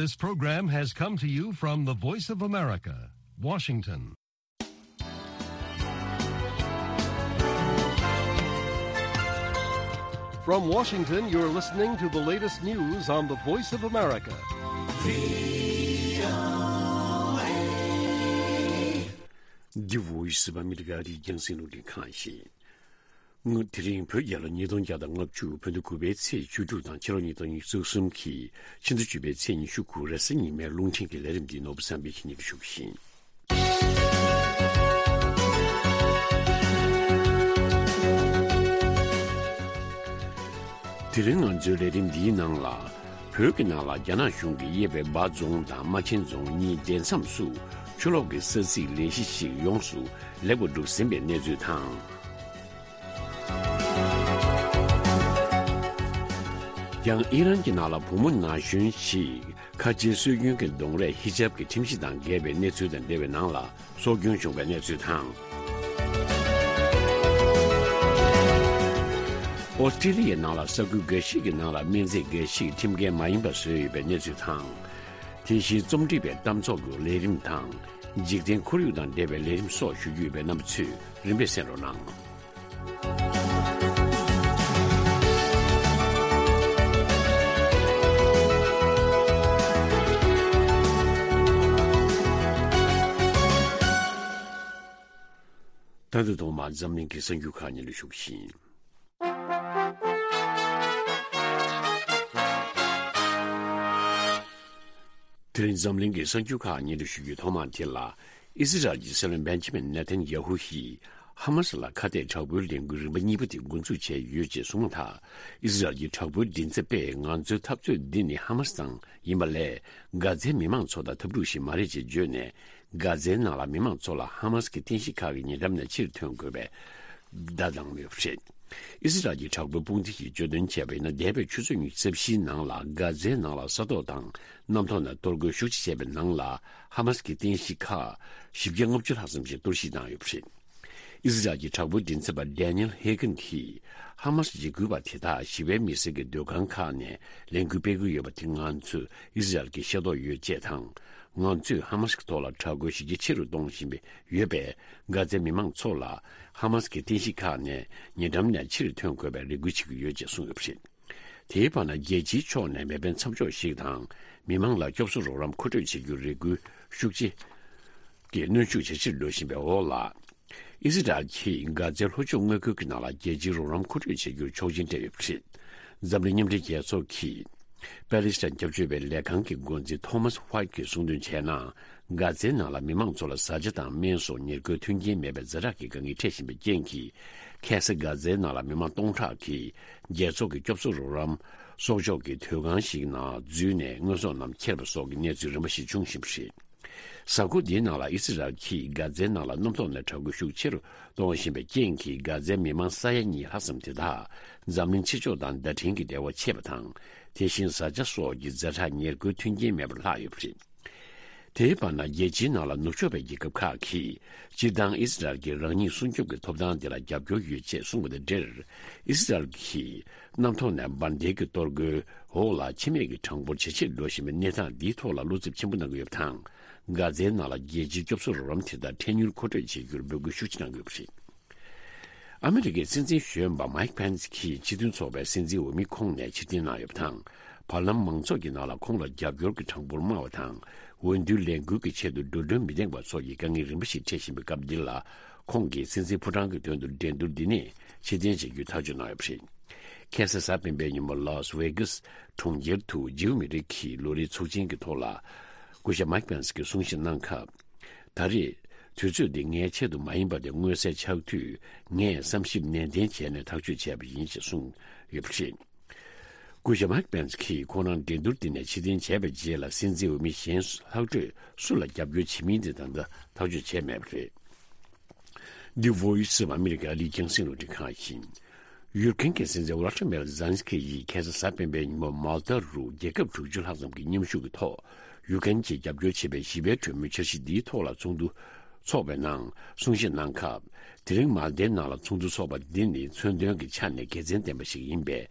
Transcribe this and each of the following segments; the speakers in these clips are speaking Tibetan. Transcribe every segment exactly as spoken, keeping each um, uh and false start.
This program has come to you from the Voice of America, Washington. From Washington, you're listening to the latest news on the Voice of America. The Voice of America. རྒྱང་སྲིང་རླུང་འཕྲིན་ཁང་ཡིན། དེ་རིང་བོད་རྒྱལ་ལོ་ཉིས་སྟོང་བརྒྱ་དང་ལྔ་བཅུ། བོད་ཟླ་དགུ་པའི་ཚེས་བཅུ་དྲུག་དང་ཕྱི་ལོ་ཉིས་སྟོང་ཉི་ཤུ་རྩ་གསུམ་གྱི་ཕྱི་ཟླ་བཅུ་པའི་ཚེས་ཉི་ཤུ་དགུ་རེས་གཟའ་ཉི་མའི་རླུང་འཕྲིན་གྱི་ལས་རིམ་འདི་ནོར་བུ་བསམ་འཕེལ་གྱིས་སྙན་སྒྲོན་ཞུ་གི་ཡིན། དེ་རིང་ང་ཚོའི་ལས་རིམ་འདིའི་ནང་ལ། བོད་ཀྱི་ནང་ལ་རྒྱ་ནག་གཞུང་གིས་དབྱེ་བའི་འབའ་རྫོང་དང་རྨ་ཆེན་རྫོང་གཉིས་སྡེ་མཚམས་སུ་ཆུ་ལོག་གི་ས་ཚིགས་ལས་གཞི་ཞིག་ཡོངས་སུ་ལེགས་པར་གྲུབ་ཟིན་པའི་གནས་ཚུལ་དང་། ཡང་ཨི་རན་གྱི་ནང་ལ་བུ་མོ་ན་གཞོན་ཞིག་ཁ་ཆེའི་སྲོལ་རྒྱུན་གྱི་གདོང་རས་ཧི་ཇབ་ཀྱི་ཁྲིམས་གཞི་དང་འགལ་བའི་གནས་ཚུལ་དང་འབྲེལ་བའི་ནང་ལ་སྲོག་སྐྱོན་བྱུང་བའི་གནས་ཚུལ་དང་། ཨོ་སི་ཀྲི་ལི་ཡའི་ནང་ལ་ས་ཁུལ་འགའ་ཞིག་གི་ནང་ལ་སྨན་རྫས་འགའ་ཞིག་ཁྲིམས་འགལ་མ་ཡིན་པ་བཟོས་ཡོད་པའི་གནས་ཚུལ་དང་། དེ་བཞིན་རྩོམ་སྒྲིག་པའི་གཏམ་ཚོགས་ཀྱི་ལས་རིམ་དང་། འཇིག་རྟེན་ཁོར་ཡུག་དང་འབྲེལ་བའི་ལས་རིམ་སོགས་ཞུ་རྒྱུ་ཡོད་པས་རྣམ་པ་ཚོས་རིམ་པས་གསན་རོགས་གནང་། ད་དུང་ཐོག་མར་འཛམ་གླིང་གི་གསར་འགྱུར་ཁག་སྙན་སྒྲོན་ཞུ་གི་ཡིན། དེ་རིང་འཛམ་གླིང་གི་གསར་འགྱུར་ཁག་སྙན་སྒྲོན་ཞུ་རྒྱུའི་ཐོག་མ་དེ་ལ། ཨི་སི་རལ་གྱི་སྲིད་བློན་བེན་ཇི་མིན་ནེ་ཐན་ཡ་ཧུ་ཡིས་ཧ་མ་སི་ལ་ཁ་གཏད་དྲག་པོའི་ལས་འགུལ་རིམ་པ་གཉིས་པ་དེ་འགོ་འཛུགས་བྱས་ཡོད་ཅེས་གསུངས་མ་ཐག་ཨི་སི་རལ་གྱི་དྲག་པོའི་མགྲིན་ཚབ་པས་ང་ཚོའི་འཐབ་རྩོད་འདི་ནི་ཧ་མ་སི་དང་ཡིན་པ་ལས། གྷ་ཛའི་མི་མང་ཚོ་དང་འཐབ་འཁྲུག་ཞིག་མ་རེད་ཅེས་བརྗོད་ནས། གྷ་ཛའི་ནང་ལ་མི་མང་ཚོ་ལ་ཧ་མ་སི་གི་རྟེན་གཞི་ཁག་གི་ཉེ་འགྲམ་ནས་ཕྱིར་ཐོན་དགོས་པའི་བརྡ་བཏང་ཡོད་པ་རེད། ཨི་སི་རལ་གྱི་དྲག་པོའི་དཔུང་སྡེ་ཞིག་བརྗོད་དོན་བྱས་པ་ཡིན་ན། འདས་པའི་ཆུ་ཚོད་ཉི་ཤུ་རྩ་བཞིའི་ནང་ལ་གྷ་ཛའི་ནང་ལ་ས་ཐོག་དང་གནམ་ཐོག་ནས་གཏོར་རྒོལ་ཤུགས་ཆེ་བྱས་པའི་ནང་ལ་ཧ་མ་སི་གི་རྟེན་གཞི་ཁག་བཞི་བརྒྱ་ལྔ་བཅུ་ལྷག་ཙམ་ཞིག་གཏོར་བཤིག་བཏང་ཡོད་པ་རེད། ཨི་སི་རལ་གྱི་དྲག་པོའི་མགྲིན་ཚབ་པ་ཌེ་ནི་ཨེལ་ཧེ་གན་གྱིས་ཧ་མ་སི་འཇིགས་སྐུལ་བ་དེ་དག་ཞི་བའི་མི་སེར་གྱི་སྡོད་ཁང་ཁག་ནས་ལས་འགུལ་སྤེལ་གྱི་ཡོད་པ་དེ་ང་ཚོས་ཨི་སི་རལ་གྱི་ཤེས་རྟོགས་ཡོད་ཅེས་དང་། ང་ཚོས་ཧ་མ་སི་གི་ཐོག་ལ་དྲག་རྒོལ་ཞི་རྒྱས་ཆེ་རུ་གཏོང་བཞིན་པའི་ཡོད་པས། གྷ་ཛའི་མི་མང་ཚོ་ལ་ཧ་མ་སི་གི་རྟེན་གཞི་ཁག་ནས་ཉེ་འགྲམ་ནས་ཕྱིར་ཐོན་དགོས་པའི་རེ་སྐུལ་བྱེད་ཀྱི་ཡོད་ཅེས་གསུངས་ཡོད་པ་རེད། དེའི་བར་ན་རྒྱལ་སྤྱིའི་ཕྱོགས་ནས་མེ་འཕེན་མཚམས་འཇོག་ཞིག་དང་། མི་མང་ལ་སྐྱོབ་གསོ་རོགས་རམ་མཁོ་སྤྲོད་བྱེད་རྒྱུར་རེ་སྐུལ་ཤུགས་ཆེ་གི་གནོན་ཤུགས་ཇེ་ཆེར་འགྲོ་བཞིན་པའི་འོག་ལ། ཨི་སི་རལ་གྱིས་གྷ་ཛའི་ལྷོ་ཕྱོགས་མངའ་ཁུལ་གྱི་ནང་ལ་རྒྱལ་སྤྱིའི་རོགས་རམ་མཁོ་སྤྲོད་བྱེད་རྒྱུར་ཆོག་མཆན་སྤྲད་ཡོད་པ་རེད། འཛམ་གླིང་མཉམ་འབྲེལ་རྒྱལ་ཚོགས་ཀྱིས་པེ་ལི་སི་ཐན་སྐྱབས་བཅོལ་བའི་ལས་ཁང་གི་འགོ་འཛིན་ཐོ་མཱས་ཧུའེ་ཊི་གིས་གསུངས་དོན་བྱས་ན། གྷ་ཛའི་ནང་ལ་མི་མང་ཚོ་ལ་བཟའ་བཅའ་དང་སྨན་སོགས་ཉེར་མཁོའི་མཐུན་རྐྱེན་མེད་པའི་ཛ་དྲག་གི་དཀའ་ངལ་འཕྲད་བཞིན་པའི་རྐྱེན་གྱིས། ཁ་སང་གྷ་ཛའི་ནང་ལ་མི་མང་སྟོང་ཕྲག་གིས་རྒྱལ་ཚོགས་ཀྱི་སྐྱོབ་གསོ་རོགས་རམ་གསོག་འཇོག་གི་སྡོད་ཁང་ཞིག་ནང་འཛུལ་ནས་དངོས་ཟོག་རྣམས་ཁྱེར་བ་སོགས་ཀྱི་གནས་ཚུལ་རིམ་པ་ཞིག་བྱུང་བཞིན་པ་རེད། གཟའ་འཁོར་འདིའི་ནང་ལ་ཨི་སི་རལ་གྱིས་གྷ་ཛའི་ནང་ལ་གནམ་ཐོག་ནས་དྲག་རྒོལ་ཤུགས་ཆེ་རུ་གཏོང་བཞིན་པའི་རྐྱེན་གྱིས། གྷ་ཛའི་མི་མང་ས་ཡ་གཉིས་ལྷག་ཙམ་དེ་དག་འཛམ་གླིང་ཕྱི་ཕྱོགས་དང་བརྡ་འཕྲིན་གྱི་འབྲེལ་བ་ཆད་པ་དང་། དེ་བཞིན་བཟའ་བཅའ་སོགས་ཀྱི་ཛ་དྲག་ཉེར་མཁོའི་མཐུན་རྐྱེན་མེད་པར་ལྷག་ཡོད་པ་རེད། དེའི་བར་ན། རྒྱལ་སྤྱིའི་ནང་ལ་ནུབ་ཕྱོགས་པའི་རྒྱལ་ཁབ་ཁག་གིས་སྤྱིར་བཏང་ཨི་སི་རལ་གྱིས་རང་ཉིད་སྲུང་སྐྱོབ་ཀྱི་ཐོབ་ཐང་དེ་ལ་རྒྱབ་སྐྱོར་ཡོད་ཅེས་གསུངས་པ་དང་འབྲེལ། ཨི་སི་རལ་གྱིས་གནམ་ཐོག་ནས་འབར་མདེལ་གྱི་གཏོར་རྒོལ་འོག་ལ་འཆི་རྨས་ཀྱི་གྲངས་འབོར་ཇེ་ཆེར་འགྲོ་བཞིན་པའི་གནས་སྟངས་འདིའི་ཐོག་ལ་བློ་འཚབ་ཆེན་པོ་གནང་གི་ཡོད་པ་དང་། གྷ་ཛའི་ནང་ལ་རྒྱལ་སྤྱིའི་སྐྱོབ་གསོ་རོགས་རམ་དེ་དག་འཕྲལ་མྱུར་མཁོ་སྤྲོད་བྱེད་རྒྱུར་འབོད་སྐུལ་ཤུགས་ཆེ་གནང་གི་ཡོད་པ་རེད། ཨ་མི་རི་ཀའི་སྲིད་འཛིན་གཞོན་པ་མའིག་ཕེན་སི་གྱིས་སྤྱི་མཐུན་ཚོགས་པའི་སྲིད་འཛིན་འོས་མི་ཁོངས་ནས་ཕྱིར་འཐེན་གནང་ཡོད་པ་དང་། བར་ལམ་མང་ཚོགས་ཀྱི་ནང་ལ་ཁོང་ལ་རྒྱབ་སྐྱོར་གྱི་གྲངས་འབོར་དམའ་བ་དང་། འོས་བསྡུའི་ལས་འགུལ་གྱི་ཆེད་དུ་འགྲོ་གྲོན་མི་འདེང་བ་སོགས་ཀྱི་དཀའ་ངལ་རིམ་པ་ཞིག་འཕྲད་བཞིན་པའི་སྐབས་འདི་ལ། ཁོང་གིས་སྲིད་འཛིན་ཕོ་བྲང་གི་དོན་དུ་འགྲན་བསྡུར་འདི་ནས་ཕྱིར་འཐེན་བྱེད་རྒྱུའི་ཐག་གཅོད་གནང་ཡོད་པ་རེད། ཁ་སང་གཟའ་སྤེན་པའི་ཉིན་མོ་ལཱ་སི་ཝེ་གྷ་སི་གྲོང་ཁྱེར་དུ་ཇིའུ་མི་རིགས་ཀྱི་ལོ་རེའི་ཚོགས་ཆེན་གྱི་ཐོག་ལ། སྐུ་ཞབས་མའིག་པེན་སི་གིས་གསུང་བཤད་གནང་སྐབས། ད་རེས་དུས་ཚོད་འདི་ངའི་ཆེད་དུ་མ་ཡིན་པ་དེ་མངོན་གསལ་ཆགས་དུས། ངས་བསམ་ཞིབ་ནན་ཏན་བྱས་ནས་ཐག་གཅོད་བྱས་པ་ཡིན་ཞེས་གསུངས་ཡོད་པ་རེད། སྐུ་ཞབས་མའིག་པེན་སི་གིས་ཁོང་རང་འགྲན་བསྡུར་འདི་ནས་ཕྱིར་འཐེན་བྱས་པའི་རྗེས་ལ། སྲིད་འཛིན་འོས་མི་གཞན་ལྷག་འཕྲོས་སུ་ལ་རྒྱབ་སྐྱོར་བྱེད་མིན་དེ་ད་ལྟ་ཐག་གཅོད་བྱས་མེད་པ་རེད། འདི་Voice of America ཨ་རིའི་རྒྱང་སྲིང་རླུང་འཕྲིན་ཁང་ཡིན། ཡུཀ་རེན་གྱི་སྲིད་འཛིན་ཝོ་ལོ་ཏི་མེར་ཛེ་ལན་སི་ཀི་ཡིས་ཁ་སང་གཟའ་སྤེན་པའི་ཉིན་མོ་མཱལ་ཏཱ་རུ་རྒྱལ་ཁབ་དྲུག་ཅུ་ལྷག་ཙམ་གྱི་མཉམ་ཞུགས་ཀྱི་ཐོག་ཡུཀ་རེན་གྱིས་རྒྱབ་སྐྱོར་བྱེད་པའི་ཞི་བའི་གྲོས་མོལ་འཆར་གཞི་འདིའི་ཐོག་ལ་ཚོགས་འདུ་འཚོགས་པའི་ནང་གསུང་བཤད་གནང་སྐབས། དེ་རིང་མཱལ་ཏཱའི་ནང་ལ་ཚོགས་འདུ་འཚོགས་པ་འདི་ནི་མཚོན་དོན་གྱི་ཆ་ནས་དགེ་མཚན་ལྡན་པ་ཞིག་ཡིན་པས།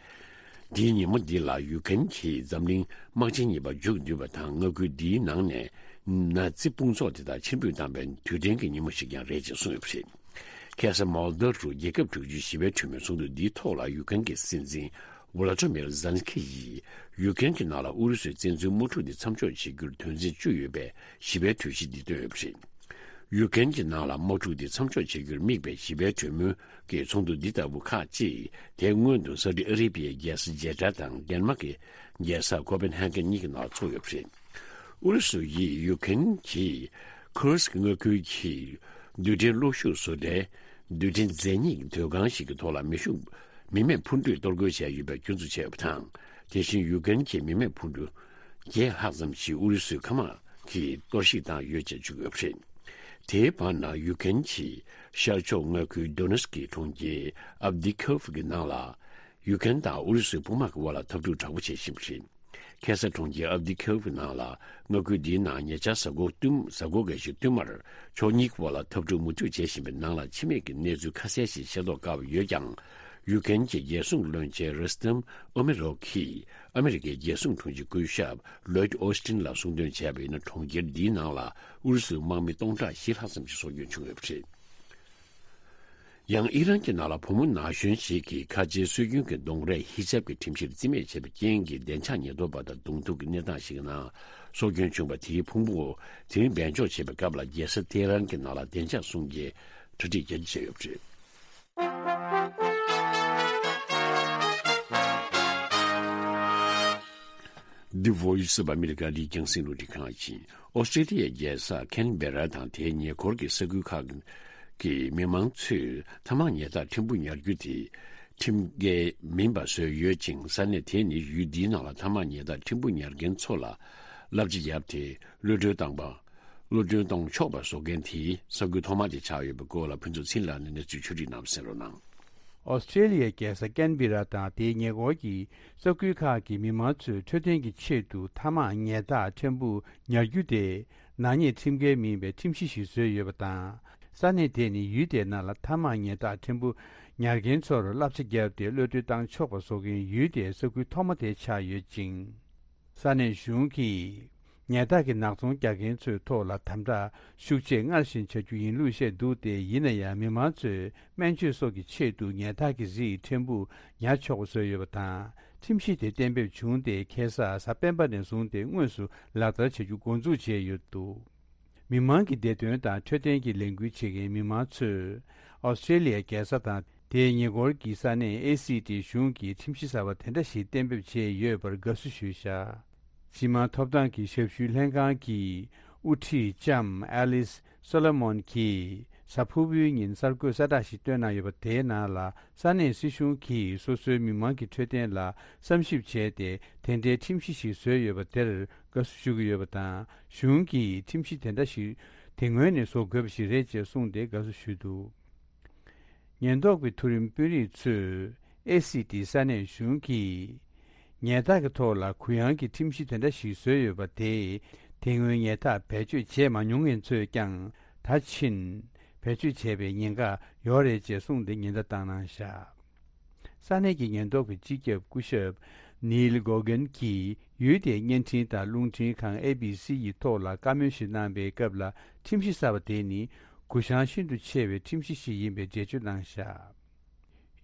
འདིའི་ཉིན་མོ་འདི་ལ་ཡུ་ཀེན་གྱིས་འཛམ་གླིང་དམག་ཆེན་གཉིས་པ་མཇུག་བསྡུས་པ་དང་། མངའ་ཁུལ་འདིའི་ནང་ནས་ནཱ་ཛི་དཔུང་ཚོགས་དེ་དག་ཕྱིར་འབུད་བཏང་བའི་དུས་དྲན་གྱི་ཉིན་མོ་ཞིག་ཀྱང་རེད་ཅེས་གསུངས་ཡོད་པ་རེད། ཁ་སང་མོལ་ཌོ་ཝ་རུ་རྒྱལ་ཁབ་དྲུག་ཅུའི་ཞི་བའི་གྲོས་མོལ་ཚོགས་འདུ་འདིའི་ཐོག་ལ་ཡུ་ཀེན་གྱི་སྲིད་འཛིན་ཝོ་ལོ་ཏི་མིར་ཛེ་ལན་སི་ཀི་ཡིས་ཡུ་ཀེན་གྱི་ནང་ལ་ཨུ་རུ་སུའི་བཙན་འཛུལ་དམག་འཁྲུག་འདི་མཚམས་འཇོག་བྱེད་རྒྱུར་དོན་ཚན་བཅུ་ཡོད་པའི་ཞི་བའི་གྲོས་གཞི་འདི་བཏོན་ཡོད་པ་རེད། ཡུ་ཀེན་གྱི་ནང་ལ་དམག་འཁྲུག་འདི་མཚམས་འཇོག་བྱེད་རྒྱུར་དམིགས་པའི་ཞི་བའི་གྲོས་མོལ་གྱི་ཚོགས་འདུ་འདི་ལྟ་བུ་ཁག་ཅིག་དེ་སྔོན་དུ་སཱ་ཨུ་ཌི་ཨ་རེ་བྷི་ཡའི་རྒྱལ་ས་ཇེ་ཀྲ་དང་ལྡན་མ་གི་རྒྱལ་ས་ཀོ་པེན་ཧེ་གྷན་གཉིས་ཀྱི་ནང་ཚོགས་ཡོད་པ་རེད། ཨུ་རུ་སུ་ཡིས་ཡུ་ཀེན་གྱི་ཁུར་སི་ཀི་མངའ་ཁུལ་གྱི་རྡུལ་ཕྲན་གློག་ཤུགས་བཟོ་གྲྭའི་རྡུལ་ཕྲན་རྫས་སྙིགས་སྡོད་ཁང་ཞིག་གི་ཐོག་ལ་མེ་ཤུགས་མི་མེད་འཕུར་གྲུས་གཏོར་རྒོལ་བྱས་ཡོད་པའི་སྐྱོན་འཛུགས་བྱས་ཡོད་པ་དང་། དེ་བཞིན་ཡུ་ཀེན་གྱི་མི་མེད་འཕུར་གྲུ་བརྒྱད་ལྷག་ཙམ་ཞིག་ཨུ་རུ་སུའི་མཁའ་དམག་གིས་གཏོར་བཤིག་བཏང་ཡོད་ཅེས་བརྗོད་ཀྱི་ཡོད་པ་རེད། དེའི་བར་ན་ཡུ་ཀེན་གྱི་ཤར་ཕྱོགས་མངའ་ཁུལ་ཌོ་ནེ་སི་ཀི་གྲོང་ཁྱེར་ཨབ་དི་ཁོབ་ཀྱི་ནང་ལ་ཡུ་ཀེན་དང་ཨུ་རུ་སུའི་དཔུང་དམག་གི་དབར་ལ་འཐབ་འཁྲུག་དྲག་པོ་བྱེད་བཞིན་པ་རེད། ཁ་སང་གྲོང་ཁྱེར་ཨབ་དི་ཁོབ་ཀྱི་ནང་ལ་མངའ་ཁུལ་འདིའི་ནང་ཉེ་ཆར་གཟའ་འཁོར་བསྟུད་གཟའ་འཁོར་འགའ་ཞིག་བསྟུད་མར་ཕྱོགས་གཉིས་ཀྱི་དབར་ལ་འཐབ་འཁྲུག་མུ་མཐུད་བྱེད་བཞིན་པའི་ནང་ལ་འཆི་རྨས་ཀྱི་གནས་ཚུལ་ཁ་གསལ་ཞིག་ཤེས་རྟོགས་དཀའ་བ་ཡོད་ཀྱང་། ཡུ་ཀེན་གྱི་རྒྱལ་སྲུང་བློན་ཆེན་རུ་སི་ཏམ་ཨོ་མེ་རོབ་ཀྱིས་ཨ་མེ་རི་ཀའི་རྒྱལ་སྲུང་དྲུང་ཆེ་སྐུ་ཞབས་ལོའིད་ཨོ་སི་ཏིན་ལ་གསུང་དོན་བྱས་པ་ཡིན་ན། གྲོང་ཁྱེར་འདིའི་ནང་ལ་ཨུ་རུ་སུའི་དམག་མི་སྟོང་ཕྲག་བཞི་ལྷག་ཙམ་ཞིག་སྲོག་སྐྱོན་བྱུང་ཡོད་པ་རེད། ཡང་ཨི་རན་གྱི་ནང་ལ་བུ་མོ་ན་གཞོན་ཞིག་གིས་ཁ་ཆེའི་སྲོལ་རྒྱུན་གྱི་གདོང་རས་ཧི་ཇབ་ཀྱི་ཁྲིམས་གཞིར་རྩིས་མེད་བྱས་པའི་རྐྱེན་གྱིས་བདེ་འཇགས་ཉེན་རྟོག་པ་དང་གདོང་ཐུག་གི་གནས་སྟངས་ཤིག་ནང་སྲོག་སྐྱོན་བྱུང་བ་དེའི་ཕུང་པོ་དེ་རིང་སྦས་འཇོག་བྱེད་པའི་སྐབས་ལ་རྒྱལ་ས་ཏེ་ཧ་རན་གྱི་ནང་ལ་བདེ་འཇགས་སྲུང་སྐྱོང་གྲ་སྒྲིག་རྒྱ་ཆེ་བྱས་ཡོད་པ་རེད། The Voice of America ལི་ཀྱང་སྲིད་ལུགས་འདི་གང་ཡིན། ཨོ་སི་ཀྲི་ལི་ཡའི་རྒྱལ་ས་ཁན་བེ་ར་དང་དེའི་ཉེ་འཁོར་གྱི་ས་ཁུལ་ཁག་གི་མི་མང་ཚོས་ཐ་མག་ཉལ་ཐག་ཕྲན་བུ་ཉར་རྒྱུ་དེ་ཁྲིམས་འགལ་མིན་པ་བཟོས་ཡོད་ཅིང་། ས་གནས་དེ་ནི་ཡུལ་འདིའི་ནང་ལ་ཐ་མག་ཉལ་ཐག་ཕྲན་བུ་ཉར་མཁན་ཚོ་ལ་བསླབ་བྱ་བརྒྱབ་སྟེ་གློད་གྲོལ་བཏང་པ། གློད་གྲོལ་གཏོང་ཆོག་པ་བཟོ་མཁན་དེའི་ས་ཁུལ་ཐོག་མ་དེ་ཆགས་ཡོད་པའི་སྐོར་ལ་ཕུན་ཚོགས་ཚེ་རིང་ལགས་ནས་གནས་ཚུལ་ཕྱོགས་སྒྲིག་གནང་བ་གསན་རོགས་གནང་། ཨོ་སི་ཀྲེ་ལི་ཡའི་རྒྱལ་ས་ཀན་བི་ར་དང་དེའི་ཉེ་འཁོར་གྱི་ས་ཁུལ་ཁག་གི་མི་མང་ཚོས་འཕྲོད་བསྟེན་གྱི་ཆེད་དུ་ཐ་མག་ཉལ་ཐག་ཕྲན་བུ་ཉར་རྒྱུ་དེ་ནག་ཉེས་ཁྲིམས་འགལ་མིན་པའི་ཁྲིམས་གཞི་ཞིག་བཟོས་ཡོད་པ་དང་། ས་གནས་དེ་ནི་ཡུལ་དེའི་ནང་ལ་ཐ་མག་ཉལ་ཐག་ཕྲན་བུ་ཉར་མཁན་ཚོར་བསླབ་བྱ་བརྒྱབ་སྟེ་གློད་གྲོལ་བཏང་ཆོག་པ་བཟོ་མཁན་ཡུལ་དེའི་ས་ཁུལ་ཐོག་མ་དེ་ཆགས་ཡོད་ཅིང་། ས་གནས་གཞུང་གིས་ཉལ་ཐག་གི་ནག་ཚོང་རྒྱག་མཁན་ཚོའི་ཐོག་ལ་དམ་དྲག་ཤུགས་ཆེ་སྔར་བཞིན་བྱ་རྒྱུ་ཡིན་ལུགས་བཤད་འདུག་སྟེ། ཡིན་ན་ཡང་མི་མང་ཚོས་སྨན་བཅོས་སོགས་ཀྱི་ཆེད་དུ་ཉལ་ཐག་གི་རིགས་ཕྲན་བུ་ཉར་ཆོག་པ་བཟོས་ཡོད་པ་དང་། ཁྲིམས་གཞི་དེ་གཏན་འབེབས་བྱུང་སྟེ་ཁ་སང་གཟའ་སྤེན་པ་ནས་བཟུང་སྟེ་དངོས་སུ་ལག་བསྟར་བྱ་རྒྱུ་འགོ་འཛུགས་བྱས་ཡོད་འདུག། མི་མང་གི་བདེ་དོན་དང་འཕྲོད་བསྟེན་གྱི་ལས་འགུལ་བྱེད་མཁན་མི་མང་ཚོས་ཨོ་སི་ཀྲེ་ལི་ཡའི་རྒྱལ་ས་དང་དེའི་ཉེ་འཁོར་གྱི་ས་གནས་ཨེ་སི་ཊི་གཞུང་གིས་ཁྲིམས་གཞི་གསར་པ་དེ་འདྲ་ཞིག་གཏན་འབེབས་བྱས་ཡོད་པར་དགའ་བསུ་ཞུས་བཞག། སྤྱི་དམངས་ཐོབ་ཐང་གི་ཞབས་ཞུའི་ལྷན་ཁང་གི་དབུ་ཁྲིད་ལྕམ་ཨེ་ལིས་སོ་ལོ་མོན་གྱིས་གཟའ་ཕུར་བུའི་ཉིན་གསར་འགོད་གསལ་བསྒྲགས་ཤིག་བཏོན་གནང་ཡོད་པ། དེའི་ནང་ལ་ས་གནས་སྲིད་གཞུང་གིས་སོ་སོའི་མི་མང་གི་འཕྲོད་བསྟེན་ལ་བསམ་ཞིབ་བྱས་ཏེ་དེ་འདྲའི་ཁྲིམས་གཞི་ཞིག་བཟོས་ཡོད་པ་དེར་དགའ་བསུ་ཞུ་གི་ཡོད་པ་དང་། གཞུང་གིས་ཁྲིམས་གཞི་དེ་འདྲ་ཞིག་དེ་སྔོན་ནས་བཟོ་དགོས་པ་ཞིག་རེད་ཅེས་གསུངས་ཏེ་དགའ་བསུ་ཞུས་འདུག། ཉེན་རྟོག་པའི་མཐོ་རིམ་དཔོན་རིགས་ཚོས་ཨེ་སི་ཊི་ས་གནས་གཞུང་གིས་ཉལ་ཐག་གི་ཐོག་ལ་གུ་ཡངས་ཀྱི་ཁྲིམས་གཞི་དེ་འདྲ་ཞིག་བཟོས་ཡོད་པ་དེས། དེ་སྔོན་ཉལ་ཐག་བེད་སྤྱོད་བྱས་མ་མྱོང་མཁན་ཚོས་ཀྱང་ད་ཕྱིན་བེད་སྤྱོད་བྱས་པའི་ཉེན་ཁ་ཡོད་རེད་ཅེས་གསུངས་ཏེ་ཉེན་བརྡ་བཏང་གནང་བཞག། ས་གནས་ཀྱི་ཉེན་རྟོག་པའི་སྤྱི་ཁྱབ་སྐུ་ཞབས་ནིལ་གོ་གན་གྱིས་ཡུལ་དེའི་བརྙན་འཕྲིན་དང་རླུང་འཕྲིན་ཁང་ཨེ་བི་སི་ཡི་ཐོག་ལ་བཀའ་མོལ་ཞིག་གནང་པའི་སྐབས་ལ། ཁྲིམས་གཞི་གསར་པ་དེ་ནི་གུ་ཡངས་ཤིན་ཏུ་ཆེ་བའི་ཁྲིམས་གཞི་ཞིག་ཡིན་པའི་འགྲེལ་བརྗོད་གནང་བཞག།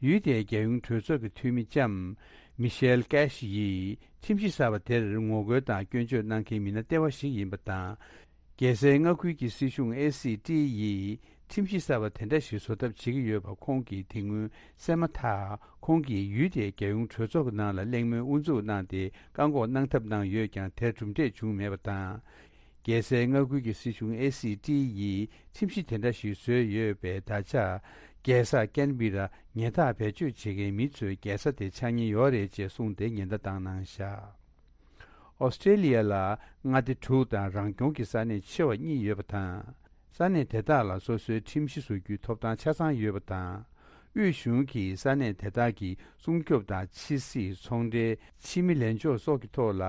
ཡུལ་དེའི་རྒྱལ་ཡོངས་གྲོས་ཚོགས་ཀྱི་འཐུས་མི་ལྕམ་མི་ཤེལ་ཀེ་ཤི་ཡིས་ཁྲིམས་གཞི་གསར་པ་དེར་ངོ་རྒོལ་དང་སྐྱོན་བརྗོད་གནང་མཁན་མི་སྣ་ལྟེ་བ་ཞིག་ཡིན་པ་དང་། རྒྱལ་སའི་མངའ་ཁུལ་གྱི་སྲིད་གཞུང་ཨེ་སི་ཊི་ཡིས་ཁྲིམས་གཞི་གསར་པ་དེ་འདྲ་ཞིག་བཟོ་ཐབས་བྱེད་ཀྱི་ཡོད་པ་ཁོང་གིས་དེ་སྔོན་གསན་མ་ཐག། ཁོང་གིས་ཡུལ་དེའི་རྒྱལ་ཡོངས་གྲོས་ཚོགས་ཀྱི་ནང་ལ་གླེང་མོལ་དབུ་འཛུགས་གནང་སྟེ་བཀག་འགོག་གནང་ཐབས་གནང་ཡོད་ཀྱང་། དེར་གྲུབ་འབྲས་བྱུང་མེད་པ་དང་། རྒྱལ་སའི་མངའ་ཁུལ་གྱི་སྲིད་གཞུང་ཨེ་སི་ཊི་ཡིས་ཁྲིམས་གཞི་དེ་འདྲ་ཞིག་བཟོས་ཡོད་པས། ད་ཆ་རྒྱལ་ས་ཀན་བི་ར་ཉལ་ཐག་བེད་སྤྱོད་བྱེད་མཁན་མི་ཚོའི་རྒྱལ་ས་དེ་ཆགས་ཉེན་ཡོད་རེད་ཅེས་གསུངས་ཏེ་ཉེན་བརྡ་བཏང་གནང་བཞག། ཨོ་སི་ཀྲེ་ལི་ཡ་ལ་མངའ་སྡེ་དྲུག་དང་རང་སྐྱོང་གི་ས་གནས་ཆེ་བ་གཉིས་ཡོད་པ་དང་། ས་གནས་དེ་དག་ལ་སོ་སོའི་ཁྲིམས་གཞི་བཟོ་རྒྱུའི་ཐོབ་ཐང་ཆ་ཚང་ཡོད་པ་དང་། དབུས་གཞུང་གིས་ས་གནས་དེ་དག་གི་སྲུང་སྐྱོབ་དང་། ཕྱི་སྲིད། ཚོང་འབྲེལ། ཕྱི་མི་ལེན་ཕྱོགས་སོགས་ཀྱི་ཐོག་ལ་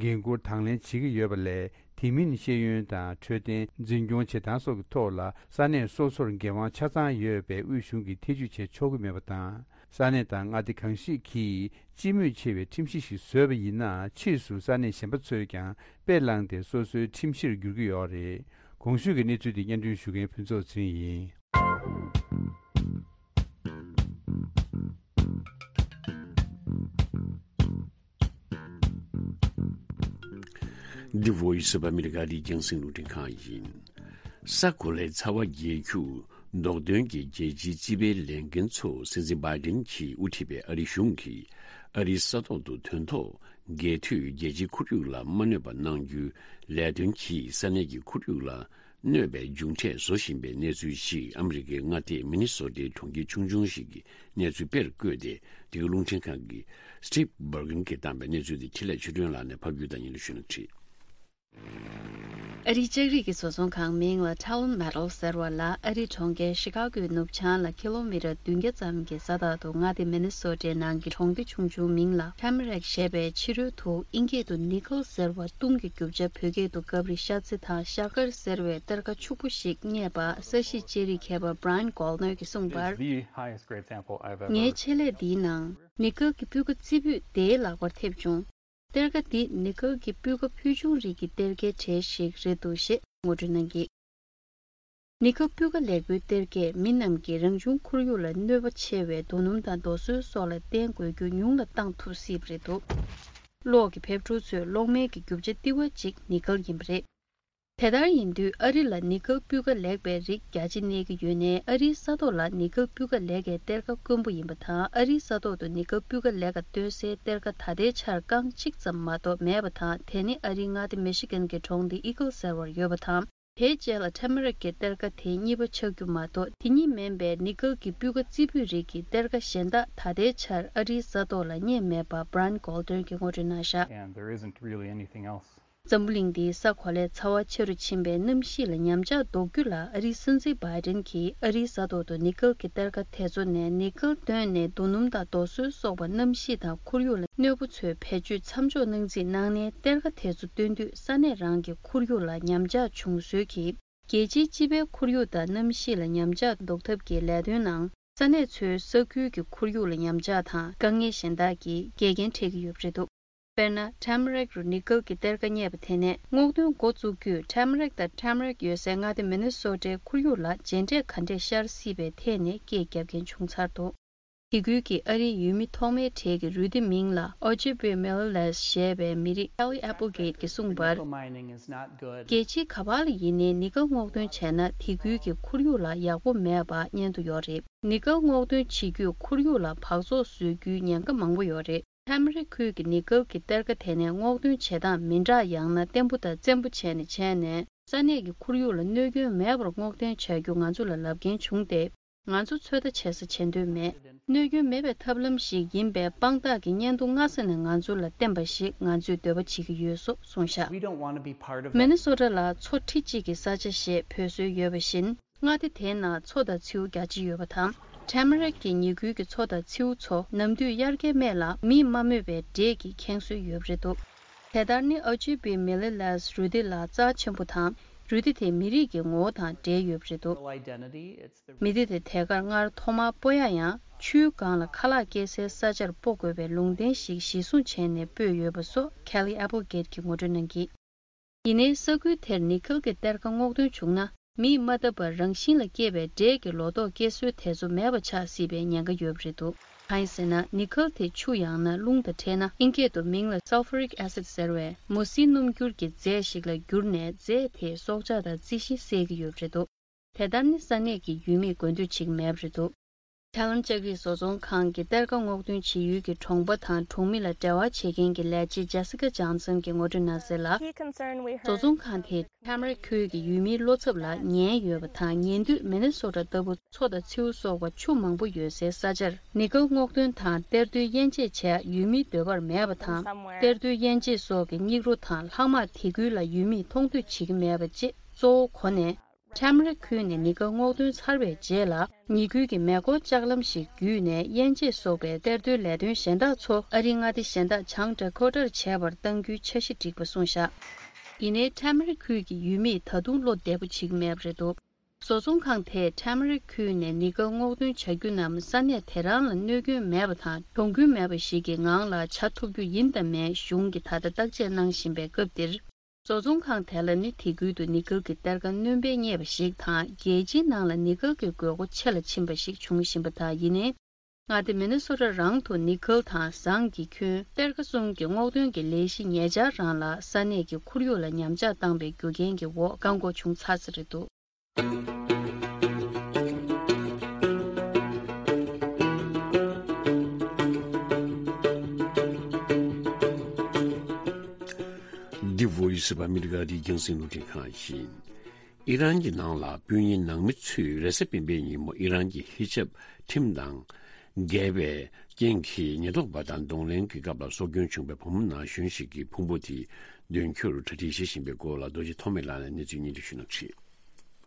འགན་འཁུར་དང་ལེན་བྱེད་ཀྱི་ཡོད་པ་ལས། དེ་མིན་ཤེས་ཡོན་དང་འཕྲོད་བསྟེན། འཛིན་སྐྱོང་བྱེད་སྟངས་སོགས་ཀྱི་ཐོག་ལ་ས་གནས་སོ་སོར་འགན་དབང་ཆ་ཚང་ཡོད་པས། དབུས་གཞུང་གིས་ཐེ་ཇུས་བྱེད་ཆོག་གི་མེད་པ་དང་། ས་གནས་དང་མངའ་སྡེ་གང་ཞིག་གིས་སྤྱི་མོས་ཆེ་བའི་ཁྲིམས་གཞི་ཞིག་བཟོས་པ་ཡིན་ན། ཕྱིས་སུ་ས་གནས་གཞན་པ་ཚོས་ཀྱང་དཔེ་བླངས་ཏེ་སོ་སོའི་ཁྲིམས་གཞིར་འགྱུར་གྱི་ཡོད་རེད། གོང་ཞུས་ཀྱི་གནས་ཚུལ་དེ་སྙན་སྒྲོན་ཞུ་མཁན་ཕུན་ཚོགས་ཚེ་རིང་ཡིན། འདི་Voice of America རྒྱང་སྲིང་རླུང་འཕྲིན་ཁང་ཡིན། ས་གོ་ལའི་ཚ་བ་རྒྱས་རྒྱུར་མདོག་དོན་གྱི་རྒྱལ་སྤྱིའི་རྩིས་པའི་ལས་འགན་ཚོ་སྲིད་འཛིན་བྷའི་ཌེན་གྱིས་དབུ་ཁྲིད་པའི་ཨ་རིའི་གཞུང་གིས་ཨ་རིའི་ས་ཐོག་ཏུ་དོན་ཐོག་རྒྱལ་མཐུད་རྒྱལ་སྤྱིའི་ཁོར་ཡུག་ལ་མ་གནོད་པ་གནང་རྒྱུའི་ལས་དོན་གྱིས་ས་གནས་ཀྱི་ཁོར་ཡུག་ལ་གནོད་པའི་མཇུག་འབྲས་བཟོ་བཞིན་པའི་གནས་ཚུལ་ཞིག་ཨ་མི་རི་ཀའི་མངའ་སྡེ་མི་ནི་སོ་ཏའི་གྲོང་ཁྱེར་ཆུང་ཆུང་ཞིག་གི་གནས་ཚུལ་དཔེར་བཀོད་དེ། འདི་ག་རླུང་འཕྲིན་ཁང་གི་Steve Bergen གྱིས་བཏང་པའི་གནས་ཚུལ་དེ་འཕྲིན་ལས་ཆོས་སྒྲོན་ལགས་ནས་ཕབ་སྒྱུར་དང་ཉན་ལ་ཞུ་ན་བྲིས། ཨ་རིའི་ལྕགས་རིགས་ཀྱི་བཟོ་ཚོང་ཁང་མིང་ལ་Talon Metals ཟེར་བ་ལ་ཨ་རིའི་གྲོང་ཁྱེར་ཤི་ཀ་གོའི་ནུབ་བྱང་ལ་ཀི་ལོ་མི་ཊར་བདུན་བརྒྱ་ཙམ་གྱི་ས་ཐག་ཏུ་མངའ་སྡེ་མི་ནི་སོ་ཊའི་ནང་གི་གྲོང་སྡེ་ཆུང་ཆུང་མིང་ལ་Tamarack ཞེས་པའི་ཕྱི་རོལ་དུ་ཨིན་སྐད་དུ་ནི་ཀལ་ཟེར་བ་གཏུམ་གྱི་རྒྱུ་ཆ་བོད་སྐད་དུ་ཀབ་རི་ཤ་ཚེ་དང་ཤ་དཀར་ཟེར་བའི་གཏེར་ཁ་ཕྱུག་པོ་ཞིག་རྙེད་པ་ས་གཞི་དཔྱད་རིག་མཁས་པ་Brian Goldner གྱིས་གསུངས་པར། ངའི་ཆེད་ལས་འདིའི་ནང་ནི་ཀལ་གྱི་སྤུས་ཀ་རྩི་ཕུད་དེའི་ལག་པར་ཐེབས་བྱུང་། གཏེར་ཁ་འདི་ནི་ཀལ་གྱི་སྤུས་ཀ་ཕུལ་བྱུང་རིགས་ཀྱི་གཏེར་ཁའི་གྲས་ཤིག་རེད་འདུག་ཞེས་ངོ་སྤྲོད་གནང་གིས། ནི་ཀལ་སྤུས་ཀ་ལེགས་པོའི་གཏེར་ཁས་མི་རྣམས་ཀྱི་རང་བྱུང་ཁོར་ཡུག་ལ་གནོད་པ་ཆེ་བའི་རྡོ་སྣུམ་དང་རྡོ་སོལ་སོགས་ལ་བརྟེན་དགོས་རྒྱུ་ཉུང་ལ་བཏང་ཐུབ་སྲིད་པ་རེད་འདུག་གློག་གི་ཕེབས་འཕྲོ་ཚོས་གློག་མེ་གི་རྒྱུ་ཆ་ལྟེ་བ་གཅིག་ནི་ཀལ་ཡིན་པ་རེད། དེ་ལྟར་ཡིན་དུས་ཨ་རི་ལ་ནི་ཀལ་སྤུས་ཀ་ལེགས་པའི་རིགས་རྒྱ་ཆེ་གནས་ཀྱི་ཡོད་ནའི་ཨ་རིའི་ས་ཐོག་ལ་ནི་ཀལ་སྤུས་ཀ་ལེགས་པའི་གཏེར་ཁ་དཀོན་པོ་ཡིན་པ་དང་། ཨ་རིའི་ས་ཐོག་ཏུ་ནི་ཀལ་སྤུས་ཀ་ལེགས་པ་སྟོན་སའི་གཏེར་ཁ་ད་ལྟའི་ཆར་རྐང་གཅིག་ཙམ་མ་གཏོགས་མེད་པ་དང་། དེ་ནི་ཨ་རིའི་མངའ་སྡེ་མི་ཤི་གན་གྱི་གྲོང་སྡེ་ཨི་ཀལ་ཟེར་བར་ཡོད་པ་དང་། དེའི་རྗེས་ལ་ཐེ་མ་རིག་གི་གཏེར་ཁ་དེ་གཉིས་པ་ཆགས་རྒྱུ་མ་གཏོགས། དེ་གཉིས་མིན་པའི་ནི་ཀལ་གྱི་སྤུས་ཀ་རྩི་ཕུད་རིགས་ཀྱི་གཏེར་ཁ་གཞན་དག་ད་ལྟའི་ཆར་ཨ་རིའི་ས་ཐོག་ལ་རྙེད་མེད་པ་Brian Goldner གྱིས་ངོ་སྤྲོད་གནང་བཞག And there isn't really anything else. འཛམ་བུ་གླིང་འདིའི་ས་གོ་ལའི་ཚ་བ་ཆེ་རུ་ཕྱིན་པའི་གནམ་གཤིས་ལ་ཉམས་ཆག་ཟློག་རྒྱུ་ལ་ཨ་རིའི་སྲིད་འཛིན་བྷའི་ཌེན་གྱིས་ཨ་རིའི་ས་ཐོག་ཏུ་ནི་ཀལ་གྱི་གཏེར་ཁ་དེ་ཚོ་ནས་ནི་ཀལ་བཏོན་ནས་རྡོ་སྣུམ་དང་རྡོ་སོལ་སོགས་པ་གནམ་གཤིས་དང་ཁོར་ཡུག་ལ་གནོད་པོ་ཚོའི་བེད་སྤྱོད་མཚམས་འཇོག་གནང་རྩིས་གནང་ནས། གཏེར་ཁ་དེ་ཚོ་བཏོན་དུས་ས་གནས་རང་གི་ཁོར་ཡུག་ལ་ཉམས་ཆག་འབྱུང་སྲོལ་གྱིས། རྒྱལ་སྤྱིའི་སྤྱི་པའི་ཁོར་ཡུག་དང་གནམ་གཤིས་ལ་ཉམས་ཆག་ཟློག་ཐབས་ཀྱི་ལས་དོན་ནང་ས་གནས་ཚོའི་ས་ཁུལ་གྱི་ཁོར་ཡུག་ལ་ཉམས་ཆག་དང་དཀའ་ངལ་གཞན་དག་གིས་འགལ་རྐྱེན་འཕྲད་ཀྱི་ཡོད་པ་རེད་འདུག་དཔེར་ན། Tamarack རུ་ནི་ཀལ་གྱི་གཏེར་ཁ་རྙེད་པ་དེ་ནས་སྔོག་འདོན་འགོ་བཙུགས་དུས། Tamarack དང་Tamarack ཡོད་སའི་མངའ་སྡེ་མི་ནི་སོ་ཊའི་ཁོར་ཡུག་ལ་རྗེས་འབྲས་ག་འདྲས་ཤར་སྲིད་པའི་ཐད་ནས་སྐད་བརྒྱབ་མཁན་བྱུང་ཚར་འདུག་དེ་ཁུལ་གྱི་ཨ་རིའི་ཡུལ་མི་ཐོག་མའི་གྲས་ཀྱི་རུས་སྡེ་མིང་ལ་Ojibwe Milalas ཞེས་པའི་མི་རིགས་Kelly Applegate གྱིས་གསུངས་པར། རྒྱལ་སྤྱིའི་ག་པར་ལ་ཡིན་ནའི་ནི་ཀལ་སྔོག་འདོན་བྱས་ན། དེ་ཁུལ་གྱི་ཁོར་ཡུག་ལ་ཡག་པོ་མེད་པ་སྙན་ཐོ་ཡོད་རེད། ནི་ཀལ་སྔོག་འདོན་བྱེད་རྒྱུས་ཁོར་ཡུག་ལ་འབག་བཙོག་བཟོ་རྒྱུའི་ཉེན་ཁ་མང་པོ་ཡོད་རེད། ཐེ་མ་རི་ཁུལ་གྱི་ནི་ཀལ་གྱི་གཏེར་ཁ་དེ་ནས་སྔོག་འདོན་བྱེད་སྟངས་མི་འདྲ། ཡང་ན་བརྟན་པོ་དང་བཙན་པོ་བྱས་ནས་བྱས་ནས། ས་གནས་ཀྱི་ཁོར་ཡུག་ལ་གནོད་སྐྱོན་མེད་པར་སྔོག་འདོན་བྱ་རྒྱུ་ང་ཚོ་ལ་ལབ་མཁན་བྱུང་སྟེ། ང་ཚོ་ཚོད་ལྟ་བྱེད་ས་བྱེད་འདོད་མེད། གནོད་སྐྱོན་མེད་པའི་ཐབས་ལམ་ཞིག་ཡིན་པའི་དཔང་རྟགས་ཀྱི་སྙན་ཐོ་སྔ་ས་ནས་ང་ཚོ་ལ་བསྟན་པ་ཞིག་ང་ཚོས་འདོད་པ་བྱེད་ཀྱི་ཡོད་སོགས་གསུངས་བཞག We don't want to be part of མི་ནི་སོ་ཊ་ལ་མཚོ་ཁྲི་གཅིག་གི་ས་ཆ་ཞེས་འབོད་སྲོལ་ཡོད་པ་བཞིན། མངའ་སྡེ་དེའི་ནང་མཚོ་དང་མཚེའུ་རྒྱ་ཆེ་ཡོད་པ་དང་། ཐེ་མ་རི་གི་ཉེ་ཁུལ་གྱི་མཚོ་དང་མཚེའུ་ཚོ་ནམ་དུས་དབྱར་ཁའི་སྨད་ལ་མིས་མ་རྨོས་པའི་འབྲས་ཀྱིས་ཁེངས་སྲོལ་ཡོད་པ་རེད་འདུག་དེ་ལྟར་ནི་ཨོ་ཇི་བི་མི་ལི་ལས་རུས་སྡེ་ལ་རྩ་ཆེན་པོ་དང་། རུས་སྡེ་དེ་མི་རིགས་ཀྱི་ངོ་བོ་དང་འབྲེལ་ཡོད་པ་རེད་འདུག Identity, it's the མི་སྡེ་དེ་དེ་གར་སྔར་ཐོག་མར་སྤོ་ཡག་ཡང་ཆུའི་སྒང་ལ་ཁ་ལག་སྐྱེལ་སའི་ས་ཆར་སྤོ་དགོས་པའི་ལུང་བསྟན་ཞིག་གཞིར་བཟུང་བྱས་ནས་སྤོས་ཡོད་པ་སོགས་Kelly Applegate གྱིས་ངོ་སྤྲོད་གནང་གིས། ཡིན་ནའི་ས་ཁུལ་དེར་ནི་ཀལ་གྱི་གཏེར་ཁ་སྔོག་འདོན་བྱུང་ན། མིས་མ་བཏབ་པར་རང་བཞིན་ལ་སྐྱེས་པའི་འབྲས་ཀྱི་ལོ་ཏོག་སྐྱེ་སྲོལ་དེ་ཚོ་མེད་པ་ཆགས་སྲིད་པའི་ཉེན་ཁ་ཡོད་པ་རེད་འདུག་གང་ཡིན་ཟེར་ན། ནི་ཀལ་དེ་ཆུ་ཡང་ན་རླུང་དང་འཕྲད་ན། ཨིན་སྐད་དུ་མིང་ལ་sulfuric acid ཟེར་བའི་མོ་སིའི་སྣུམ་འགྱུར་གྱི་རྫས་ཤིག་ལ་གྱུར་ནས། རྫས་དེས་སྲོག་ཆགས་དང་རྩི་ཤིང་བསད་ཀྱི་ཡོད་པ་རེད་འདུག་དེ་ལྟར་ནི་ས་གནས་ཀྱི་ཡུལ་མིས་དགོས་འདོད་བྱེད་ཀྱི་མེད་པ་རེད་འདུག་ཐེ་ལོན་ལྕགས་རིགས་བཟོ་ཚོང་ཁང་གི་གཏེར་ཁ་སྔོག་འདོན་བྱེད་ཡུལ་གྱི་གྲོང་པ་དང་གྲོང་མི་ལ་འབྲེལ་བ་བྱེད་མཁན་གྱི་ལས་བྱེད་ཇེ་སི་ཀ་ཇོན་སན་གྱིས་ངོ་སྤྲོད་གནང་གསལ་ལ། He concern we heard བཟོ་ཚོང་ཁང་དེས་ཐེ་མ་རི་ཁུལ་གྱི་ཡུལ་མིའི་བློ་འཚབ་ལ་ཉན་ཡོད་པ་དང་། ཉེ་དུས་མི་ནི་སོ་ཊ་ལྟ་བུ་མཚོ་དང་མཚེའུ་སོགས་པ་ཆུ་མང་པོ་ཡོད་སའི་ས་ཆར་ནི་ཀལ་སྔོག་འདོན་དང་གཏེར་རྡོའི་དབྱེ་འབྱེད་བྱས་ཡུལ་མིའི་འདོད་པར་མེད་པ་དང་། གཏེར་རྡོའི་དབྱེ་འབྱེད་སོགས་ཀྱི་སྙིགས་རོ་དང་ལྷག་མ་དེ་ཁུལ་ལ་ཡུལ་མིས་མཐོང་ཐོས་བྱེད་ཀྱི་མེད་པ་བཅས་གཙོ་བོ་གོ་ནས། ཐེ་མ་རི་ཁུལ་ནས་ཉེན་ཁ་སྔོག་འདོན་ཚར་བའི་རྗེས་ལ། ཉེ་ཁུལ་གྱི་མེ་འཁོར་ལྕགས་ལམ་ཞིག་བརྒྱུད་ནས་དབྱེ་འབྱེད་སོགས་པའི་གཏེར་རྡོའི་ལས་དོན་གཞན་དག་ཚོ་ཨ་རིའི་མངའ་སྡེ་གཞན་དག་བྱང་ཌ་ཁོ་ཊར་བྱེད་པར་གཏང་རྒྱུའི་འཆར་གཞི་བསྒྲིགས་པ་གསུངས་བཞག་ཡིན་ནའི་ཐེ་མ་རི་ཁུལ་གྱི་ཡུལ་མིས་ད་དུང་བློ་བདེ་པོ་བྱེད་ཀྱི་མེད་པ་རེད་འདུག་བཟོ་ཚོང་ཁང་དེས་ཁྲེ་མ་རི་ཁུལ་ནས་ནི་ཀལ་སྔོག་འདོན་བྱ་རྒྱུ་རྣམས་ས་གནས་དེ་རང་ལ་གནོད་སྐྱོན་མེད་པ་དང་གྱོང་གུན་མེད་པ་ཞིག་གི་ངང་ལ་བྱ་ཐུབ་རྒྱུ་ཡིན་དང་མིན་གཞུང་གིས་ད་ལྟ་བརྟག་དཔྱད་གནང་བཞིན་པའི་སྐབས་འདིར། བཟོ་ཚོང་ཁང་དེ་ལ་ནི་དེ་ཁུལ་དུ་ནི་ཀལ་གྱི་གཏེར་ཁ་སྣོན་པ་རྙེད་པ་ཞིག་དང་རྒྱལ་སྤྱིའི་ནང་ལ་ནི་ཀལ་གྱི་དགོས་མཁོ་ཆེ་ལ་ཕྱིན་པ་ཞིག་བྱུང་བཞིན་པ་དང་། ཡིན་ནའི། མངའ་སྡེ་མི་ནི་སོ་ཊ་རང་དུ་ནི་ཀལ་དང་ཟངས་ཀྱི་ཁྱོན་གཏེར་ཁ་གསུམ་གྱི་སྔོག་འདོན་གྱི་ལས་གཞི་ཉེ་ཆར་རང་ལ་ས་གནས་ཀྱི་ཁོར་ཡུག་ལ་ཉམས་ཆག་བཏང་པའི་རྒྱུ་རྐྱེན་གྱི་འོག་བཀག་འགོག་བྱུང་ཚར་ས་རེད་འདུག། འདི་Voice of America རི་རྒྱང་སྲིང་རླུང་འཕྲིན་ཁང་ཡིན། ཨི་རན་གྱི་ནང་ལ་སྤུན་ཉེ་ནང་མི་ཚོས་རེས་གཟའ་སྤེན་པའི་ཉིན་མོ་ཨི་རན་གྱི་ཧི་ཇབ་ཁྲིམས་དང་འགལ་བའི་རྐྱེན་གྱིས་ཉེན་རྟོག་པ་དང་གདོང་ལེན་གྱི་སྐབས་ལ་སྲོག་སྐྱོན་བྱུང་བའི་བུ་མོ་ན་གཞོན་ཞིག་གི་ཕུང་པོ་དེ་འདོན་རྒྱུར་གྲ་སྒྲིག་བྱེད་བཞིན་པའི་སྐོར་ལ་རྡོ་རྗེ་ཐོགས་མེད་ལགས་ནས་གནས་ཚུལ་སྙན་སྒྲོན་ཞུ་གནང་གི་རེད།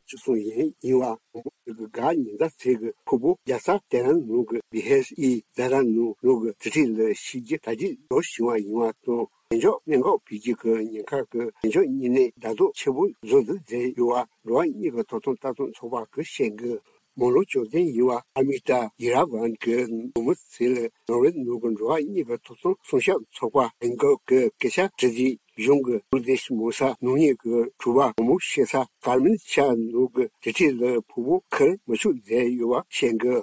བཅུ་གསུམ་ཡན་ཡིན་པ་བུ་མོ་དེ་གི་ག་ཉི་ཟླ་ཚེས་ཀྱི་ཕུ་བོ་རྒྱལ་ས་ཏེ་རན་ནང་གི་བི་ཧེ་ཨི་ཛ་རན་ནང་ལོག་གི་དུར་ཁྲོད་ལ་ཤི་རྒྱུ་གྲ་སྒྲིག་འགྲོ་བཞིན་པ་ཡིན་པ་དང་། བདེ་འཇགས་གནད་འགག་འཕེལ་རྒྱས་ཀྱི་ཉེན་ཁ་གི་བདེ་འཇགས་བརྙན་གནས་ལྡབ་གསིག་ཆེ་པོ་བཟོ་འདུག་ཟེར་ཡོད་པ་འགྲོ་བ་མིའི་ཐོབ་ཐང་ལྟ་སྟངས་ཚོགས་པ་གིས་བཤད་གི། མོན་གྷོ་ལྗོངས་མདོ་དབུས་ཡུལ་བ་ཨ་མི་ཏཱ་གྷི་ར་ཝན་གྱི་བུ་མོ་ཚེ་ལ་ནོར་ཝེ་ནང་གི་འགྲོ་བ་མིའི་ཐོབ་ཐང་སྲུང་སྐྱོབ་ཚོགས་པ་ཨེན་ཀོ་གིས་སྐད་ཆ་དྲིས་དུས། གཞུང་གིས་ཀུར་དིཤ་མོ་ས་ནང་ཉིད་ཀྱི་གྲུ་པ་བུ་མོ་ཤི་ས་ཀར་མན་ཤ་ནང་གི་དུར་ཁྲོད་ལ་ཕུ་བོ་ཁུར་མི་ཆོག་ཟེར་ཡོད་པ་བཤད་གི།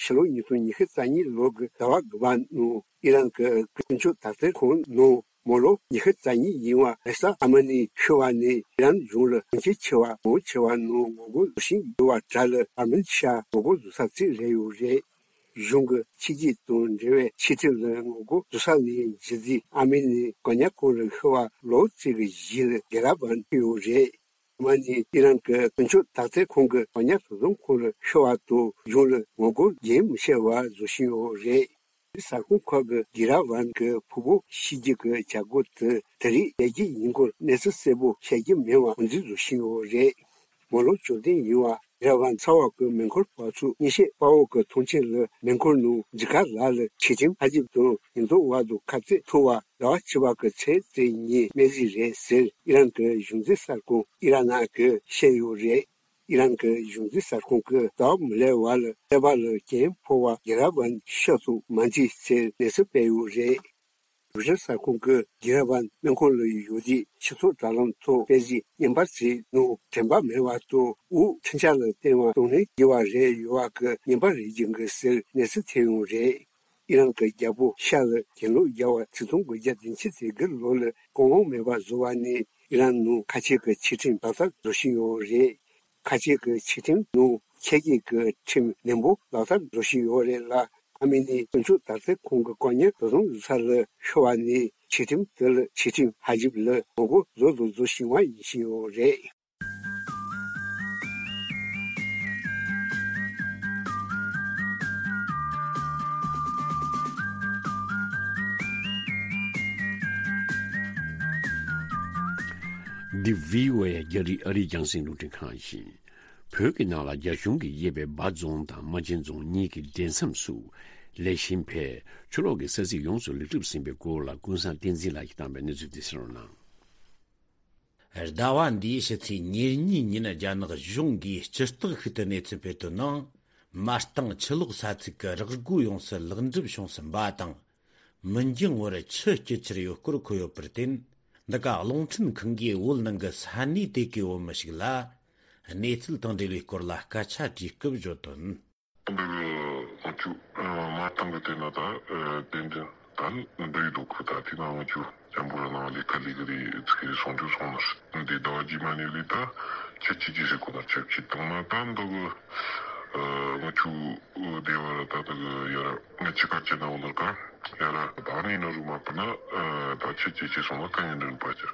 ཕྱི་ལོ་ཉིས་སྟོང་ཉི་ཤུ་རྩ་གཉིས་ལོ་གི་ཟླ་བ་དགུ་པ་ནང་ཨི་རན་གྱི་ཀུན་སྤྱོད་དག་ཐེར་ཁང་ནང་མོ་ལོ་ཉི་ཤུ་རྩ་གཉིས་ཡིན་པ་རེས་གཟའ་ཨ་མ་ནི་ཤི་བ་ནས་ཨི་རན་གཞུང་ལ་གྱོང་ཁ་ཆེ་བ་མང་ཆེ་བ་ནང་ངོ་རྒོལ་བཟོ་བཞིན་ཡོད་པ་དྲ་ལ་ཀར་མན་ཤ་ངོ་རྒོལ་བཟོ་ས་གཅིག་རེད་ཡོད་རེད། གཞུང་གི་ཕྱི་རྒྱལ་དང་འབྲེལ་བའི་ཕྱི་ཁྲིམས་ལ་ངོ་རྒོལ་བཟོ་ས་ནས་གཞི་རྩའི་ཨ་མི་ནི་གོ་ཉག་ཁོང་ལ་ཤི་བ་ལོ་གཅིག་གི་རྗེས་ལ་རྒྱལ་རབས་པ་ཐོན་ཡོད་རེད། ཨ་མ་ནི་ཨི་རན་གྱི་ཀུན་སྤྱོད་དག་ཐེར་ཁང་གི་གོ་ཉག་བཟོ་ཚོང་ཁང་ལ་ཤི་བ་དང་གཞུང་ལ་ངོ་རྒོལ་རྒྱུན་མི་ཆད་པར་བཟོ་བཞིན་ཡོད་རེད། གསར་ཁང་ཁག་གིས་གྷི་ར་ཝན་གྱི་ཕུ་བོ་ཤི་རྒྱུ་གི་བྱ་སྒོ་དེ་དེ་རིང་ཡར་རྒྱས་ཡིན་སྐོར་གནས་ཚུལ་གསལ་པོ་བཤད་རྒྱུ་མེད་པ་ངོས་འཛིན་བཟོ་བཞིན་ཡོད་རེད། མོན་གྷོ་ལྗོངས་མདོ་དབུས་ཡུལ་བ་གྷི་ར་ཝན་ཚ་བ་གི་མེ་འཁོར་བ་ཚོས་གཉེན་བཤད་དཔའ་བོ་གི་ཐང་ཆེན་ལ་མེ་འཁོར་ནང་འཇིགས་སྐུལ་ལ་ལ་ཆེ་ཁྲིམས་ཧ་ཅིབ་དང་ཉེན་རྟོག་པ་དང་ཁ་གཏད་ཐུག་པ་ཟླ་བ་བཅུ་པ་གི་ཚེས་བརྒྱད་ཉིན་སྨན་རྩིས་རེད་ཟེར་ཨི་རན་གྱི་གཞུང་འཛིན་གསར་ཁང་ཨི་ར་ན་གིས་བཤད་ཡོད་རེད། ཨི་རན་གྱི་གཞུང་འཛིན་གསར་ཁང་གིས་ཟླ་བ་མི་ལེགས་པ་ལ་ཀླད་པ་ལ་རྐྱེན་ཕོག་པ་གྷི་ར་ཝན་ཤི་སོང་མ་འདུག་ཟེར་གནས་ཚུལ་སྤེལ་ཡོད་རེད། རོའི་ཊར་གསར་ཁང་གིས་གྷི་ར་ཝན་སྨན་ཁང་ལ་ཡོད་དུས་སྤྱི་ཚོགས་དྲ་ལམ་ཐོག་སྤེལ་གཟིགས་བརྙན་པར་ཞིག་ནང་དྲན་པ་མེད་པ་དང་དབུགས་འཕྲིན་བཅར་ལ་བརྟེན་པ་གདོང་ལེན་བགྱིས་པ་རེད་ཡོད་པ་གི་བརྙན་པར་རེད་ཀྱི་འདུག་ཟེར་གནས་ཚུལ་ཐོན་ཡོད་རེད། ཨི་རན་གྱི་རྒྱལ་པོ་ཤ་ལ་གྱེན་ལོག་རྒྱག་པ་ཆིག་སྟོང་དགུ་བརྒྱ་བདུན་ཅུ་དོན་དགུ་ལོ་ལ་གོང་འོག་མེད་པར་བཟོ་བ་ནས་ཨི་རན་ནང་ཁ་ཆེ་གི་ཆོས་ཁྲིམས་ལག་བསྟར་བཟོ་བཞིན་ཡོད་རེད། ཁ་ཆེ་གི་ཆོས་ཁྲིམས་ནང་ཆོས་བརྒྱུད་ཀྱི་ཁྲིམས་ནན་པོ་ལག་བསྟར་བཟོ་བཞིན་ཡོད་རེད་ལ། ཨ་མི་ནི་དཀོན་མཆོག་དར་རྩེ་ཁོང་གི་བཀག་ཉར་དོ་དམ་བཟོ་ས་ལ་ཤོར་བ་ནི་ཆོས་ཁྲིམས་དེ་ལ་ཆོས་ཁྲིམས་ཧ་ལས་པ་ལ་ངོ་རྒོལ་ཟོ་དང་ཟོ་བཞིན་པ་ཡིན་བཞིན་ཡོད་རེད། འདི་བྷི་ཨོ་ཨེ་རྒྱ་རིགས་ཨ་རིའི་རྒྱང་སྲིང་རླུང་འཕྲིན་ཁང་ཡིན། བོད་ཀྱི་ནང་ལ་རྒྱ་གཞུང་གིས་དབྱེ་བའི་འབའ་རྫོང་དང་རྨ་ཆེན་རྫོང་གཉིས་ཀྱི་འབྲེལ་མཚམས་སུ་ལེགས་ཤོམ་འཕེལ། ཕྱི་ལོགས་ཀྱི་ས་ཚིགས་ཡོངས་སུ་ལེགས་གྲུབ་ཟིན་པའི་སྐོར་ལ་ཀུན་བཟང་བསྟན་འཛིན་ལགས་ཀྱིས་བཏང་བའི་གནས་ཚུལ་དེ་གསན་རོགས་གནང་། ཟླ་བ་འདིའི་ཕྱི་ཚེས་ཉེར་གཉིས་ཉིན་རྒྱ་ནག་གཞུང་གིས་སྤྱི་རྟགས་ཤིག་ཏུ་གནས་ཚུལ་སྤེལ་དོན་ནང་། མ་རྟིང་ཆུ་ལོག་ས་ཚིགས་ཀྱི་རག་སྒོ་ཡོངས་སུ་ལེགས་གྲུབ་བྱུང་ཟིན་པ་དང་། མི་འགྱང་བར་ཆུ་སྐྱེལ་འཆར་ཡོད་སྐོར་འཁོད་ཡོད་པར་བརྟེན། འདི་ག་རླུང་འཕྲིན་ཁང་གིས་བོད་ནང་གི་ས་གནས་དེ་གའི་བོད་མི་ཞིག་ལ་གནས་ཚུལ་དང་འབྲེལ་བའི་སྐོར་ལ་སྐད་ཆ་དྲིས་སྐབས་བརྗོད་དོན། འདི་གི་ང་ཚོ་མ་རྟིང་གི་དེ་ན་ད་རྟེན་འབྲེལ་ད་འདི་ཡི་འདུག་གི། ད་དེ་ན་ང་ཚོ་འཇམ་པོ་ར་ནང་ལས་ཀ་ལས་ཀ་རེད་ཚིག་རེད་སོང་རྒྱུ་སོང་ནར་འདི་ཟླ་བ་རྗེས་མ་ནས་རེད། ད་ཁྱེད་ཀྱིས་ཅི་ཟེར་གོ་ནར་ཆབས་ཅིག་བཏང་ན་ད་འདི་གི་ང་ཚོ་སྡེ་བ་ར་ད་འདི་གི་ཡ་ར་ང་ཅི་ག་ཅི་ན་འོ་ནར་ག་ཡ་ར་ད་ནི་ན་རུ་མ་པ་ན་ད་ཁྱེད་ཀྱིས་ཅི་སོང་ན་ཀ་ཉན་འདྲ་པ་ཅི་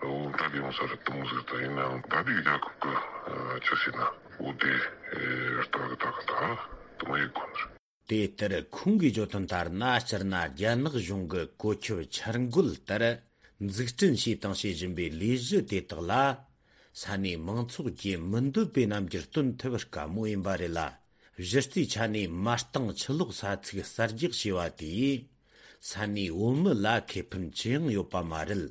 འོ་ད་ལས་ཡོང་ས་ར་དུ་མོ་ཟེར། ད་ཡིན་ནའང་ད་འདི་གི་རྒྱལ་ཁབ་གི་ཆི་ཟེར་ན། འོ་དེ་ཨེ་ལྟ་གི་ལྟ་གི་ད་དུ་མ་ཡི་གོ་ནར། དེ་ལྟར་ཁོང་གིས་བརྗོད་དོན་ལྟར་ན། སྤྱིར་ན་རྒྱ་ནག་གཞུང་གི་བཀོད་ཁྱབ་འཆར་འགོད་ལྟར་འཛུགས་སྐྲུན་བྱས་དང་བྱེད་བཞིན་པའི་ལས་གཞི་དེ་དག་ལ། ས་གནས་མང་ཚོགས་ཀྱིས་མི་འདོད་པའི་རྣམ་འགྱུར་སྟོན་ཐུབ་དཀའ་མོ་ཡིན་པ་རེད་ལ། གཞི་རྩའི་ཆ་ནས་མ་རྟིང་ཆུ་ལོག་ས་ཚིགས་གསར་རྒྱག་བྱས་པ་དེས་ས་གནས་བོད་མི་ལ་ཁེ་ཕན་ཅི་ཡང་ཡོད་པ་མ་རེད།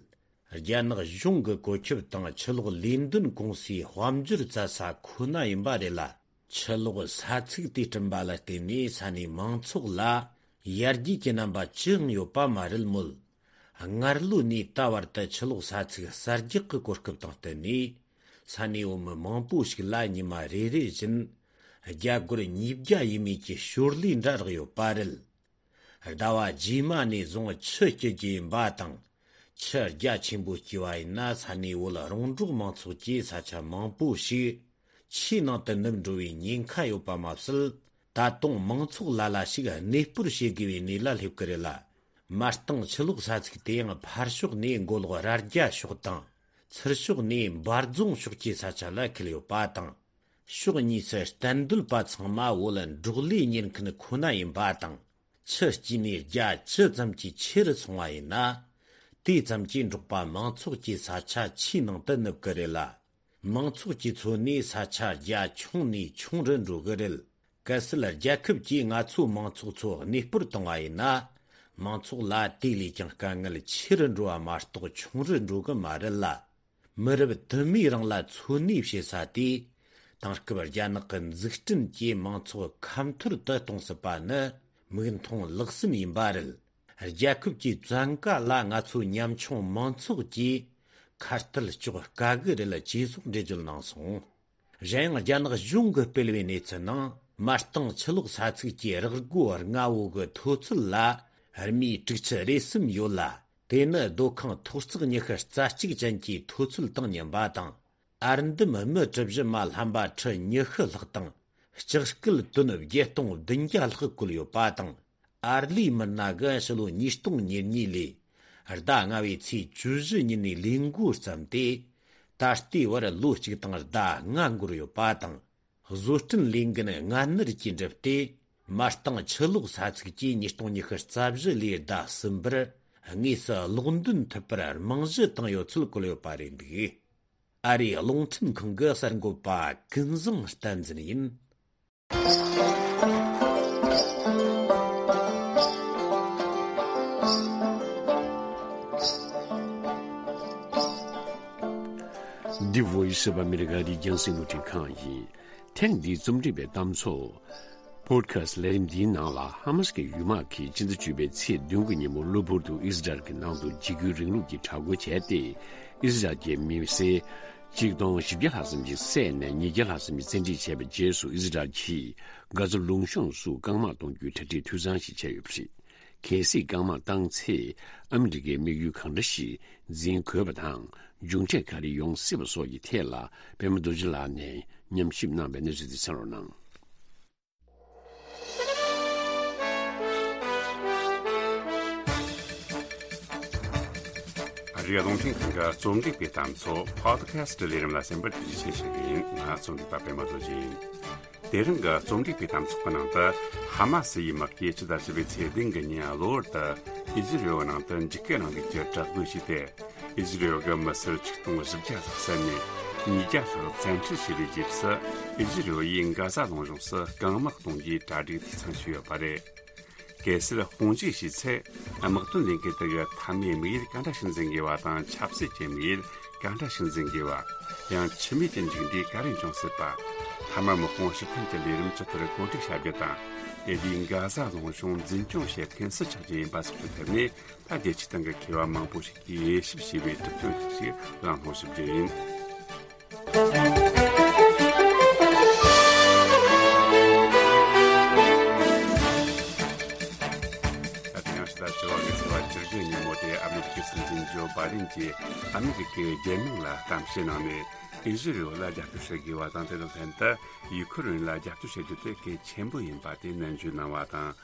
རྒྱ་ནག་གཞུང་གི་བཀོད་ཁྱབ་དང་ཆུ་གློག་ལས་དོན་ཀུང་སིའི་དཔལ་འབྱོར་བཙལ་ས་ཁོ་ན་ཡིན་པ་རེད་ལ། ཆུ་གློག་ས་ཚིགས་དེ་བསྐྲུན་པ་ལ་བརྟེན་ནས་ས་གནས་མང་ཚོགས་ལ་ཡར་རྒྱས་ཀྱི་རྣམ་པ་ཅི་ཡང་ཡོད་པ་མ་རེད་མོད། སྔར་ལོ་ནས་ད་བར་དུ་ཆུ་གློག་ས་ཚིགས་གསར་རྒྱག་གི་གོ་སྐབས་དང་བསྟུན་ནས། ས་གནས་བོད་མི་མང་པོ་ཞིག་ལ་ཉི་མ་རེ་རེ་བཞིན་རྒྱ་སྒོར་ཉིས་བརྒྱ་ཡས་མས་ཀྱི་ཞོར་ལས་འདྲ་རག་ཡོད་པ་རེད། ཟླ་བ་རྗེས་མ་ནས་བཟུང་ཆུ་སྐྱེལ་རྒྱུ་ཡིན་པ་དང་། ཆུ་རྒྱ་ཆེན་པོ་སྐྱེས་པ་ཡིན་ན། ས་གནས་བོད་རོང་འབྲོག་མང་ཚོགས་ཀྱི་ས་ཆ་མང་པོ་ཞིག་ཆུའི་ནང་དུ་ནུབ་འགྲོ་བའི་ཉེན་ཁ་ཡོད་པ་མ་ཟད། ད་དུང་མང་ཚོགས་ལ་ལ་ཞིག་གནས་སྤོར་བྱེད་དགོས་པའི་གནས་ལ་སླེབས་ཀྱི་རེད་ལ། མ་གཏོགས་ཆུ་གློག་ས་ཚིགས་དེ་ཡང་ཕར་ཕྱོགས་ནས་མགོ་ལོག་རྭ་རྒྱ་ཕྱོགས་དང་། ཚུར་ཕྱོགས་ནས་འབའ་རྫོང་ཕྱོགས་ཀྱི་ས་ཆ་ལ་འཁེལ་ཡོད་པ་དང་། ཕྱོགས་གཉིས་སུ་གཏན་སྡོད་པ་ཚང་མ་བོད་འབྲོག་ལས་གཉེར་མཁན་ཁོ་ན་ཡིན་པ་དང་། ཆུ་སྐྱེས་ནས་རྒྱ་ཇི་ཙམ་གྱིས་ཆེ་རུ་སོང་བ་ཡིན་ན། དེ་ཙམ་གྱིས་འབྲོག་པ་མང་ཚོགས་ཀྱི་ས་ཆ་ཆུའི་ནང་དུ་ནུབ་ཀྱི་རེད་ལ། མང་ཚོགས་ཀྱི་འཚོ་གནས་ས་ཆ་རྒྱ་ཆུང་ནས་ཆུང་རུ་འགྲོ་གི་རེད། གལ་སྲིད་རྒྱལ་ཁབ་ཀྱིས་ང་ཚོའི་མང་ཚོགས་ཚོ་གནས་སྤོར་བཏང་བ་ཡིན་ན། མང་ཚོགས་ལ་དེ་ལས་ཀྱང་དཀའ་ངལ་ཆེ་རུ་འགྲོ་བ་མ་གཏོགས་ཆུང་རུ་འགྲོ་གི་མ་རེད་ལ། མི་རབས་དུ་མའི་རིང་ལ་འཚོ་གནས་བྱེད་ས་དེ། དེང་སྐབས་རྒྱ་ནག་གི་འཛུགས་སྐྲུན་གྱིས་མང་ཚོགས་ཁ་འཐོར་དུ་གཏོང་སྲིད་པ་ནི་མིག་མཐོང་ལག་ཟིན་ཡིན་པ་རེད། རྒྱལ་ཁབ་ཀྱི་བཙན་བཀའ་ལ་ང་ཚོ་ཉམ་ཆུང་མང་ཚོགས་ཀྱིས་ཁ་གཏད་གཅོག་དཀའ་གི་རེད། ཅེས་སོགས་འགྲེལ་བརྗོད་གནང་སོང་། གཞན་ཡང་རྒྱ་ནག་གཞུང་གིས་སྤེལ་བའི་གནས་ཚུལ་ནང་། མ་གཏོགས་ཆུ་གློག་ས་ཚིགས་ཀྱི་རག་སྒོ་ལྔ་བོ་གི་མཐོ་ཚད་ལ་རྨིད་དྲུག་ཅུ་རེ་གསུམ་ཡོད་ལ། དེ་ནི་སྡོད་ཁང་མཐོ་གཙགས་ཉི་ཤུ་རྩ་གཅིག་ཅན་གྱི་མཐོ་ཚད་དང་མཉམ་པ་དང་། ཨར་འདམ་སྨི་གྲུ་བཞི་མ་ལྷམ་པ་ཁྲི་ཉི་ཤུ་ལྷག་དང་། ལྕགས་སྐུད་ཏོན་བརྒྱད་སྟོང་བདུན་བརྒྱ་ལྷག་བཀོལ་ཡོད་པ་དང་། ཨར་ལས་མི་སྣ་གིས་ཕྱི་ལོ་ཉིས་སྟོང་ཉེར་གཉིས་ལོའི་ཟླ་ལྔ་བའི་ཚེས་བཅུ་བཞི་ཉིན་ནས་ལས་འགོ་བརྩམས་ཏེ། ད་ལྟའི་བར་ལོ་གཅིག་དང་ཟླ་ལྔ་འགོར་ཡོད་པ་དང་། བཟོ་སྐྲུན་ལས་འགན་སྔ་སྣུར་གྱིས་འགྲུབ་སྟེ། མ་གཏོགས་ཆུ་གློག་ས་ཚིགས་ཀྱིས་ཉིས་སྟོང་ཉི་ཤུ་རྩ་བཞི་ལོའི་ཟླ་གསུམ་པར་དངོས་སུ་གློག་འདོན་ཐུབ་པར་རྨང་གཞི་བཏིང་ཡོད་ཚུལ་བཀོད་ཡོད་པ་རེད་འདུག་ཨ་རིའི་རླུང་འཕྲིན་ཁང་གི་གསར་འགོད་པ་ཀུན་བཟང་བསྟན་འཛིན་ཡིན། འདི་Voice of America རི་རྒྱང་སྲིང་རླུང་འཕྲིན་ཁང་ཡིན། ཐེངས་འདིའི་རྩོམ་སྒྲིག་པའི་གཏམ་ཚོགས། Podcast ལས་རིམ་འདིའི་ནང་ལ་ཧ་མ་སི་ཀའི་ཡུལ་དམག་གིས་ཕྱི་ཟླ་བཅུ་པའི་ཚེས་བདུན་གྱི་ཉིན་མོ་གློ་བུར་དུ་ཨི་ཟི་རལ་གྱི་ནང་དུ་འཇིགས་སྐུལ་རིང་ལུགས་ཀྱི་དྲག་རྒོལ་བྱས་ཏེ། ཨི་ཟི་རལ་གྱི་མི་སེར་ཆིག་སྟོང་བཞི་བརྒྱ་ལྷག་ཙམ་ཞིག་བསད་ནས་ཉིས་བརྒྱ་ལྷག་ཙམ་ཞིག་བཙན་ཁྲིད་བྱས་པའི་རྗེས་སུ། ཨི་ཟི་རལ་གྱིས་གྷ་ཛ་ལུང་གཤོང་སུ་རྐང་དམག་གཏོང་རྒྱུའི་གྲ་སྒྲིག་འཐུས་ཚང་ཞིག་བྱས་ཡོད་པ་རེད། གལ་སྲིད་རྐང་དམག་བཏང་ཚེ། ཨ་མི་རི་ཀའི་དམིགས་ཡུལ་གང་འདྲ་ཞིག་འཛིན་དགོས་པ་དང་། མཇུག་འབྲས་ག་རེ་ཡོང་སྲིད་པ་སོགས་ཀྱི་ཐད་ལ། པད་མ་རྡོ་རྗེ་ལགས་ནས་ཉམས་ཞིབ་གནང་བའི་གནས་ཚུལ་དེ་གསན་རོགས་གནང་། ཨ་རིའི་རླུང་འཕྲིན་ཁང་གི་རྩོམ་སྒྲིག་པའི་གཏམ་ཚོགས་Podcast ལས་རིམ་ལ་གསན་པར་ཐུགས་རྗེ་ཆེ་ཞུ་གི་ཡིན། ང་རྩོམ་སྒྲིག་པ་པད་མ་རྡོ་རྗེ་ཡིན། དེ་རིང་གི་རྩོམ་སྒྲིག་པའི་གཏམ་ཚོགས་ཀྱི་ནང་དུ། ཧ་མ་སི་ཡི་དམག་གིས་ཕྱི་ཟླ་བཞི་པའི་ཚེས་བདུན་གྱི་ཉིན་གློ་བུར་དུ་ཨི་ཟི་རེལ་ནང་དུ་འཇིགས་སྐུལ་རིང་ལུགས་ཀྱི་དྲག་རྒོལ་བྱས་ཏེ། ཨི་ཟི་རེལ་གྱི་མི་སེར་ཆིག་སྟོང་བཞི་བརྒྱ་ལྷག་བསད་ནས་ཉིས་བརྒྱ་ལྷག་བཙན་ཁྲིད་བྱས་པའི་རྗེས་སུ། ཨི་ཟི་རེལ་ཡིས་གྷ་ཟ་ལུང་གཤོང་སུ་རྐང་དམག་གཏོང་རྒྱུའི་གྲ་སྒྲིག་འཐུས་ཚང་བྱས་ཡོད་པ་རེད། གལ་སྲིད་དཔུང་འཇུག་བྱས་ཚེ། དམག་དོན་ལས་འགུལ་དེ་གའི་མཐའ་མའི་དམིགས་ཡུལ་ག་འདྲ་ཞིག་འཛིན་དགོས་པ་དང་། ཆབ་སྲིད་ཀྱི་དམིགས་ཡུལ་ག་འདྲ་ཞིག་འཛིན་དགོས་པ། ཡང་འཆི་རྨས་ཀྱི་མཇུག་འབྲས་ག་རེ་འབྱུང་སྲིད་པ། མཐའ་མ་དམག་དཔུང་ཕྱིར་འཐེན་གྱི་ལས་རིམ་ཇི་ལྟར་གོ་སྒྲིག་བྱ་རྒྱུ་དང་། དེ་དུས་གྷ་ཟ་ལུང་གཤོང་འཛིན་སྐྱོང་བྱེད་མཁན་སུ་ཆགས་རྒྱུ་ཡིན་པ་སོགས་ཀྱི་ཐད་ནས། ད་རྒྱལ་སྤྱིའི་སྟེང་གི་མཁས་པ་མང་པོ་ཞིག་གིས་དབྱེ་ཞིབ་བྱས་པའི་གྲུབ་དོན་ཁག་ཅིག་གླེང་སློང་ཞུ་རྒྱུ་ཡིན། ད་ཐེངས་ཕྱི་ཟླ་བཅུ་པ་གི་ཚེས་པ་བཅུ་དགུ་ཉིན་མོ་དེ། ཨ་མི་རི་ཀའི་སྲིད་འཛིན་ཇོ་བྷའི་ཌེན་གྱིས་ཨ་མི་རི་ཀའི་རྒྱལ་དམངས་ལ་གཏམ་བཤད་གནང་ནས། ཨི་ཟི་རེལ་ལ་རྒྱབ་སྐྱོར་བྱེད་དགོས་པ་དང་། དེ་དང་ལྷན་དུ་ཡུ་ཁུ་རེན་ལ་རྒྱབ་སྐྱོར་བྱེད་རྒྱུ་དེ་གལ་ཆེན་པོ་ཡིན་པ་དེ་ནན་བརྗོད་གནང་བ་དང་།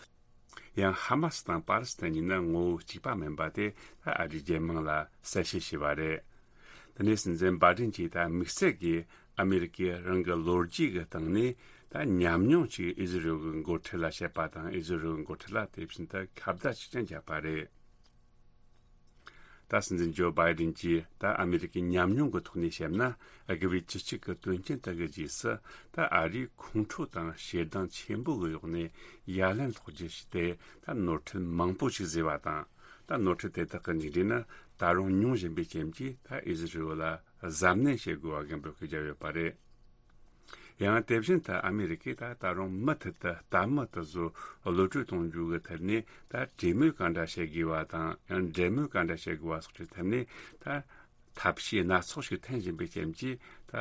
ཡང་ཧ་མ་སི་དང་པ་ལི་སི་ཐན་གཉིས་ནི་ངོ་བོ་གཅིག་པ་མིན་པ་དེ་ད་ཨ་རིའི་རྒྱལ་དམངས་ལ་གསལ་བཤད་བྱས་པ་རེད། དེ་ནས་སྲིད་འཛིན་བྷའི་ཌེན་གྱིས་ད་དམིགས་བསལ་གྱིས་ཨ་མི་རི་ཀས་རང་གི་ལོ་རྒྱུས་ཀྱི་སྟེང་ནས་ད་ཉམས་མྱོང་ཅིག་ཨི་ཟི་རེལ་གྱི་འགོ་ཁྲིད་ལ་བཤད་པ་དང་། ཨི་ཟི་རེལ་གྱི་འགོ་ཁྲིད་ལ་དེ་བཞིན་དུ་ཁ་བརྡ་ཅིག་ཀྱང་བརྒྱབ་པ་རེད། ད་སྲིད་འཛིན་ཇོ་བྷའི་ཌེན་གྱིས་ད་ཨ་མི་རི་ཀའི་ཉམས་མྱོང་གི་ཐོག་ནས་བཤད་ན། དགུ་པའི་བཅུ་གཅིག་གི་དོན་རྐྱེན་དག་གི་རྗེས་སུ། ད་ཨ་རིས་ཁོང་ཁྲོ་དང་ཞེ་སྡང་ཆེན་པོ་གི་འོག་ནས་ཡ་ལན་སློག་རྒྱུ་ཞིག་སྟེ། ད་ནོར་འཁྲུལ་མང་པོ་ཞིག་བཟོས་པ་དང་། ད་ནོར་འཁྲུལ་དེ་དག་གི་མཇུག་འབྲས་ནི། ད་ ད་རུང་ཉུང་བཞིན་པའི་རྐྱེན་གྱིས་ད་ཨི་ཟི་རི་ཡོད་ལ་གཟབ་ནན་བྱེད་དགོས་པ་གི་འབོད་སྐུལ་བརྒྱབ་ཡོད་པ་རེད། ཡང་དེ་བཞིན་དུ་ཨ་མི་རི་ཀས་ད་ད་རུང་མུ་མཐུད་དུ་ལྟད་མོ་དེ་ཚོ་གློད་གྲོལ་གཏོང་རྒྱུ་གི་ཐད་ནས་ད་གྲོས་མོལ་ག་འདྲ་བྱེད་དགོས་པ་དང་ཡང་འབྲེལ་མོལ་ག་འདྲ་བྱེད་དགོས་པ་སོགས་ཀྱི་ཐད་ནས་ད་ཐབས་ཤེས་སྣ་ཚོགས་ཤིག་འཐེན་བཞིན་པའི་རྐྱེན་གྱིས་ད་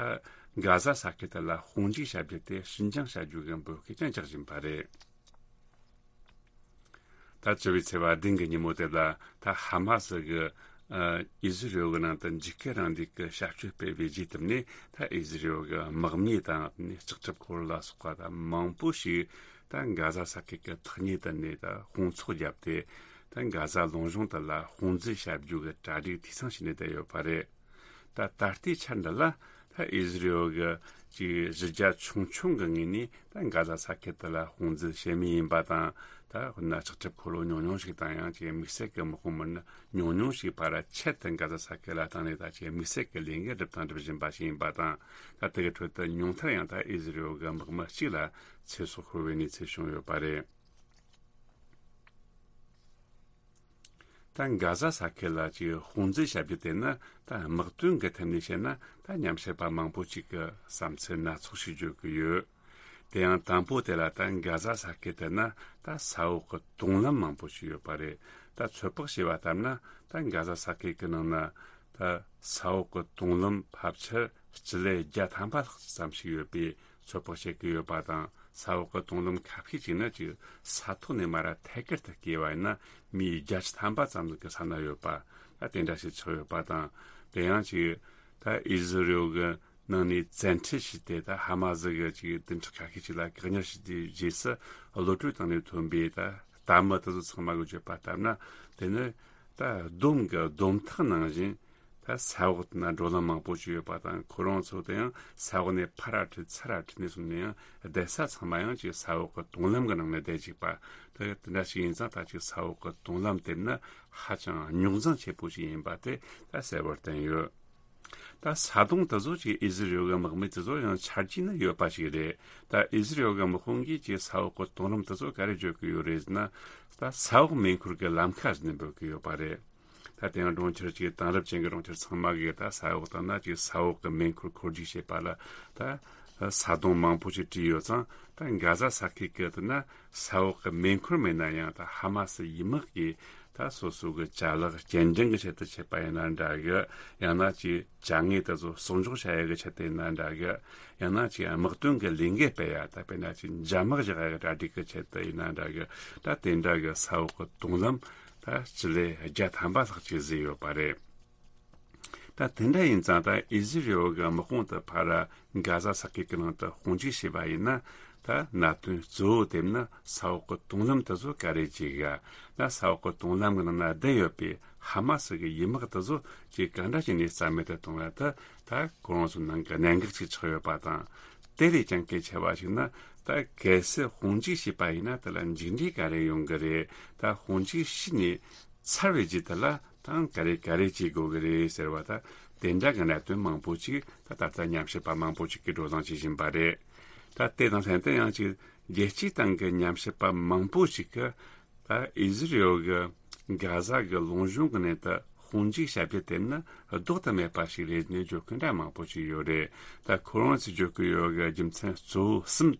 གྷ་ཟ་ས་ཁུལ་དེ་ལ་དཔུང་འཇུག་བྱ་རྒྱུ་དེ་ཕྱིར་འགྱངས་བྱ་རྒྱུ་གི་འབོད་སྐུལ་ཀྱང་རྒྱག་བཞིན་པ་རེད། ད་བཅུ་བའི་ཚེས་པ་བདུན་གྱི་ཉིན་མོ་དེ་ལ་ད་ཧ་མ་སི་གི་ཨ་ཨི་ཟི་རི་ཡོལ་གྱི་ནང་དུ་འཇིགས་སྐུལ་རིང་ལུགས་ཀྱི་ཞབས་ཞུ་སྤེལ་བའི་རྗེས་བསྟུན་ནས་ད་ཨི་ཟི་རི་ཡོལ་གྱི་དམག་མི་དང་ལྕགས་ཁྲབ་འཁོར་ལ་སོགས་པ་ད་མང་པོ་ཞིག་ད་གྷ་ཟ་ས་ཁུལ་གྱི་ཐག་ཉེ་དུ་ནས་ད་དཔུང་ཚོགས་བརྒྱབ་སྟེ་ད་གྷ་ཟ་ལུང་གཤོང་དུ་ལ་དཔུང་འཛུལ་བྱ་རྒྱུ་གི་གྲ་སྒྲིག་འཐུས་ཚང་བྱས་ནས་བསྡད་ཡོད་པ་རེད། ད་ད་ལྟའི་ཆར་འདི་ལ་ད་ཨི་ཟི་རི་ཡོལ་གྱི་ཅིག་གཞི་རྒྱ་ཆུང་ཆུང་གི་ངོས་ནས་ད་གྷ་ཟ་ས་ཁུལ་དེ་ལ་དཔུང་འཛུལ་བྱེད་མུས་ཡིན་པ་དང་། ད་དཔེར་ན་ལྕགས་ཁྲབ་འཁོར་ལོ་ཉུང་ཉུང་ཞིག་དང་ཡང་ཅིག་དམིགས་བསལ་གྱི་དམག་དཔུང་མི་སྣ་ཉུང་ཉུང་ཞིག་ཕར་ཆེད་དུ་གྷ་ཟ་ས་ཁུལ་ལ་བཏང་ནས་ད་ཅིག་དམིགས་བསལ་གྱི་ལས་འགུལ་སྒྲུབ་དང་སྒྲུབ་བཞིན་པ་ཞིག་ཡིན་པ་དང་། ད་དེ་གི་ཁྲོད་དུ་ཉུང་མཐར་ཡང་ད་ཨི་ཟི་རི་ཡོལ་གྱི་དམག་མི་གཅིག་ལ་ཚེ་སྲོག་ཤོར་བའི་གནས་ཚུལ་བྱུང་ཡོད་པ་རེད། ད་གྷ་ཟ་ས་ཁུལ་ལ་ཅིག་དཔུང་འཛུལ་བྱ་རྒྱུ་དེ་ནི་ད་དམག་དོན་གྱི་ཐད་ནས་བཤད་ན་ད་ཉམས་ཞིབ་པ་མང་པོ་ཅིག་གིས་བསམ་ཚུལ་སྣ་ཚོགས་ཤིག་བརྗོད་ཀྱི་ཡོད། དེ་ཡང་དང་པོ་དེ་ལ་ད་གྷ་ཟ་ས་ཁུལ་དེ་ན་ད་ས་འོག་གི་དུང་ལམ་མང་པོ་ཞིག་ཡོད་པ་རེད། ད་ཚོད་དཔག་བྱས་པ་ལྟར་ན་ད་གྷ་ཟ་ས་ཁུལ་གྱི་ནང་ན་ད་ས་འོག་གི་དུང་ལམ་ཕལ་ཆེར་སྤྱི་ལེ་བརྒྱ་ཐམ་པ་ལྷག་ཙམ་ཞིག་ཡོད་པའི་ཚོད་དཔག་བྱེད་ཀྱི་ཡོད་པ་དང་། ས་འོག་གི་དུང་ལམ་ཁ་ཤས་ཅིག་ནི་ཅིག་ས་ཐོག་ནས་མར་ཐད་ཀར་དུ་བརྐོས་པ་ཡིན་ན་མིའི་བརྒྱ་ཆ་ཐམ་པ་ཙམ་ཞིག་གི་ས་ན་ཡོད་པ། ད་དེ་འདྲ་ཞིག་ཆགས་ཡོད་པ་དང་། དེ་ཡང་ཅིག་ད་ཨི་ཟི་རི་ཡོལ་གྱི་ནང་ནས་བཙན་ཁྲིད་བྱས་ཏེ་ད་ཧ་མ་སི་གི་ཅིག་བདུན་ཕྲག་ཁ་ཤས་ཅིག་ལ་བཀག་ཉར་བྱས་དུས་རྗེས་སུ་གློད་གྲོལ་བཏང་ནས་ཐོན་པའི་ད་ལྟད་མོ་དེ་ཚོ་ཚང་མ་གིས་བརྗོད་པ་ལྟར་ན། དེ་ནི་ད་སྡོམ་གྱི་སྡོམ་ཐག་ནང་བཞིན་ད་ས་འོག་ན་འགྲོ་ལམ་མང་པོ་ཞིག་ཡོད་པ་དང་། ཁོ་རང་ཚོ་དེ་ཡང་ས་འོག་ནས་ཕར་ར་ཁྲིད་ཚུར་ར་ཁྲིད་ནས་སོང་ནས་ཡང་བསྡད་ས་ཚང་མ་ཡང་ཅིག་ས་འོག་གི་དུང་ལམ་གྱི་ནང་ནས་བསྡད་ཅིག་པ། ད་དེ་འདྲ་ཞིག་ཡིན་ཙང་ད་ཅིག་ས་འོག་གི་དུང་ལམ་དེ་ནི་ཧ་ཅང་རྙོག་འཛིང་ཆེ་པོ་ཞིག་ཡིན་པ་དེ་ད་གསལ་བོར་བསྟན་ཡོད། ད་ས་དོང་དེ་ཚོ་ཅིག་ཨི་ཟི་རི་ཡོལ་གྱི་དམག་མི་དེ་ཚོ་ཡང་ཆ་རྒྱུས་ནི་ཡོད་པ་ཞིག་རེད། ད་ཨི་ཟི་རི་ཡོལ་གྱི་དམག་དཔུང་གིས་ཅིག་ས་འོག་གི་དུང་ལམ་དེ་ཚོ་ག་རེ་བརྗོད་ཀྱི་ཡོད་རེད་ཟེར་ན། ད་ས་འོག་མེ་འཁོར་གྱི་ལམ་ཁ་ཟེར་ནས་འབོད་ཀྱི་ཡོད་པ་རེད། ད་དེ་ཡང་གྲོང་ཁྱེར་གྱི་དེང་རབས་ཅན་གྱི་གྲོང་ཁྱེར་ཚང་མ་གིས་ད་ས་འོག་དང་ན་ཅིག་ས་འོག་གི་མེ་འཁོར་འཁོར་རྒྱུག་བྱེད་པ་ལ་ད་ས་དོང་མང་པོ་ཞིག་བྲིས་ཡོད་ཙང་། ད་གྷ་ཟ་ས་ཁུལ་གྱི་དེ་ན་ས་འོག་གི་མེ་འཁོར་མེད་ན་ཡང་ད་ཧ་མ་སི་ཡི་དམག་གིས་ད་སོ་སོ་གི་ཅ་ལག་སྐྱེལ་འདྲེན་གྱི་ཆེད་དུ་བྱེད་པ་ཡིན་ན་འདྲ་གི། ཡང་ན་ཅིག་ཅ་དངོས་དེ་ཚོ་གསོག་འཇོག་བྱ་ཡག་གི་ཆེད་དུ་ཡིན་ན་འདྲ་གི། ཡང་ན་ཅིག་དམག་དོན་གྱི་ལས་འགུལ་སྤེལ་ཡ། ད་དཔེར་ན་ཅིག་འཇབ་དམག་བཞག་ཡ་གི་གྲ་སྒྲིག་གི་ཆེད་དུ་ཡིན་ན་འདྲ་གི། ད་དེ་འདྲ་གི་ས་འོག་གི་དུང་ལམ་ད་སྤྱི་ལེ་བརྒྱ་ཐམ་པ་ལྷག་ཅིག་བཟོས་ཡོད་པ་རེད། ད་དེ་འདྲ་ཡིན་ཙང་ད་ཨི་ཟི་རི་ཡོལ་གྱི་དམག་དཔུང་དེ་ཕར་གྷ་ཟ་ས་ཁུལ་གྱི་ནང་དུ་དཔུང་འཇུག་བྱས་པ་ཡིན་ན། ད་གནད་དོན་གཙོ་བོ་དེ་ནི་ས་འོག་གི་དུང་ལམ་དེ་ཚོ་ག་རེ་བྱེད་ག། ད་ས་འོག་གི་དུང་ལམ་གྱི་ནང་ན་བསྡད་ཡོད་པའི་ཧ་མ་སི་གི་ཡི་དམག་དེ་ཚོ་ཅིག་ག་འདྲ་བྱས་ནས་རྩ་མེད་དུ་གཏོང་ཡ། ད་ད་ཁོ་རང་ཚོའི་ནང་གི་གནད་འགག་ཅིག་ཆགས་ཡོད་པ་དང་། དེ་ལས་ཀྱང་གལ་ཆེ་བ་ཞིག་ན། ད་གལ་སྲིད་དཔུང་འཇུག་བྱས་པ་ཡིན་ན་དེ་ལ་མཇུག་འབྲས་ག་རེ་ཡོང་གི་རེད། ད་དཔུང་འཇུག་བྱས་ནས་ཚར་བའི་རྗེས་དེ་ལ་ད་ག་རེ་ག་རེ་བྱེད་དགོས་ཀྱི་རེད་ཟེར་བ། ད་དེ་འདྲ་གི་གནད་དོན་མང་པོ་ཅིག་ད་ད་ལྟ་ཉམས་ཞིབ་པ་མང་པོ་ཅིག་གིས་བགྲོ་གླེང་བྱེད་བཞིན་པ་རེད། ད་དེ་དང་ལྷན་དུ་ཡང་ཅིག་རྒྱལ་སྤྱིའི་སྟེང་གི་ཉམས་ཞིབ་པ་མང་པོ་ཅིག་གིས་ད་ཨི་ཟི་རི་ཡོལ་གྱིས་གྷ་ཟ་གི་ལུང་གཤོང་གི་ནང་དུ་དཔུང་འཇུག་བྱ་རྒྱུ་དེ་ནི་ལྡོག་ཏུ་མེད་པ་ཞིག་རེད་ནས་བརྗོད་མཁན་འདྲ་མང་པོ་ཅིག་ཡོད་རེད། ད་ཁོ་རང་ཚོས་བརྗོད་ཀྱི་ཡོད་གི་རྒྱུ་མཚན་གཙོ་བོ་གསུམ།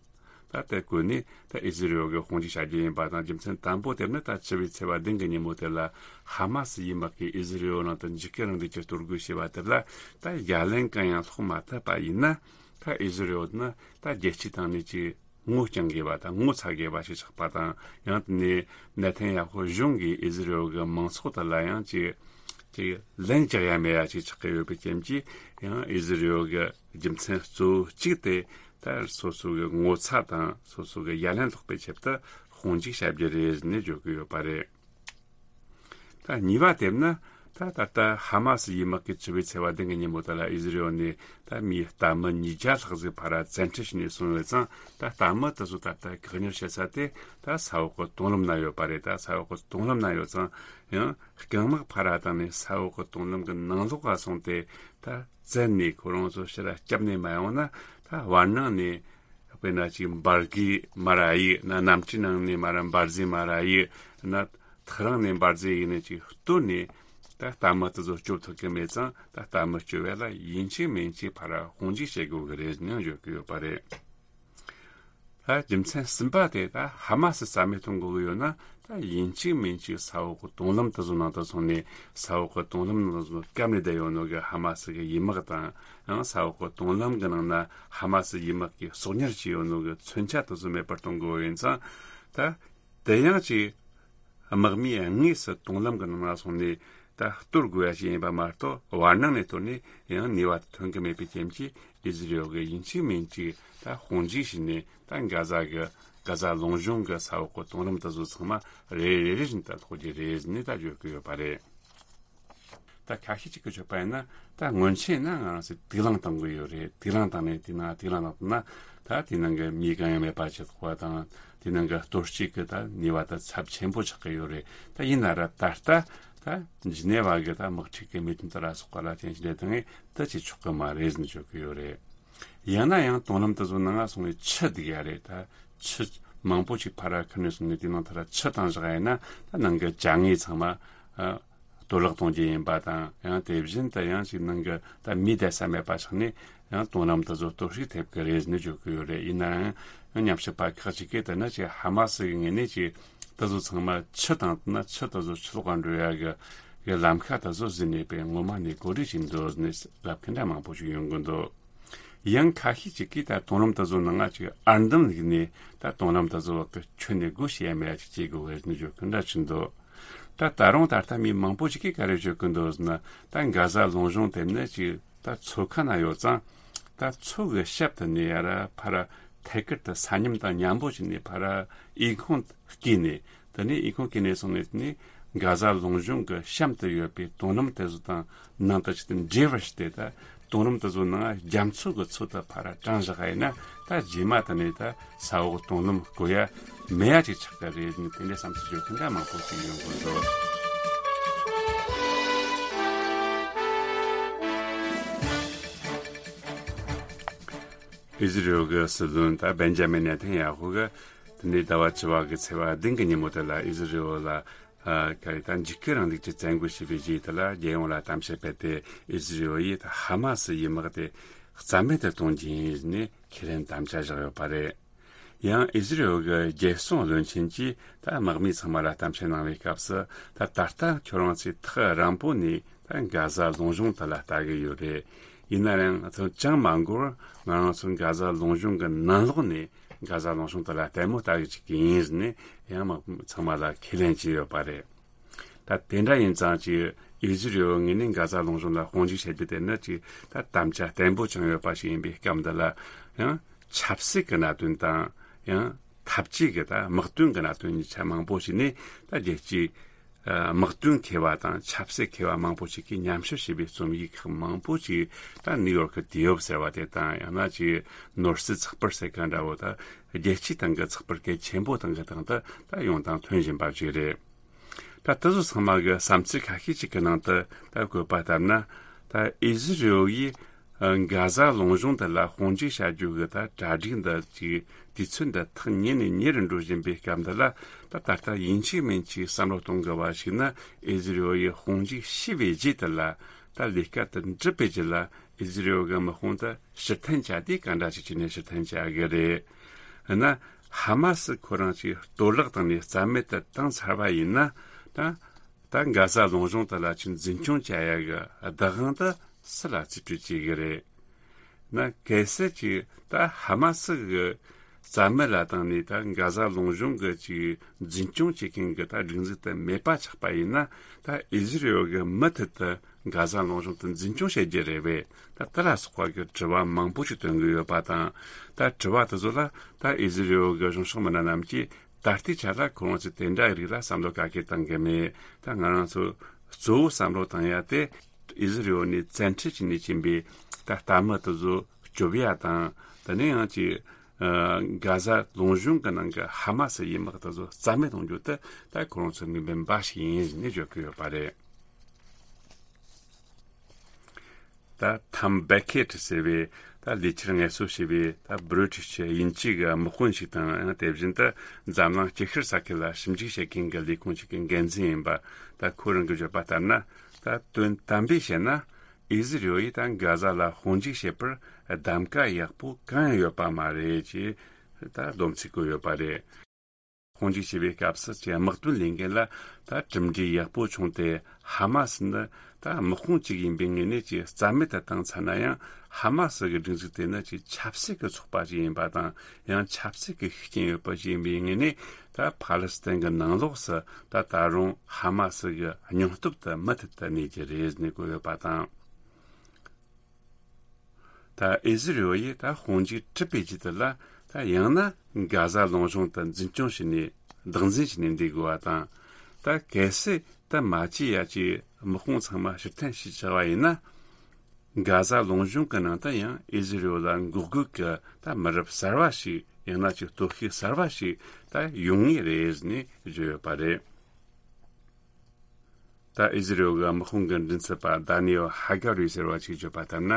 ད་དེ་བཀོད་ནས་ད་ཨི་ཟི་རི་ཡོལ་གྱིས་དཔུང་འཇུག་བྱ་རྒྱུ་ཡིན་པ་དང་། རྒྱུ་མཚན་དང་པོ་དེ་ནི་ད་བཅུ་བའི་ཚེས་པ་བདུན་གྱི་ཉིན་མོ་དེ་ལ་ཧ་མ་སི་ཡི་དམག་གིས་ཨི་ཟི་རི་ཡོལ་ནང་དུ་འཇིགས་སྐུལ་རིང་ལུགས་ཀྱི་གཏོར་རྒོལ་བྱས་པ་དེ་ལ་ད་ཡ་ལན་གང་ཡང་སློག་མ་ཐུབ་པ་ཡིན་ན། ད་ཨི་ཟི་རི་ཡོལ་ནི་ད་རྒྱལ་སྤྱིའི་སྟེང་ནས་ཅིག་ངོ་རྐྱང་དགོས་པ་དང་ངོ་ཚ་དགོས་པ་ཞིག་ཆགས་པ་དང་། ཡང་དེ་ནས་ནེ་ཐན་ཡ་ཧུ་གཞུང་གིས་ཨི་ཟི་རི་ཡོལ་གྱི་མང་ཚོགས་དེ་ལ་ཡང་ཅིག་ཅིག་ལན་རྒྱག་ཡ་མེད་ཡ་ཅིག་ཆགས་ཀྱི་ཡོད་པའི་རྐྱེན་གྱིས། ཡང་ཨི་ཟི་རི་ཡོལ་གྱི་རྒྱུ་མཚན་གཙོ་བོ་གཅིག་དེ་ད་སོ་སོ་གི་ངོ་ཚ་དང་སོ་སོ་གི་ཡ་ལན་སློག་པའི་ཆེད་དུ་དཔུང་འཇུག་བྱ་རྒྱུ་རེད་ནས་བརྗོད་ཀྱི་ཡོད་པ་རེད། ད་གཉིས་པ་དེ་ནི་ད་ད་ལྟ་ཧ་མ་སི་ཡི་དམག་གིས་བཅུ་བའི་ཚེས་པ་བདུན་གྱི་ཉིན་མོ་དེ་ལ་ཨི་ཟི་རི་ཡོལ་ནས་ད་མིའི་ལྟད་མོ་ཉིས་བརྒྱ་ལྷག་ཟིག་ཕར་ར་བཙན་ཁྲིད་བྱས་ནས་སོང་ཡོད་ཙང་། ད་ལྟད་མོ་དེ་ཚོ་ད་ལྟ་བཀག་ཉར་བྱེད་ས་དེ་ད་ས་འོག་གི་དུང་ལམ་ན་ཡོད་པ་རེད། ད་ས་འོག་གི་དུང་ལམ་ན་ཡོད་ཙང་ཡང་རྐང་དམག་ཕར་ར་བཏང་ནས་ས་འོག་གི་དུང་ལམ་གྱི་ནང་ལོགས་ལ་སོང་སྟེ་ད་བཙན་ནས་ཁོ་རང་ཚོ་ཕྱིར་ར་བསྐྱབས་ནས་མ་ཡོང་ན། ད་བར་སྣང་ནས་དཔེར་ན་ཅིག་འབར་གས་མར་ར་གཡུག་ན། གནམ་གྲུའི་ནང་ནས་མར་ར་འབར་རྫས་མར་ར་གཡུག་ན། ཐག་རིང་ནས་འབར་རྫས་གཡུག་ནས་ཅིག་གཏོར་ནས། ད་ ད་ལྟད་མོ་དེ་ཚོ་སྐྱོབ་ཐུབ་ཀྱི་མེད་ཙང་ད་ལྟད་མོ་སྐྱོབ་ཡ་ལ་ཡིན་གཅིག་མིན་གཅིག་ཕར་དཔུང་འཇུག་བྱེད་དགོས་ཀྱི་རེད་ནས་བརྗོད་ཀྱི་ཡོད་པ་རེད། ད་རྒྱུ་མཚན་གསུམ་པ་དེ་ད་ཧ་མ་སི་རྩ་མེད་གཏོང་དགོས་ཀྱི་ཡོད་ན། ད་ཡིན་གཅིག་མིན་གཅིག་ས་འོག་གི་དུང་ལམ་དེ་ཚོ་ནང་དུ་སོང་ནས་ས་འོག་གི་དུང་ལམ་ནང་དུ་བཀབ་ནས་བསྡད་ཡོད་ནོ་གི་ཧ་མ་སི་གི་ཡི་མག་དང་། ཡང་ས་འོག་གི་དུང་ལམ་གི་ནང་ན་ཧ་མ་སི་ཡི་མག་གིས་གསོག་ཉར་བྱས་ཡོད་ནོ་གི་མཚོན་ཆ་དེ་ཚོ་མེད་པར་གཏོང་དགོས་ཡིན་ཙང་། ད་དེ་ཡང་ཅིག་དམག་མིས་དངོས་སུ་དུང་ལམ་གྱི་ནང་ལ་སོང་ནས་ད་གཏོར་དགོས་ཡ་ཞིག་ཡིན་པ་མ་གཏོགས། བར་སྣང་ནས་གཏོར་ནས་ཡང་ནུས་པ་ཐོན་གྱི་མེད་པའི་རྐྱེན་གྱིས། ཨི་ཟི་རི་ཨེལ་གྱིས་ཡིན་གཅིག་མིན་གཅིག་ད་དཔུང་འཇུག་བྱས་ནས་ད་གྷ་ཛ་གི་གྷ་ཛ་ལུང་གཞུང་གི་ས་འོག་གི་དུང་ལམ་དེ་ཚོ་ཚང་མ་རེ་རེ་རེ་བཞིན་དུ་སློག་རྒྱུ་རེད་ཟེར་ནས་ད་བརྗོད་ཀྱི་ཡོད་པ་རེད། ད་ཁ་ཤས་ཅིག་གིས་བརྗོད་པ་ཡིན་ན། ད་སྔོན་ཆད་ན་ང་རང་ཚོས་དུག་རླངས་བཏང་གི་ཡོད་རེད། དུག་རླངས་བཏང་ནས་དེ་ནང་དུག་རླངས་བཏང་ན་ད་དེ་ནང་གི་མི་གང་ཡང་མེད་པ་བྱེད་ཐུབ་པ་དང་། དེ་ནང་གི་གཏོར་བཤིག་གི་ད་ནུས་པ་ད་ཚབས་ཆེན་པོ་ཆགས་ཀྱི་ཡོད་རེད། ད་ཡིན་ན་ར་ད་ལྟ་ད་ཇི་ནེ་ཝ་གི་ད་དམག་འཁྲུག་གི་མི་དོན་དེ་ལ་སོགས་པ་ལ་རྐྱེན་གྱིས་འདྲ་དང་ད་བྱེད་ཆོག་གི་མ་རེད་ཟེར་བརྗོད་ཀྱི་ཡོད་རེད། ཡང་ན་ཡང་དུང་ལམ་དེ་ཚོ་ནང་ང་སོང་བའི་ཆུ་ལྡུག་ཡ་རེད། ད་ཆུ་མང་པོ་ཅིག་ཕར་ར་ཁུར་ནས་སོང་ནས་དེ་ནང་ཐར་ཆུ་བཏང་བཞག་ཡིན་ན། ད་ནང་གི་བྱ་དངོས་ཚང་མ་ཨ་གཏོར་བརླག་གཏོང་རྒྱུ་ཡིན་པ་དང་། ཡང་དེ་བཞིན་དུ་ཡང་ཅིག་ནང་གི་ད་མི་བསྡད་ས་མེད་པ་ཆགས་ནས་ཡང་དུང་ལམ་དེ་ཚོ་གཏོར་བཤིག་ཐེབས་ཀྱི་རེད་ཟེར་ནས་བརྗོད་ཀྱི་ཡོད་རེད། ཡིན་ན་ཡང་ཉམས་ཞིབ་པ་ཁག་ཅིག་གིས་ད་ནི་ཅིག་ཧ་མ་སི་གི་ངོས་ནས་ཅིག་དེ་ཚོ་ཚང་མ་ཆུ་བཏང་ན་ཆུ་དེ་ཚོ་ཆུ་ལོག་ག་འགྲོ་ཡ་གི་གི་ལམ་ཁ་དེ་ཚོ་ཟིན་ནས་པས་ངོ་མ་ནས་གོ་སྒྲིག་བྱས་འདུག་ཟེར་ནས་ལབ་མཁན་འདྲ་མང་པོ་ཞིག་ཡོང་གི་འདུག། ཡང་ཁ་ཤས་ཅིག་གིས་ད་དུང་ལམ་དེ་ཚོ་ནང་ང་ཅིག་ཨར་འདམ་བླུགས་ནས་ད་དུང་ལམ་དེ་ཚོ་བར་གྱི་ཁྱོན་ནས་སྒོ་ཕྱེ་ཡ་མེད་ཡ་ཅིག་བྱེད་དགོས་རེད་ཟེར་ནས་བརྗོད་མཁན་འདྲ་ཅིག་འདུག། ད་ད་རུང་ད་ལྟ་མི་མང་པོ་ཅིག་གིས་ག་རེ་བརྗོད་ཀྱི་འདུག་ཟེར་ན། ད་གྷ་ཛ་ལུང་གཞུང་དེ་ནི་ཅིག་ད་མཚོ་ཁ་ན་ཡོད་ཙང་། ད་མཚོ་གི་ཞབས་དེ་ནས་ཡར་ཕར་ཐད་ཀར་དུ་ས་མཉམ་དང་མཉམ་པོ་བྱས་ནས་ཕར་འོས་འཁོན་བསྐྱེད་ནས། དེ་ནས་འོས་འཁོན་བསྐྱེད་ནས་སོང་ནས་དེ་ནས་གྷ་ཛ་ལུང་གཞུང་གི་གཤམ་དུ་ཡོད་པའི་དུང་ལམ་དེ་ཚོ་དང་ནང་དུ་ཅིག་ཏུ་འབྲེལ་བར་བྱས་ཏེ། ད་དུང་ལམ་དེ་ཚོ་ནང་རྒྱ་མཚོ་གི་མཚོ་དེ་ཕར་དྲངས་བཞག་ཡིན་ན། ད་རྗེས་མ་དེ་ནས་ད་ས་འོག་དུང་ལམ་བརྐོ་ཡ་མེད་ཡ་ཅིག་ཆགས་ཀྱི་རེད་ཟེར་ནས་དེ་འདྲའི་བསམ་ཚུལ་བརྗོད་མཁན་འདྲ་མང་པོ་ཞིག་ཡོང་གི་འདུག། ཨི་ཟི་རི་ཨེལ་གྱི་སྲིད་བློན་ད་བེན་ཇ་མིན་ནེ་ཐན་ཡ་ཧུ་གིས་དེ་ནས་ཟླ་བ་བཅུ་བ་གི་ཚེས་པ་བདུན་གྱི་ཉིན་མོ་དེ་ལ་ཨི་ཟི་རི་ཨེལ་ལ་ཨ་ག་རེ་ད་འཇིགས་སྐུལ་རིང་ལུགས་ཀྱི་བཙན་རྒོལ་བྱས་པའི་རྗེས་དེ་ལ་རྒྱལ་ཡོངས་ལ་གཏམ་བཤད་སྤེལ་ཏེ། ཨི་ཟི་རི་ཨེལ་ཡིས་ད་ཧ་མ་སི་ཡི་དམག་དེ་རྩ་མེད་དུ་གཏོང་རྒྱུ་ཡིན་ནས་ཁས་ལེན་དམ་བཅའ་བཞག་ཡོད་པ་རེད། ཡང་ཨི་ཟི་རི་ཨེལ་གྱི་རྒྱལ་སྲུང་བློན་ཆེན་གྱིས་ད་དམག་མི་ཚང་མ་ལ་གཏམ་བཤད་གནང་བའི་སྐབས་སུ། ད་ད་ལྟ་ཁྱོད་རང་ཚོས་ཐག་རིང་པོ་ནས་ད་གྷ་ཛ་ལུང་གཞུང་དེ་ལ་ལྟ་གི་ཡོད་རེད། ཡིན་ན་ཡང་ང་ཚོ་ཅང་མ་འགོར། ང་རང་ཚོ་གྷ་ཛ་ལུང་གཞུང་གི་ནང་ལོགས་ནས་གྷ་ཛ་ལུང་གཞུང་དེ་ལ་ལྟད་མོ་ལྟ་གི་བཅུག་གི་ཡིན་ཟེར་ནས་ཡང་དམག་མི་ཚང་མ་ལ་ཁས་ལེན་བྱས་ཡོད་པ་རེད། ད་དེ་འདྲ་ཡིན་ཙང་ཅིག་ཨི་ཟི་རི་ཨེལ་ངོས་ནས་གྷ་ཛ་ལུང་གཞུང་ལ་དཔུང་འཇུག་བྱེད་རྒྱུ་དེ་ནི་ཅིག་ད་དམ་བཅའ་བརྟན་པོ་བཅངས་ཡོད་པ་ཞིག་ཡིན་པའི་སྐབས་འདི་ལ། ཡང་ཆབ་སྲིད་ཀྱི་གནད་དོན་དང་ཡང་འཐབ་ཇུས་ཀྱི་ད་དམག་དོན་གྱི་གནད་དོན་གཉིས་ཆ་མང་པོ་ཞིག་ནས། ད་རྒྱལ་སྤྱིའི་ཨ་དམག་དོན་མཁས་པ་དང་ཆབ་སྲིད་མཁས་པ་མང་པོ་ཞིག་གིས་ཉམས་ཞིབ་བྱས་པའི་རྩོམ་ཡིག་ཁག་མང་པོ་ཞིག་ད་ནིའུ་ཡོག་གི་ཏི་ཡོབ་ཟེར་བ་དེ་དང་། ཡང་ན་ཅིག་ནོར་སྲིད་ཚགས་པར་ཟེར་མཁན་འདྲ་བོ། ད་རྒྱལ་སྤྱིའི་སྟེང་གི་ཚགས་པར་གལ་ཆེན་པོ་སྟེང་གི་སྟེང་དུ་ད་ཡོང་དང་ཐོན་བཞིན་པ་ཞིག་རེད། ད་དེ་ཚོ་ཚང་མ་གི་བསམ་ཚུལ་ཁ་ཤས་ཅིག་གི་ནང་དུ་ད་བཀོད་པ་ལྟར་ན། ད་ཨི་ཟི་རི་ཨེལ་ཡིས་ཨ་གྷ་ཛ་ལུང་གཞུང་དེ་ལ་དཔུང་འཇུག་བྱ་རྒྱུ་གི་ད་གྲ་སྒྲིག་འདི་ཅིག་དུས་ཚོད་འདི་ཐག་ཉེ་ནས་ཉེ་རུ་འགྲོ་བཞིན་པའི་སྐབས་འདི་ལ། ད་ད་ལྟ་ཡིན་གཅིག་མིན་གཅིག་བསམ་བློ་གཏོང་དགོས་པ་ཞིག་ནི། ཨི་ཟི་རི་ཨེལ་ཡིས་དཔུང་འཇུག་བྱས་པའི་རྗེས་དེ་ལ་ད་ལས་ཀ་དེ་འགྲུབ་པའི་རྗེས་ལ་ཨི་ཟི་རི་ཨེལ་གི་དམག་དཔུང་དེ་ཕྱིར་འཐེན་བྱ་དུས་ག་འདྲ་ཞིག་བྱས་ནས་ཕྱིར་འཐེན་བྱ་གི་རེད། ཡིན་ན་ཧ་མ་སི་ཁོ་རང་ཅིག་གཏོར་བརླག་བཏང་ནས་རྩ་མེད་དུ་བཏང་ཚར་བ་ཡིན་ན། ད་ད་གྷ་ཛ་ལུང་གཞུང་དེ་ལ་ཅིག་འཛིན་སྐྱོང་བྱ་ཡ་གི་བདག་དབང་དེ་སུ་ལ་རྩིས་སྤྲོད་བྱེད་གི་རེད། ན་གལ་སྲིད་ཅིག་ད་ཧ་མ་སི་གིས་རྩ་མེད་ལ་བཏང་ནས་ད་གྷ་ཛ་ལུང་གཞུང་གི་ཅིག་འཛིན་སྐྱོང་བྱེད་མཁན་གི་ད་སྒྲིག་འཛུགས་དེ་མེད་པ་ཆགས་པ་ཡིན་ན། ད་ཨི་ཟི་རི་ཨེལ་གིས་མུ་མཐུད་དུ་གྷ་ཛ་ལུང་གཞུང་དེ་འཛིན་སྐྱོང་བྱེད་རྒྱུ་རེད་པས། ད་དེ་ལ་སོགས་པ་གི་དྲི་བ་མང་པོ་ཞིག་བཏོན་གི་ཡོད་པ་དང་། ད་དྲི་བ་དེ་ཚོ་ལ་ད་ཨི་ཟི་རི་ཨེལ་གི་གཞུང་ཕྱོགས་མི་སྣ་རྣམས་ཀྱིས་ད་ལྟའི་ཆ་ལ་ཁོ་རང་ཚོས་དེ་འདྲ་རིགས་ལ་བསམ་བློ་ག་གེ་བཏང་གི་མེད། ད་ང་རང་ཚོ་གཙོ་བོ་བསམ་བློ་བཏང་ཡ་དེ། ཨི་ཟི་རི་ཨེལ་ནས་བཙན་ཁྲིད་བྱས་ནས་ཕྱིན་པའི་ད་ལྟད་མོ་དེ་ཚོ་སྐྱོབ་ཡ་དང་། དེ་ནས་ཡང་ཅིག་ཨ་གྷ་ཛ་ལུང་གཞུང་གི་ནང་གི་ཧ་མ་སི་ཡི་དམག་དེ་ཚོ་རྩ་མེད་གཏོང་རྒྱུ་དེ་ད་ཁོ་རང་ཚོའི་དམིགས་འབེན་འབའ་ཞིག་ཡིན་ཟེར་ནས་བརྗོད་ཀྱི་ཡོད་པ་རེད། ད་ཐམ་བེ་ཁེ་ཏི་ཟེར་བའི་ད་ལས་འཁྱུར་ངལ་གསོ་བྱས་པའི་ད་བྷི་རི་ཊིཤ་དབྱིན་ཇི་གི་དམག་དཔོན་ཞིག་དང་། ཡང་དེ་བཞིན་དུ་འཛམ་གླིང་སྐྱི་ཤར་ས་ཁུལ་ལ་ཞིབ་འཇུག་བྱེད་མཁན་གྱི་ལས་ཁུངས་ཤིག་གི་འགན་འཛིན་ཡིན་པ། ད་ཁོ་རང་གིས་བརྗོད་པ་ལྟར་ན། ད་དོན་དམ་པས་བཤད་ན། ཨི་ཟི་རེལ་ཡིས་ད་གྷ་ཟ་ལ་དཔུང་འཇུག་བྱེད་པར་གདམ་ཀ་ཡག་པོ་གང་ཡང་ཡོད་པ་མ་རེད་ཅེས་ད་སྡོམ་ཚིག་བཀོད་ཡོད་པ་རེད། དཔུང་འཇུག་བྱེད་པའི་སྐབས་སུ་ཀྱི་དམག་དོན་ལས་འགན་ལ་ད་གྲུབ་འབྲས་ཡག་པོ་བྱུང་སྟེ། ཧ་མ་སི་ནི་ད་དམག་དཔུང་གཅིག་ཡིན་པའི་ངོས་ནས་ཀྱི་རྩ་མེད་དུ་བཏང་ཚར་ན་ཡང་། ཧ་མ་སི་གི་སྒྲིག་འཛུགས་དེ་ནི་ཀྱི་ཆབ་སྲིད་ཀྱི་ཚོགས་པ་ཞིག་ཡིན་པ་དང་། ཡང་ཆབ་སྲིད་ཀྱི་ཤུགས་རྐྱེན་ཡོད་པ་ཞིག་ཡིན་པའི་ངོས་ནས། ད་ཕ་ལི་སི་ཐན་གྱི་ནང་ལོགས་སུ་ད་ད་རུང་ཧ་མ་སི་གི་སྙིང་སྟོབས་དེ་མུ་མཐུད་དུ་གནས་ཀྱི་རེད་ཟེར་ནས་བཀོད་ཡོད་པ་དང་། ད་ཨི་ཟི་རེལ་ཡིས་ད་དཔུང་འཇུག་གྲུབ་པའི་རྗེས་དེ་ལ། ད་ཡང་ན་གྷ་ཟ་ལུང་གཤོང་དུ་འཛིན་སྐྱོང་བྱས་ནས་བདག་འཛིན་བྱས་ནས་འདུག་དགོས་པ་དང་། ད་གལ་སྲིད་ད་མ་བྱས་ཡ་ཅིག་དམག་དཔུང་ཚང་མ་ཕྱིར་འཐེན་བྱས་ཆགས་པ་ཡིན་ན། གྷ་ཟ་ལུང་གཤོང་གི་ནང་དུ་ཡང་ཨི་ཟི་རེལ་ལ་འགོག་རྒོལ་གྱི་ད་མི་རབས་གསར་བ་ཞིག། ཡང་ན་ཅིག་སྟོབས་ཤུགས་གསར་བ་ཞིག་ད་ཡོང་ངེས་རེད་ཟེར་ནས་བརྗོད་ཡོད་པ་རེད། ད་ཨི་ཟི་རེལ་གྱི་དམག་དཔུང་གི་མགྲིན་ཚབ་པ་ད་ནི་ཨེལ་ཧ་ག་རི་ཟེར་བ་ཞིག་བརྗོད་པ་ལྟར་ན།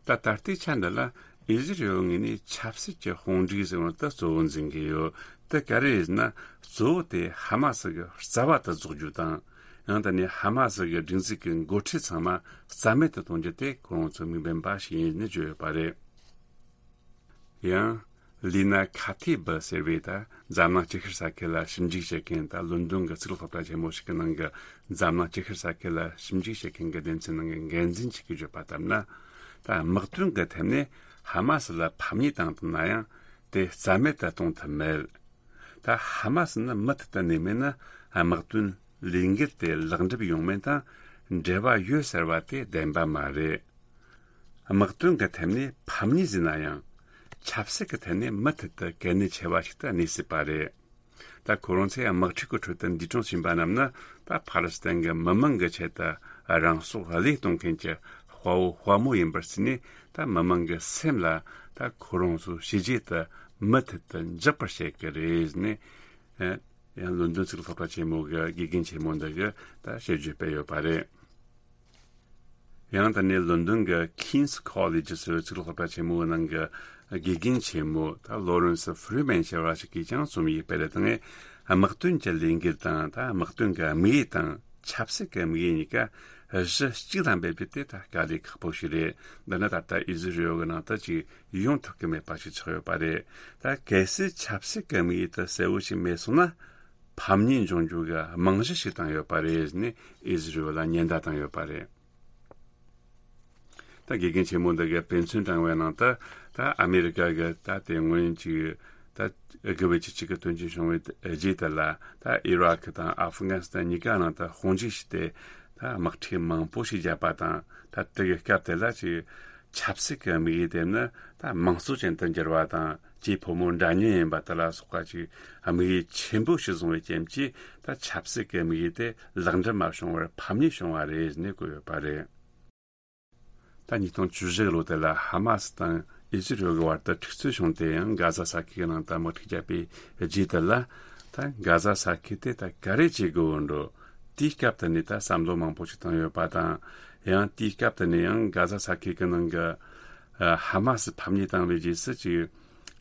ད་ད་ལྟའི་ཆ་འདི་ལ་ཨི་ཟི་རེལ་ངོས་ནས་ཆབ་སྲིད་ཀྱི་དཔུང་སྒྲིག་ཟེར་བ་དེ་གཙོ་བོ་འཛིན་གྱི་ཡོད། དེ་ག་རེ་ཡིན་ན། གཙོ་བོ་དེ་ཧ་མ་སི་གི་རྩ་བ་དེ་རྫོགས་རྒྱུ་དང་། ཡང་དེ་ནས་ཧ་མ་སི་གི་སྒྲིག་འཛུགས་ཀྱི་འགོ་ཁྲིད་ཚང་མ་རྩ་མེད་དུ་གཏོང་རྒྱུ་དེ་ཁོ་རང་ཚོའི་དམིགས་འབེན་འབའ་ཞིག་ཡིན་ནས་བརྗོད་ཡོད་པ་རེད། ཡང་། ལི་ན་ཁ་ཐི་བི་ཟེར་བའི་ད་འཛམ་གླིང་སྤྱི་ཁྱབ་ས་ཁུལ་ལ་ཞིབ་འཇུག་བྱེད་མཁན། ད་ལོན་ཌོན་གྱི་གཙུག་ལག་སློབ་གྲྭ་ཆེན་མོ་ཞིག་གི་ནང་གི་འཛམ་གླིང་སྤྱི་ཁྱབ་ས་ཁུལ་ལ་ཞིབ་འཇུག་བྱེད་མཁན་གྱི་སྡེ་ཚན་ནང་གི་འགན་འཛིན་ཞིག་གིས་བརྗོད་པ་ལྟར་ན། ད་དམག་དོན་གྱི་ཐད་ནས་ཧ་མ་སི་ལ་ཕམ་ཉེས་བཏང་ཐུབ་ན་ཡང་དེ་རྩ་མེད་དུ་གཏོང་ཐུབ་མེད། ད་ཧ་མ་སི་ནི་མུ་མཐུད་དུ་གནས་མེད་ན། དམག་དོན་ལས་འགུལ་དེ་ལེགས་འགྲུབ་ཡོང་མིན་དང་འབྲེལ་བ་ཡོད་ཟེར་བ་དེ་བདེན་པ་མ་རེད། དམག་དོན་གྱི་ཐད་ནས་ཕམ་ཉེས་ཟིན་ན་ཡང་། ཆབ་སྲིད་ཀྱི་ཐད་ནས་མུ་མཐུད་དུ་གལ་གནད་ཆེ་བ་ཞིག་ཏུ་གནས་སྲིད་པ་རེད། ད་ཁོ་རང་ཚོས་དམག་འཁྲུག་གི་ཁྲོད་དུ་འདས་གྲོངས་ཕྱིན་པ་རྣམས་ནི། ད་ཕ་ལི་སི་ཐན་གྱི་མི་མང་གི་ཆེད་དུ་རང་སྲོག་བློས་གཏོང་མཁན་གྱི་དཔའ་བོ་དཔའ་མོ་ཡིན་པར་བརྩིས་ནས། ད་མི་མང་གི་སེམས་ལ་ད་ཁོ་རང་ཚོའི་བྱས་རྗེས་དེ་མུ་མཐུད་དུ་འཇགས་པར་བྱེད་ཀྱི་རེད་ཟེར་ནས། ཡང་ལོན་ཌོན་གཙུག་ལག་སློབ་གྲྭ་ཆེན་མོ་གི་དགེ་རྒན་ཆེན་མོ་འདི་གིས་ད་བཤད་རྒྱུ་སྤེལ་ཡོད་པ་རེད། ཡང་དེ་ནས་ལོན་ཌོན་གྱི་King's College ཟེར་བའི་གཙུག་ལག་སློབ་གྲྭ་ཆེན་མོའི་ནང་གི་དགེ་རྒན་ཆེན་མོ་ད་ལོ་རེན་སི་ཧྥི་རི་མན་ཟེར་བ་ཞིག་གིས་ཀྱང་རྩོམ་ཡིག་སྤེལ་བཏང་ངས། དམག་དོན་གྱི་ལས་འགུལ་དང་ད་དམག་དོན་གྱི་དམིགས་ཡུལ་དང་ཆབ་སྲིད་ཀྱི་དམིགས་ཡུལ་གཉིས་ཀ་གཞི་གཅིག་ལ་འབེབས་རྒྱུ་དེ་ད་དཀའ་ལས་ཁག་པོ་ཞིག་རེད། འདི་ནི་ད་ལྟ་ཨི་ཟི་རེལ་གྱི་ནང་དུ་ཅིག་ཡོང་ཐུབ་ཀྱི་མེད་པ་ཞིག་ཆགས་ཡོད་པ་རེད། ད་གལ་སྲིད་ཆབ་སྲིད་ཀྱི་དམིགས་ཡུལ་དེ་གསལ་བོ་ཞིག་མེད་སོང་ན། ཕམ་ཉེས་འབྱུང་རྒྱུ་གི་རྨང་གཞི་ཞིག་བཏིང་ཡོད་པ་རེད་ཟེར་ནས་ཨི་ཟི་རེལ་ལ་ཉེན་བརྡ་བཏང་ཡོད་པ་རེད། ད་དགེ་རྒན་ཆེན་མོ་འདི་གིས་དཔེ་མཚོན་དྲངས་པའི་ནང་དུ། ད་ཨ་མེ་རི་ཀ་གི་ད་དེ་སྔོན་གྱི་ད་དགུ་བའི་ཆུ་ཚོད་ཀྱི་དོན་རྐྱེན་བྱུང་བའི་རྗེས་དེ་ལ། ད་ཨི་རག་དང་ཨབ་གྷ་ནི་སི་ཐན་གཉིས་ཀ་ནང་དུ་དཔུང་འཇུག་བྱས་ཏེ། ད་དམག་འཁྲུག་མང་པོ་ཞིག་བརྒྱབ་པ་དང་། ད་དེ་གི་སྐབས་དེ་ལ་ཅིག་ཆབ་སྲིད་ཀྱི་དམིགས་ཡུལ་དེ་ནི་ད་དམངས་གཙོ་ཅན་དུ་འགྱུར་བ་དང་། སྐྱེས་ཕོ་མོ་འདྲ་མཉམ་ཡིན་པ་དེ་ལ་སོགས་པ་ཅིག་དམིགས་ཡུལ་ཆེན་པོ་ཞིག་བཟུང་བའི་རྐྱེན་གྱིས། ད་ཆབ་སྲིད་ཀྱི་དམིགས་ཡུལ་དེ་ལེགས་འགྲུབ་མ་བྱུང་བར་ཕམ་ཉེས་བྱུང་བ་རེད་ཟེར་ནས་བཀོད་ཡོད་པ་རེད། ད་ཉིས་སྟོང་བཅུ་བཞི་གི་ལོ་དེ་ལ་ཧ་མ་སི་དང་ཨི་ཟི་རེལ་གྱི་བར་དུ་འཁྲུག་རྩོད་བྱུང་སྟེ། ཡང་གྷ་ཟ་ས་ཁུལ་གྱི་ནང་དུ་དམག་འཁྲུག་བརྒྱབ་པའི་རྗེས་དེ་ལ། ད་གྷ་ཟ་ས་ཁུལ་དེ་ད་ག་རེ་བྱེད་དགོས་འགྲོ། དེའི་སྐབས་དེ་ནས་ད་བསམ་བློ་མང་པོ་ཞིག་བཏང་ཡོད་པ་དང་། ཡང་དེའི་སྐབས་དེ་ནས་ཡང་གྷ་ཟ་ས་ཁུལ་གྱི་ནང་གི་ཧ་མ་སི་ཕམ་ཉེས་བཏང་བའི་རྗེས་སུ་ཅིག་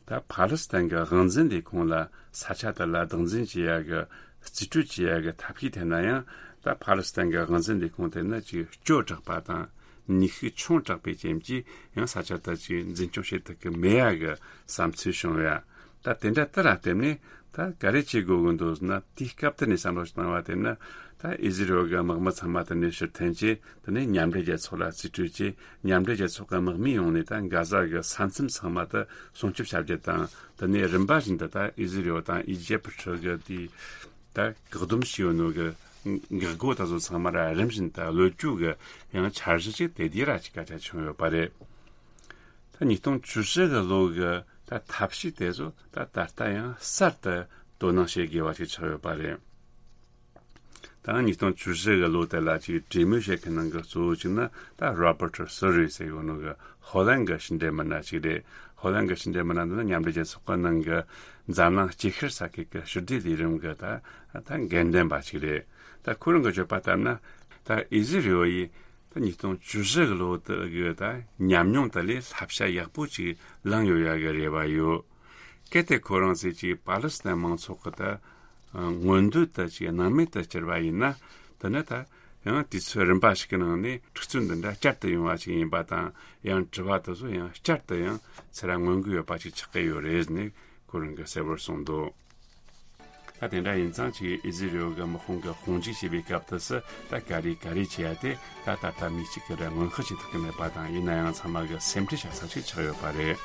ད་ཕ་ལི་སི་ཐན་གྱི་དབང་འཛིན་ལས་ཁུངས་ལ་ས་ཆ་དེ་ལ་བདག་འཛིན་བྱེད་ཡ་གི་རྩིས་སྤྲོད་བྱེད་ཡ་གི་ཐབས་ཤེས་བཏོན་ན་ཡང་། ད་ཕ་ལི་སི་ཐན་གྱི་དབང་འཛིན་ལས་ཁུངས་དེ་ནི་ཅིག་སྐྱོ་དྲགས་པ་དང་། ནུས་ཤུགས་ཆུང་དྲགས་པའི་རྐྱེན་གྱིས། ཡང་ས་ཆ་དེ་ཅིག་འཛིན་སྐྱོང་བྱེད་ཐུབ་ཀྱི་མེད་ཡ་གི་བསམ་ཚུལ་བྱུང་ཡ། ད་དེ་འདྲ་དེ་ལ་བརྟེན་ནས་ད་ག་རེ་བྱེད་དགོས་ཀྱི་འདུག་ཟེར་ན། དེའི་སྐབས་དེ་ནས་བསམ་བློ་ཞིག་བཏང་བ་དེ་ནི། ད་ཨི་ཟི་རེལ་གྱི་དམག་མི་ཚང་མ་དེ་ནས་ཕྱིར་འཐེན་བྱས། དེ་ནས་མཉམ་འབྲེལ་རྒྱལ་ཚོགས་ལ་རྩིས་སྤྲོད་བྱས། མཉམ་འབྲེལ་རྒྱལ་ཚོགས་ཀྱི་དམག་མི་ཡོང་ནས་ད་གྷ་ཟ་གི་ས་མཚམས་ཚང་མ་དེ་སྲུང་སྐྱོབ་བྱ་རྒྱུ་དང་། དེ་ནས་རིམ་པ་བཞིན་དུ་ད་ཨི་ཟི་རེལ་དང་ཨི་ཇེབ་ཁྲི་གི་དེའི་ད་བཀག་སྡོམ་བྱས་ཡོད་ནོ་གི་འགག་སྒོ་དེ་ཚོ་ཚང་མ་ར་རིམ་བཞིན་དུ་གློད་རྒྱུ་གི་ཡང་འཆར་གཞི་ཅིག་དེ་དུས་ར་ཅིག་སྐད་ཆ་བྱུང་ཡོད་པ་རེད། ད་ཉིས་སྟོང་བཅུ་བཞི་གི་ལོ་གི་ད་ཐབས་ཤེས་དེ་ཚོ་ད་ད་ལྟ་ཡང་གསར་དུ་དོ་སྣང་བྱེད་དགོས་པ་ཞིག་ཆགས་ཡོད་པ་རེད། ད་ཉིས་སྟོང་བཅུ་བཞི་གི་ལོ་དེ་ལ་ཅིག་གྲོས་མོལ་བྱེད་མཁན་ནང་གི་གཙོ་བོ་གཅིག་ནི་ད་རོ་བར་ཊ་སུ་རི་ཟེར་ཡོད་ནོ་གི་ཧོ་ལན་གྱི་ཕྱི་འབྲེལ་མི་སྣ་ཅིག་རེད། ཧོ་ལན་གྱི་ཕྱི་འབྲེལ་མི་སྣ་འདི་ནི་མཉམ་འབྲེལ་རྒྱལ་ཚོགས་ཀྱི་ནང་གི་འཛམ་གླིང་སྤྱི་ཁྱབ་ས་ཁུལ་གྱི་ཕྱི་འབྲེལ་ལས་རིམ་གྱི་ད་ད་འགན་འདྲེན་པ་ཅིག་རེད། ད་ཁོ་རང་གིས་བརྗོད་པ་ལྟར་ན། ད་ཨི་ཟི་རེལ་ཡིས་ད་ཉིས་སྟོང་བཅུ་བཞི་གི་ལོ་དེ་གི་ད་ཉམས་མྱོང་དེ་ལས་བསླབ་བྱ་ཡག་པོ་ཅིག་བླངས་ཡོད་ཡ་གི་རེ་བ་ཡོད། གལ་ཏེ་ཁོ་རང་ཚོས་ཅིག་པ་ལི་སི་ཐན་མང་ཚོགས་ཀྱི་ད་མངོན་འདོད་དེ་ཅིག་སྣང་མེད་དུ་བསྐྱུར་བ་ཡིན་ན། དེ་ནི་ད་ ཡང་དུས་ཚོད་རིམ་པ་ཞིག་གི་ནང་ནས་འཁྲུག་རྩོད་འདི་འདྲ་བསྐྱར་དུ་ཡོང་བ་ཞིག་ཡིན་པ་དང་། ཡང་དྲི་བ་དེ་ཚོ་ཡང་བསྐྱར་དུ་ཡང་ཚུར་མངོན་གྱི་ཡོད་པ་ཞིག་ཆགས་ཀྱི་ཡོད་རེད་ནས་ཁོ་རང་གིས་གསལ་པོར་གསུངས་འདུག་ད་དེ་འདྲ་ཡིན་ཙང་ཅིག་ཨི་ཟི་རེལ་གྱི་དམག་དཔུང་གི་དཔུང་འཇུག་བྱེད་པའི་སྐབས་དུས་སུ་ད་ག་རེ་ག་རེ་བྱེད་ཡ་དེ་ད་ད་ལྟ་མི་གཅིག་གིས་ར་སྔོན་དཔག་བྱེད་ཐུབ་ཀྱི་མེད་པ་དང་། ཡིན་ན་ཡང་ཚང་མ་གིས་སེམས་ཁྲལ་བྱ་ས་ཞིག་ཆགས་ཡོད་པ་རེད།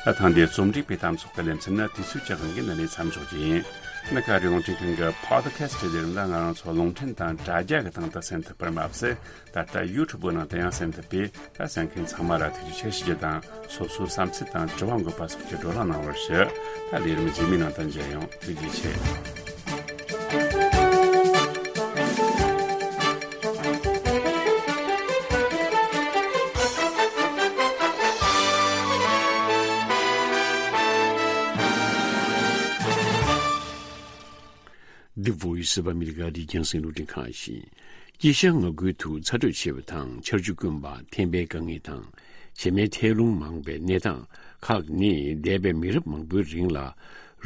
ད་ཐེངས་འདིའི་རྩོམ་སྒྲིག་པའི་གཏམ་ཚོགས་ཀྱི་ལེ་ཚན་ནི་དུས་ཚོད་ཀྱི་དབང་གིས་འདི་ནས་མཚམས་འཇོག་རྒྱུ་ཡིན། གནའ་ཁ་རི་ཝང་ཁྲིན་ཁང་གི་Podcast་དེ་རིང་ལ་ང་རང་ཚོ་རླུང་འཕྲིན་དང་དྲ་རྒྱ་གི་སྟེང་དུ་གསན་ཐུབ་པར་མ་ཟད། ད་ལྟ་YouTube་ནང་དུ་ཡང་གསན་ཐུབ་པས། ད་གསན་མཁན་ཚང་མ་ལ་ཐུགས་རྗེ་ཆེ་ཞུ་རྒྱུ་དང་། སོ་སོའི་བསམ་ཚུལ་དང་དྲི་བ་འགོད་པ་སོགས་ཀྱི་བགྲོ་གླེང་གནང་བར་ཞུ། ད་ལས་རིམ་རྗེས་མའི་ནང་དུ་མཇལ་ཡོང་། ཐུགས་རྗེ་ཆེ། The Voice of America་རི་རྒྱང་སྲིང་རླུང་འཕྲིན་ཁང་ཡིན། དཀྱིལ་ཤར་མངའ་ཁུལ་དུ་ཚ་དྲོད་ཆེ་བ་དང་ཆར་ཆུ་དཀོན་པ། ཐན་པའི་དཀའ་ངལ་དང་བྱེ་མའི་ཐལ་རླུང་མང་བའི་གནས་སྟངས་ཁག་ནི་འདས་པའི་མི་རབས་མང་པོའི་རིང་ལ་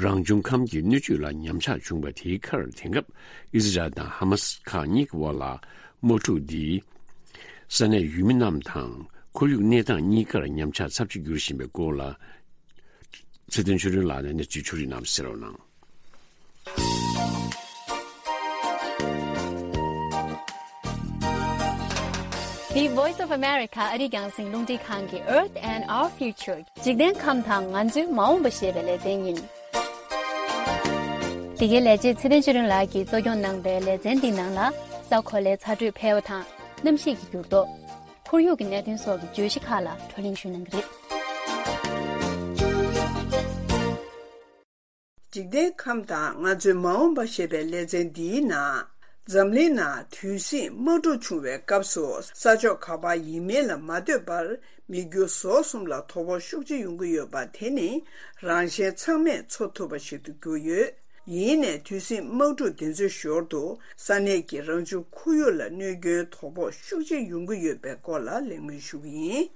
རང་བྱུང་ཁམས་ཀྱི་སྣོད་བཅུད་ལ་ཉམས་ཆག་བྱུང་བ་དེའི་ཁར། དེང་སྐབས་ཨི་ཟི་རལ་དང་ཧ་མ་སི་ཁག་གཉིས་ཀྱི་དབར་ལ་དམག་འཁྲུག་འདིས་ས་གནས་ཡུལ་མི་རྣམས་དང་ཁོར་ཡུག་གནས་སྟངས་གཉིས་ཀར་ཉམས་ཆག་ཚབས་ཆེ་འགྱུར་བཞིན་པའི་སྐོར་ལ། ཚེ་བརྟན་ཆོས་སྒྲོན་ལགས་ནས་གནས་ཚུལ་ཕྱོགས་སྒྲིག་གནང་བ་གསན་རོགས་གནང་། འདི་Voice of America་ཨ་རི་རྒྱང་སྲིང་རླུང་འཕྲིན་ཁང་གི་Earth and Our Future། འཇིག་རྟེན་ཁམས་དང་ང་ཚོའི་མ་འོངས་པ་ཞེས་པའི་ལེ་ཚན་ཡིན། འདི་གའི་ལས་བྱེད་ཚེ་བརྟན་ཆོས་སྒྲོན་ལགས་ཀྱིས་གཙོ་སྐྱོང་གནང་པའི་ལེ་ཚན་འདིའི་ནང་ལ། ས་གོ་ལའི་ཚ་དྲོད་འཕེལ་བ་དང་གནམ་གཤིས་ཀྱི་འགྱུར་ལྡོག་ཁོར་ཡུག་གི་གནད་དོན་སོགས་ཀྱི་བརྗོད་གཞི་ཁག་ལ་བགྲོ་གླེང་ཞུ་གནང་གི་རེད། འཇིག་རྟེན་ཁམས་དང་ང་ཚོའི་མ་འོངས་པ་ཞེས་པའི་ལེ་ཚན་འདིའི་ནང་། འཛམ་གླིང་ནང་དུས་ཟིང་དམག་འཁྲུག་བྱུང་བའི་སྐབས་སུ་ས་ཕྱོགས་ག་པར་ཡིན་མིན་ལ་མ་ལྟོས་པར་མི་རྒྱུ་ཟོག་གསུམ་ལ་དོ་ཕོག་ཤུགས་ཆེ་ཡོང་གི་ཡོད་པ་དེ་ནི་རང་གཞན་ཚང་མས་འཚོ་ཐུབ་པ་ཞིག་ཏུ་གྱུར་ཡོད། ཡིན་ནའི་དུས་ཟིང་དམག་འཁྲུག་འདི་ཚོའི་ཞོར་དུ་ས་གནས་ཀྱི་རང་བྱུང་ཁོར་ཡུག་ལ་གནོད་སྐྱོན་དོ་ཕོག་ཤུགས་ཆེ་ཡོང་གི་ཡོད་པའི་སྐོར་ལ་གླེང་མོལ་ཞུ་གི་ཡིན།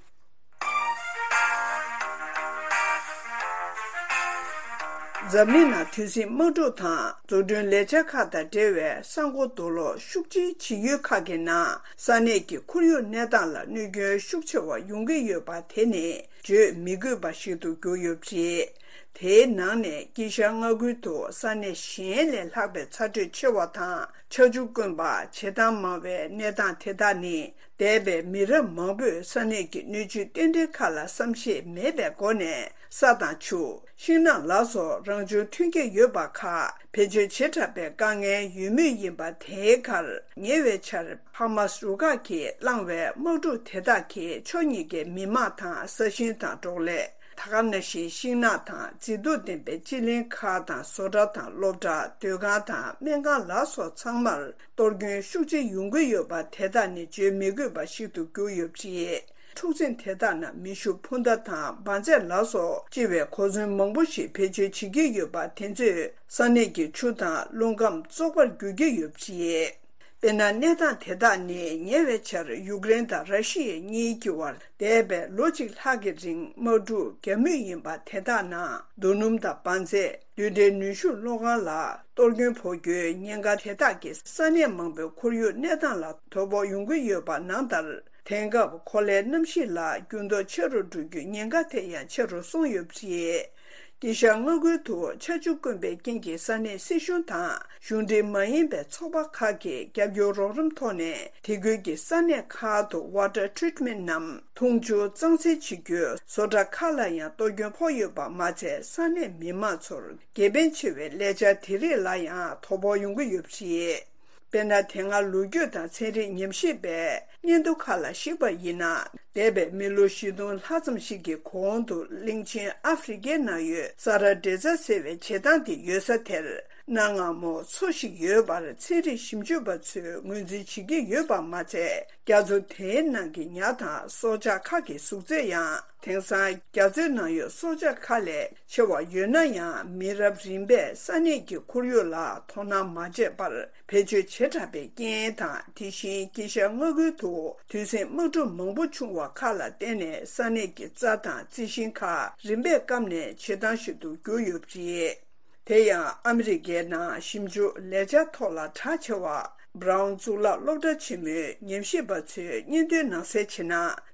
འཛམ་གླིང་ནང་དུས་ཟིང་དམག་འཁྲུག་དང་འཛུགས་སྐྲུན་ལས་འཆར་ཁག་དང་འབྲེལ་བའི་ས་འགོ་རྡོ་སློག་ཤུགས་ཆེའི་བྱེད་ཡུལ་ཁག་གི་ནང་ས་གནས་ཀྱི་ཁོར་ཡུག་གནས་སྟངས་ལ་གནོད་སྐྱོན་ཤུགས་ཆེ་བ་ཡོང་གི་ཡོད་པ་དེ་ནི་བརྗོད་མི་དགོས་པ་ཞིག་ཏུ་གྱུར་ཡོད་པ་རེད། དེའི་ནང་ནས་དཀྱིལ་ཤར་མངའ་ཁུལ་དུ་ས་གནས་གཞན་ལས་ལྷག་པའི་ཚ་དྲོད་ཆེ་བ་དང་ཆར་ཆུ་དཀོན་པ། བྱེ་ཐང་མང་བའི་གནས་སྟངས་དེ་དག་ནི། འདས་པའི་མི་རབས་མང་པོས་ས་གནས་ཀྱི་སྣོད་བཅུད་རྟེན་འབྲེལ་ཁག་ལ་བསམ་ཤེས་མེད་པའི་སྒོ་ནས་ས་དང་ཆུ། ཤིང་ནགས་ལ་སོགས་རང་བྱུང་ཐོན་སྐྱེད་ཡོད་པ་ཁག་བེད་སྤྱོད་བྱེ་དྲགས་པའི་དཀའ་ངལ་ཡོད་མུས་ཡིན་པ་དེའི་ཁར། ཉེ་བའི་ཆར་ཧ་མ་སི་རུ་ཁག་གིས་བསླངས་པའི་དམག་འཁྲུག་དེ་དག་གིས་ཕྱོགས་གཉིས་ཀའི་མི་དམངས་དང་ས་ཞིང་དང་འབྲོག་ལས། ད་ག་ནང་བཞིན་ཤིང་ནགས་དང་མཛེས་སྡུག་ལྡན་པའི་སྤྱི་གླིང་ཁག་དང་བཟོ་གྲྭ་དང་སློབ་གྲྭ། སྡོད་ཁང་དང་སྨན་ཁང་ལ་སོགས་ཚང་མར་གཏོར་སྐྱོན་ཤུགས་ཆེ་ཡོང་གི་ཡོད་པ་དེ་དག་ནི་བརྗོད་མི་དགོས་པ་ཞིག་ཏུ་གྱུར་ཡོད་པ་རེད། འཁྲུག་འཛིང་དེ་དག་ནང་མེ་ཤུགས་འཕུར་མདའ་དང་འབར་རྫས་ལ་སོགས་ལྕི་བའི་གོ་མཚོན་མང་པོ་ཞིག་བེད་སྤྱོད་བྱེད་ཀྱི་ཡོད་པ་དེ་ཚོས་ས་གནས་ཀྱི་ཆུ་དང་རླུང་ཁམས་བཙོག་པར་འགྱུར་གྱི་ཡོད་པ་རེད། དཔེར་ན། གནས་སྟངས་དེ་དག་ནི་ཉེ་བའི་ཆར་ཡུཀ་རེན་དང་ར་ཤི་ཡ་གཉིས་ཀྱི་བར་འདས་པའི་ལོ་གཅིག་ལྷག་གི་རིང་དམག་འཁྲུག་བརྒྱབ་མུས་ཡིན་པ་དེ་དག་ནང་རྡོ་སྣུམ་དང་འབར་རྫས། རྡུལ་ཕྲན་ནུས་ཤུགས་གློག་ཁང་ལ་གཏོར་སྐྱོན་ཕོག་རྒྱུའི་ཉེན་ཁ་དེ་དག་གིས་ས་གནས་མང་པོའི་ཁོར་ཡུག་གནས་སྟངས་ལ་དོ་ཕོག་ཡོང་གི་ཡོད་པ་ནང་ལྟར། དེང་སྐབས་གོ་ལའི་གནམ་གཤིས་ལ་འགྱུར་ལྡོག་ཆེ་རུ་འགྲོ་རྒྱུའི་ཉེན་ཁ་དེ་ཡང་ཆེ་རུ་སོང་ཡོད་པ་རེད། དཀྱིལ་ཤར་མངའ་ཁུལ་དུ་ཆར་ཆུ་དཀོན་པའི་རྐྱེན་གྱིས་ས་གནས་སྲིད་གཞུང་དང་གཞུང་འབྲེལ་མ་ཡིན་པའི་ཚོགས་པ་ཁག་གིས་རྒྱབ་སྐྱོར་རོགས་རམ་ཐོག་ནས་དེ་ཁུལ་གྱི་ས་གནས་ཁག་ཏུ་Water Treatment་ནམ་འཐུང་ཆུ་གཙང་སེལ་བྱེད་རྒྱུའི་བཟོ་གྲྭ་ཁག་ལ་ཡང་གཏོར་སྐྱོན་ཕོག་ཡོད་པ་མ་ཚད། ས་གནས་མི་མང་ཚོར་དགེ་ཕན་ཆེ་བའི་ལས་འཆར་དེ་རིགས་ལ་ཡང་དོ་ཕོག་ཡོང་གི་ཡོད་པ་རེད། དཔེར་ན། དེ་སྔ་ལོ་རྒྱུས་དང་ཚན་རིག་ཉམས་ཞིབ་པའི་སྙན་ཐོ་ཁག་ལ་གཞིགས་པ་ཡིན་ན། འདས་པའི་མི་ལོ་བཞི་སྟོང་ལྷག་ཙམ་ཞིག་གི་གོང་དུ་གླིང་ཆེན་ཨ་ཧྥེ་རི་ཁའི་ནང་ཡོད་ས་ར་ཌེ་ཛ་ཟེར་བའི་བྱེ་ཐང་དེ་ཡོད་ས་དེར་གནའ་སྔ་མོ་མཚོ་ཞིག་ཡོད་པར་ཚན་རིག་ཞིབ་འཇུག་པ་ཚོས་ངོས་འཛིན་བྱེད་ཀྱི་ཡོད་པ་མ་ཚད། རྒྱ་མཚོ་དེའི་ནང་གི་ཉ་དང་སྲོག་ཆགས་ཁག་གི་གཟུགས་ཚད་ཡང་། དེང་སང་རྒྱ་མཚོའི་ནང་ཡོད་སྲོག་ཆགས་ཁག་ལས་ཆེ་བ་ཡོད་ན་ཡང་། མི་རབས་རིམ་པས་ས་གནས་ཀྱི་ཁོར་ཡུག་ལ་དོ་སྣང་མ་བྱས་པར་བེད་སྤྱོད་བྱེ་བྲག་པའི་རྐྱེན་དང་། དེ་བཞིན་དཀྱིལ་ཤར་མངའ་ཁུལ་དུ་དུས་ཟིང་དམག་འཁྲུག་མང་པོ་བྱུང་བ་ཁག་ལ་བརྟེན་ནས་ས་གནས་ཀྱི་རྩྭ་དང་རྩི་ཤིང་ཁག་རིམ་པས་སྐམ་ནས་བྱེ་ཐང་ཞིག་ཏུ་གྱུར་ཡོད་པ་རེད། དེ་ཡང་ཨ་མི་རི་ཀའི་ནང་ཞིབ་འཇུག་ལས་འཆར་ཐོག་ལ་གྲགས་ཆེ་བ། Brown་གཙུག་ལག་སློབ་གྲྭ་ཆེན་མོའི་ཉམས་ཞིབ་པ་ཚོས་སྙན་ཐོའི་ནང་གསལ་བྱས་ན།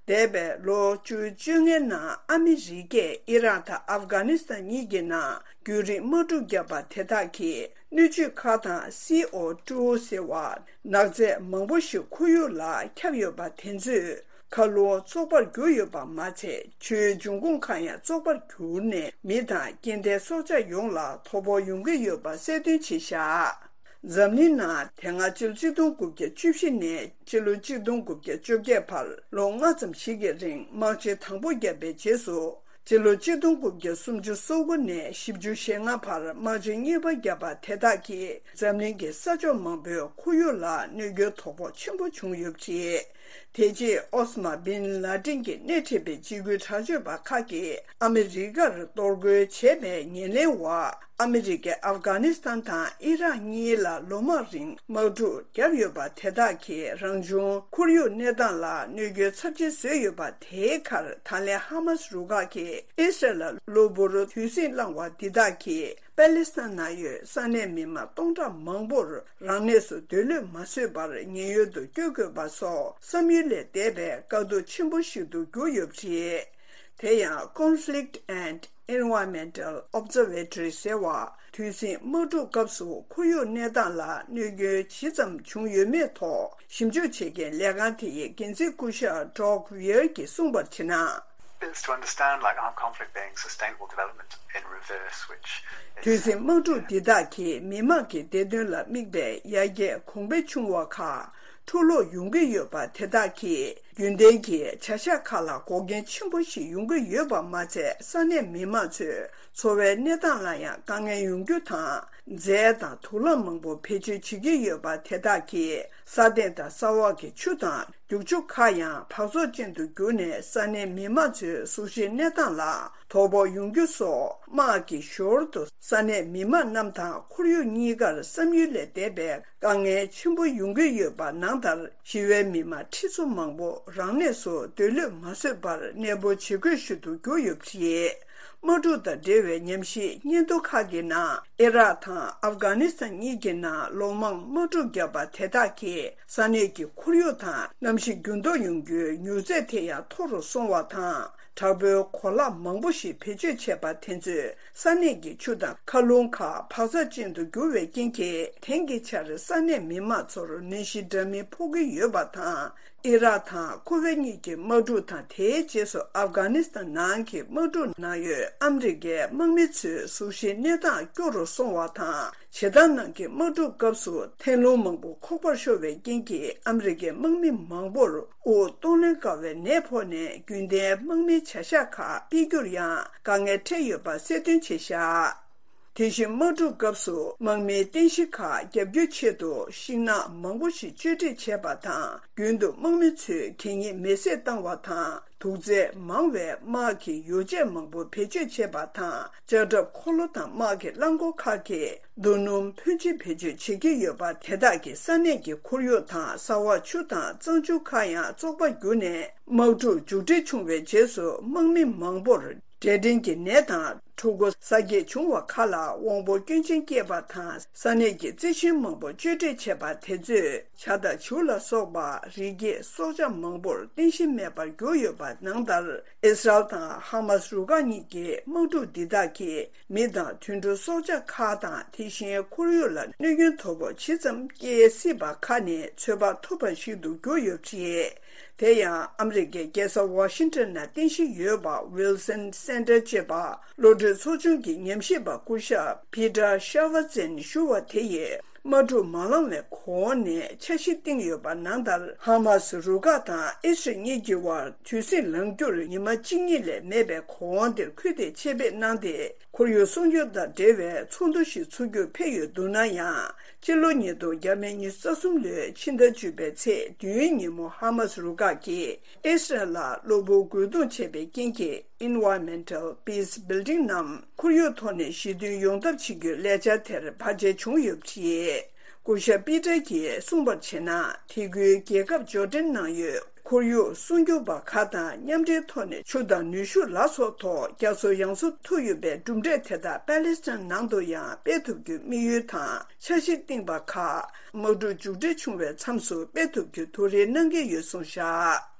འདས་པའི་ལོ་བཅུ་བཅོ་ལྔའི་ནང་ཨ་མི་རི་ཀས་ཨི་རག་དང་ཨབ་གྷ་ནི་སི་ཐན་གཉིས་ཀྱི་ནང་རྒྱུན་རིང་དམག་འཁྲུག་བརྒྱབ་པ་དེ་དག་གིས་སྣོད་བཅུད་ཁག་དང་། སི་ཨོ་ཊུ་ཟེར་བ། ནག་རྫས་མང་པོ་ཞིག་ཁོར་ཡུག་ལ་ཁྱབ་ཡོད་པ་དེ་ཚོས། མཁའ་རླུང་བཙོག་པར་གྱུར་ཡོད་པ་མ་ཚད། ཆུའི་འབྱུང་ཁུངས་ཁག་ཡང་བཙོག་པར་གྱུར་ནས། མི་དང་སྐྱེ་ལྡན་སྲོག་ཆགས་ཡོངས་ལ་དོ་ཕོག་ཡོང་གི་ཡོད་པ་གསལ་སྟོན་བྱས་བཞག་འཛམ་གླིང་ནང་དེ་སྔ་ཕྱི་ལོ་ཆིག་སྟོང་དགུ་བརྒྱ་བཅུ་བཞི་ནས་ཕྱི་ལོ་ཆིག་སྟོང་དགུ་བརྒྱ་བཅོ་བརྒྱད་བར་ལོ་ལྔ་ཙམ་ཞིག་གི་རིང་དམག་ཆེན་དང་པོ་བརྒྱབ་པའི་རྗེས་སུ། ཕྱི་ལོ་ཆིག་སྟོང་དགུ་བརྒྱ་སུམ་ཅུ་སོ་དགུ་ནས་བཞི་བཅུ་ཞེ་ལྔ་བར་དམག་ཆེན་གཉིས་པ་བརྒྱབ་པ་དེ་དག་གིས་འཛམ་གླིང་གི་ས་ཕྱོགས་མང་པོའི་ཁོར་ཡུག་ལ་གནོད་སྐྱོན་དོ་ཕོག་ཆེན་པོ་བྱུང་ཡོད་པ་རེད། དེ་རྗེས་ཨོ་སི་མ་བིན་ལ་ཏིན་གྱིས་སྣེ་ཁྲིད་པའི་འཇིགས་སྐུལ་དྲག་སྤྱོད་པ་ཁག་གིས་ཨ་མི་རི་ཀར་གཏོར་རྒོལ་བྱས་པའི་ཉེར་ལེན་འོག་ཨ་མི་རི་ཀས་ཨབ་གྷ་ནི་སི་ཐན་དང་ཨི་རག་གཉིས་ལ་ལོ་མང་རིང་དམག་འཁྲུག་བརྒྱབ་ཡོད་པ་དེ་དག་གིས་རང་བྱུང་ཁོར་ཡུག་གནས་སྟངས་ལ་གནོད་སྐྱོན་ཚབས་ཆེ་བཟོས་ཡོད་པ། དེའི་ཁར་ད་ལན་ཧ་མ་སི་རུ་ཁག་གིས་ཨི་སི་རལ་ལ་གློ་བུར་དུས་ཟིང་བསླངས་པ་འདི་དག་གིས་པ་ལི་སི་ཐན་ནང་ཡོད་ས་གནས་མི་མང་སྟོང་ཕྲག་མང་པོར་རང་གནས་སུ་སྡོད་ལོས་མ་བཟོད་པར་ཉེན་གཡོལ་དུ་བསྐྱོད་དགོས་པ་སོགས་བསམ་ཡུལ་ལས་འདས་པའི་དཀའ་སྡུག་ཆེན་པོ་ཞིག་ཏུ་གྱུར་ཡོད་པ་རེད། དེ་ཡང་Conflict and Environmental Observatory ཟེར་བ། དུས་ཟིང་དམག་འཁྲུག་སྐབས་སུ་ཁོར་ཡུག་གནས་སྟངས་ལ་གནོད་སྐྱོན་ཇི་ཙམ་བྱུང་ཡོད་མེད་ཐོག་ཞིབ་འཇུག་བྱེད་མཁན་ལས་ཁང་དེ་ཡི་འགན་འཛིན་སྐུ་ཞབས་Doug Weir གྱིས་གསུངས་པར་བྱས་ན། Is to understand, like, our conflict being sustainable development in reverse, which is དུས་ཟིང་དམག་འཁྲུག་འདི་དག་གིས་མི་དམངས་ཀྱི་བདེ་དོན་ལ་དམིགས་པའི་ཡར་རྒྱས་གོང་འཕེལ་བྱུང་བ་ཁག་འཕྲོ་བརླག་ཡོང་གི་ཡོད་པ་དེ་དག་གིས། རྒྱུན་ལྡན་གྱི་བྱ་གཞག་ཁག་ལ་འགོག་རྐྱེན་ཆེན་པོ་ཞིག་ཡོང་གི་ཡོད་པ་མ་ཚད། ས་གནས་མི་མང་ཚོའི་འཚོ་བའི་གནས་སྟངས་ལ་ཡང་དཀའ་ངལ་ཡོང་རྒྱུ་དང་། རྫས་དང་དུག་རླངས་མང་པོ་བེད་སྤྱོད་བྱེད་ཀྱི་ཡོད་པ་དེ་དག་གིས་ས་སྟེང་དང་ས་འོག་གི་ཆུ་དང་རྒྱུག་ཆུ་ཁག་ཡང་འབག་བཙོག་ཅན་དུ་གྱུར་ནས། ས་གནས་མི་མང་ཚོའི་གཟུགས་གཞིའི་གནས་སྟངས་ལ་དོ་ཕོག་ཡོང་རྒྱུ་སོགས། དམག་གིས་ཞོར་དུ་ས་གནས་མི་མང་རྣམས་དང་ཁོར་ཡུག་གཉིས་ཀར་བསམ་ཡུལ་ལས་འདས་པའི་དཀའ་ངལ་ཆེན་པོ་ཡོང་གི་ཡོད་པ་ནང་ལྟར། ཞི་བའི་མི་མང་ཁྲི་ཚོ་མང་པོ་རང་གནས་སུ་སྡོད་ལོས་མ་བཟོད་པར་གནས་སྤོ་བྱེད་དགོས་ཤིག་ཏུ་གྱུར་ཡོད་པ་རེད། དམག་འཁྲུག་དང་འབྲེལ་བའི་ཉམས་ཞིབ་སྙན་ཐོ་ཁག་གི་ནང་། ཨི་རག་དང་ཨབ་གྷ་ནི་སི་ཐན་གཉིས་ཀྱི་ནང་ལོ་མང་དམག་འཁྲུག་བརྒྱབ་པ་དེ་དག་གིས་ས་གནས་ཀྱི་ཁོར་ཡུག་དང་གནམ་གཤིས་འགྱུར་ལྡོག་ཡོང་རྒྱུའི་མྱུར་ཚད་དེ་ཡང་མཐོ་རུ་སོང་བ་དང་། དྲག་པོའི་གོ་ལག་མང་པོ་ཞིག་བེད་སྤྱོད་བྱས་པ་དེ་ཚོས་ས་གནས་ཀྱི་ཆུ་དང་མཁའ་རླུང་ཁག་འབག་བཙོག་ཅན་དུ་གྱུར་བའི་རྐྱེན་གྱིས། དེང་གི་ཆར་ས་གནས་མི་མང་ཚོར་ནད་གཞི་འདྲ་མིན་ཕོག་གི་ཡོད་པ་དང་། ཨི་རག་དང་ཁུ་ཝེད་གཉིས་ཀྱི་དམག་འཁྲུག་དང་། དེའི་རྗེས་སུ་ཨབ་གྷ་ནི་སི་ཐན་ནང་གི་དམག་འཁྲུག་ནང་ཡོད་ཨ་མི་རི་ཀའི་དམག་མི་ཚོའི་གཟུགས་གཞིའི་གནས་སྟངས་སྐྱོ་རུ་སོང་བ་དང་། བྱེ་ཐང་ནང་གི་དམག་འཁྲུག་སྐབས་སུ་ཐན་རླུང་མང་པོ་ཁོག་པར་ཤོར་བའི་རྐྱེན་གྱིས། ཨ་མི་རི་ཀའི་དམག་མི་མང་པོར་དབུགས་གཏོང་ལེན་དཀའ་བའི་ནད་ཕོག་ནས། རྒྱུན་ལྡན་དམག་མིའི་བྱ་གཞག་ཁག་སྤེལ་རྒྱུར་ཡང་དཀའ་ངལ་འཕྲད་ཡོད་པ་གསལ་སྟོན་བྱས་བཞག་དེ་བཞིན་དམག་འཁྲུག་སྐབས་སུ་དམག་མིའི་རྟེན་གཞི་ཁག་བརྒྱབ་སྐྱོར་ཆེད་དུ་ཤིང་ནགས་མང་པོ་ཞིག་གཅོད་འབྲེག་བྱས་པ་དང་། རྒྱུན་དུ་དམག་མི་ཚོས་གད་སྙིགས་མེ་བསྲེགས་བཏང་བ་དང་། དུག་རྫས་མང་བའི་དམག་གི་ཡོ་བྱད་མང་པོ་བེད་སྤྱོད་བྱས་པ་དང་། ལྕགས་ཁྲབ་འཁོར་ལོ་དང་དམག་གི་རླངས་འཁོར་ཁག་གིས་རྡོ་སྣུམ་ཕོན་ཆེ་བེད་སྤྱོད་བྱེད་ཀྱི་ཡོད་པ་དེ་དག་གིས་ས་གནས་ཀྱི་ཁོར་ཡུག་དང་། ས་འོག་ཆུ་དང་གཙང་ཆུ་ཁག་ཡང་བཙོག་པ་གྱུར་ནས། དམག་འཁྲུག་མཇུག་སྒྲིལ་བྱུང་བའི་རྗེས་སུ་དམག་མི་མང་པོར་འབྲས་སྐྲན་གྱི་ནད་དང་། ཕྲུ་གུ་གཟའ་སྐྱེས་བྱུང་བ་ཁག་ལ་དབང་པོ་སྐྱོན་ཅན་སྐྱེས་པ་དང་། ས་གནས་ཀྱི་རྩི་ཤིང་མང་པོ་གཅོད་འབྲེག་བྱས་པ་དེ་ཚོས་བྱ་དང་བྱིའུ་ལ་སོགས་པ་རི་སྐྱེས་སྲོག་ཆགས་མང་པོར་རྟེན་གཞི་མེད་པར་གྱུར་ཡོད་པ་ནང་ལྟར། ཨི་སི་རལ་དང་ཧ་མ་སི་རུ་ཁག་གཉིས་ཀྱི་དམག་འཁྲུག་འདི་དག་གིས་མི་དང་དུད་འགྲོ་སྲོག་ཆགས་ཁག་དང་། དེ་བཞིན་ཁོར་ཡུག་ལ་གནོད་སྐྱོན་དོ་ཕོག་ཇི་ཙམ་སྐྱེལ་སྲིད་པ་ཁ་ནས་ཚོད་དཔག་ཐུབ་པ་ཞིག་ཏུ་གྱུར་ཡོད་པ་རེད། དེ་ཡང་ཨ་མི་རི་ཀའི་རྒྱལ་ས་ཝ་ཤིང་ཊོན་ན་རྟེན་གཞི་ཡོད་པ་Wilson Center ཅེས་པ་བློ་གྲོས་ཚོགས་ཆུང་གི་ཉམས་ཞིབ་པ་སྐུ་ཞབས་Peter Schaffhausen ཞུ་བ་དེ་ཡིས། དམག་འཁྲུག་མ་ལངས་བའི་གོང་ནས་འཆར་གཞི་བཏིང་ཡོད་པ་ནང་ལྟར། ཧ་མ་སི་རུ་ཁག་དང་ཨི་སི་རལ་གཉིས་ཀྱི་དབར་དུས་ཟིང་ལངས་རྒྱུར་ཉི་མ་གཅིག་གཉིས་ལས་མེད་པའི་གོང་དེར་ཁུལ་དེ་ཆེད་ཕེབས་གནང་སྟེ། ཁོར་ཡུག་སྲུང་སྐྱོབ་དང་འབྲེལ་བའི་ཚོགས་འདུ་ཞིག་ཚུགས་རྒྱུར་ཕེབས་ཡོད་འདུག་ན་ཡང་། ཕྱི་ལོ་ཉིས་སྟོང་ཉི་ཤུ་རྩ་གསུམ་ལོའི་ཕྱི་ཟླ་བཅུ་པའི་ཚེས་བདུན་ཉིན་མོ་ཧ་མ་སི་རུ་ཁག་གིས་ཨི་སི་རལ་ལ་གློ་བུར་རྒོལ་རྡུང་བྱས་པའི་རྐྱེན་གྱིས། Environmental Peace Building ནམ་ཁོར་ཡུག་ཐོག་ནས་ཞི་མཐུན་ཡོང་ཐབས་བྱེད་རྒྱུའི་ལས་འཆར་དེར་བར་ཆད་བྱུང་ཡོད་པ་རེད། སྐུ་ཞབས་པི་ཏར་གྱིས་གསུངས་པར་བྱས་ན། དེ་ཁུལ་རྒྱལ་ཁབ་ཇོར་ཌན་ནང་ཡོད་ ཁོར་ཡུག་སྲུང་སྐྱོབ་པ་ཁག་དང་མཉམ་འབྲེལ་ཐོག་ནས་ཆུ་དང་ནུས་ཤུགས་ལ་སོགས་ཐོག་རྒྱ་མཚོ་ཡང་སྲུང་ཐུབ་ཡོད་པའི་གྲུབ་འབྲས་དེ་དག་པེ་ལེ་སི་ཐན་ནང་དུ་ཡང་སྤེལ་ཐུབ་རྒྱུའི་དམིགས་ཡུལ་དང་འཆར་གཞི་བཏིང་བ་ཁག་དམག་འཁྲུག་མཇུག་སྒྲིལ་བྱུང་བའི་མཚམས་སུ་སྤེལ་ཐུབ་རྒྱུའི་ཐུགས་རེ་གནང་གི་ཡོད་གསུངས་བཞག་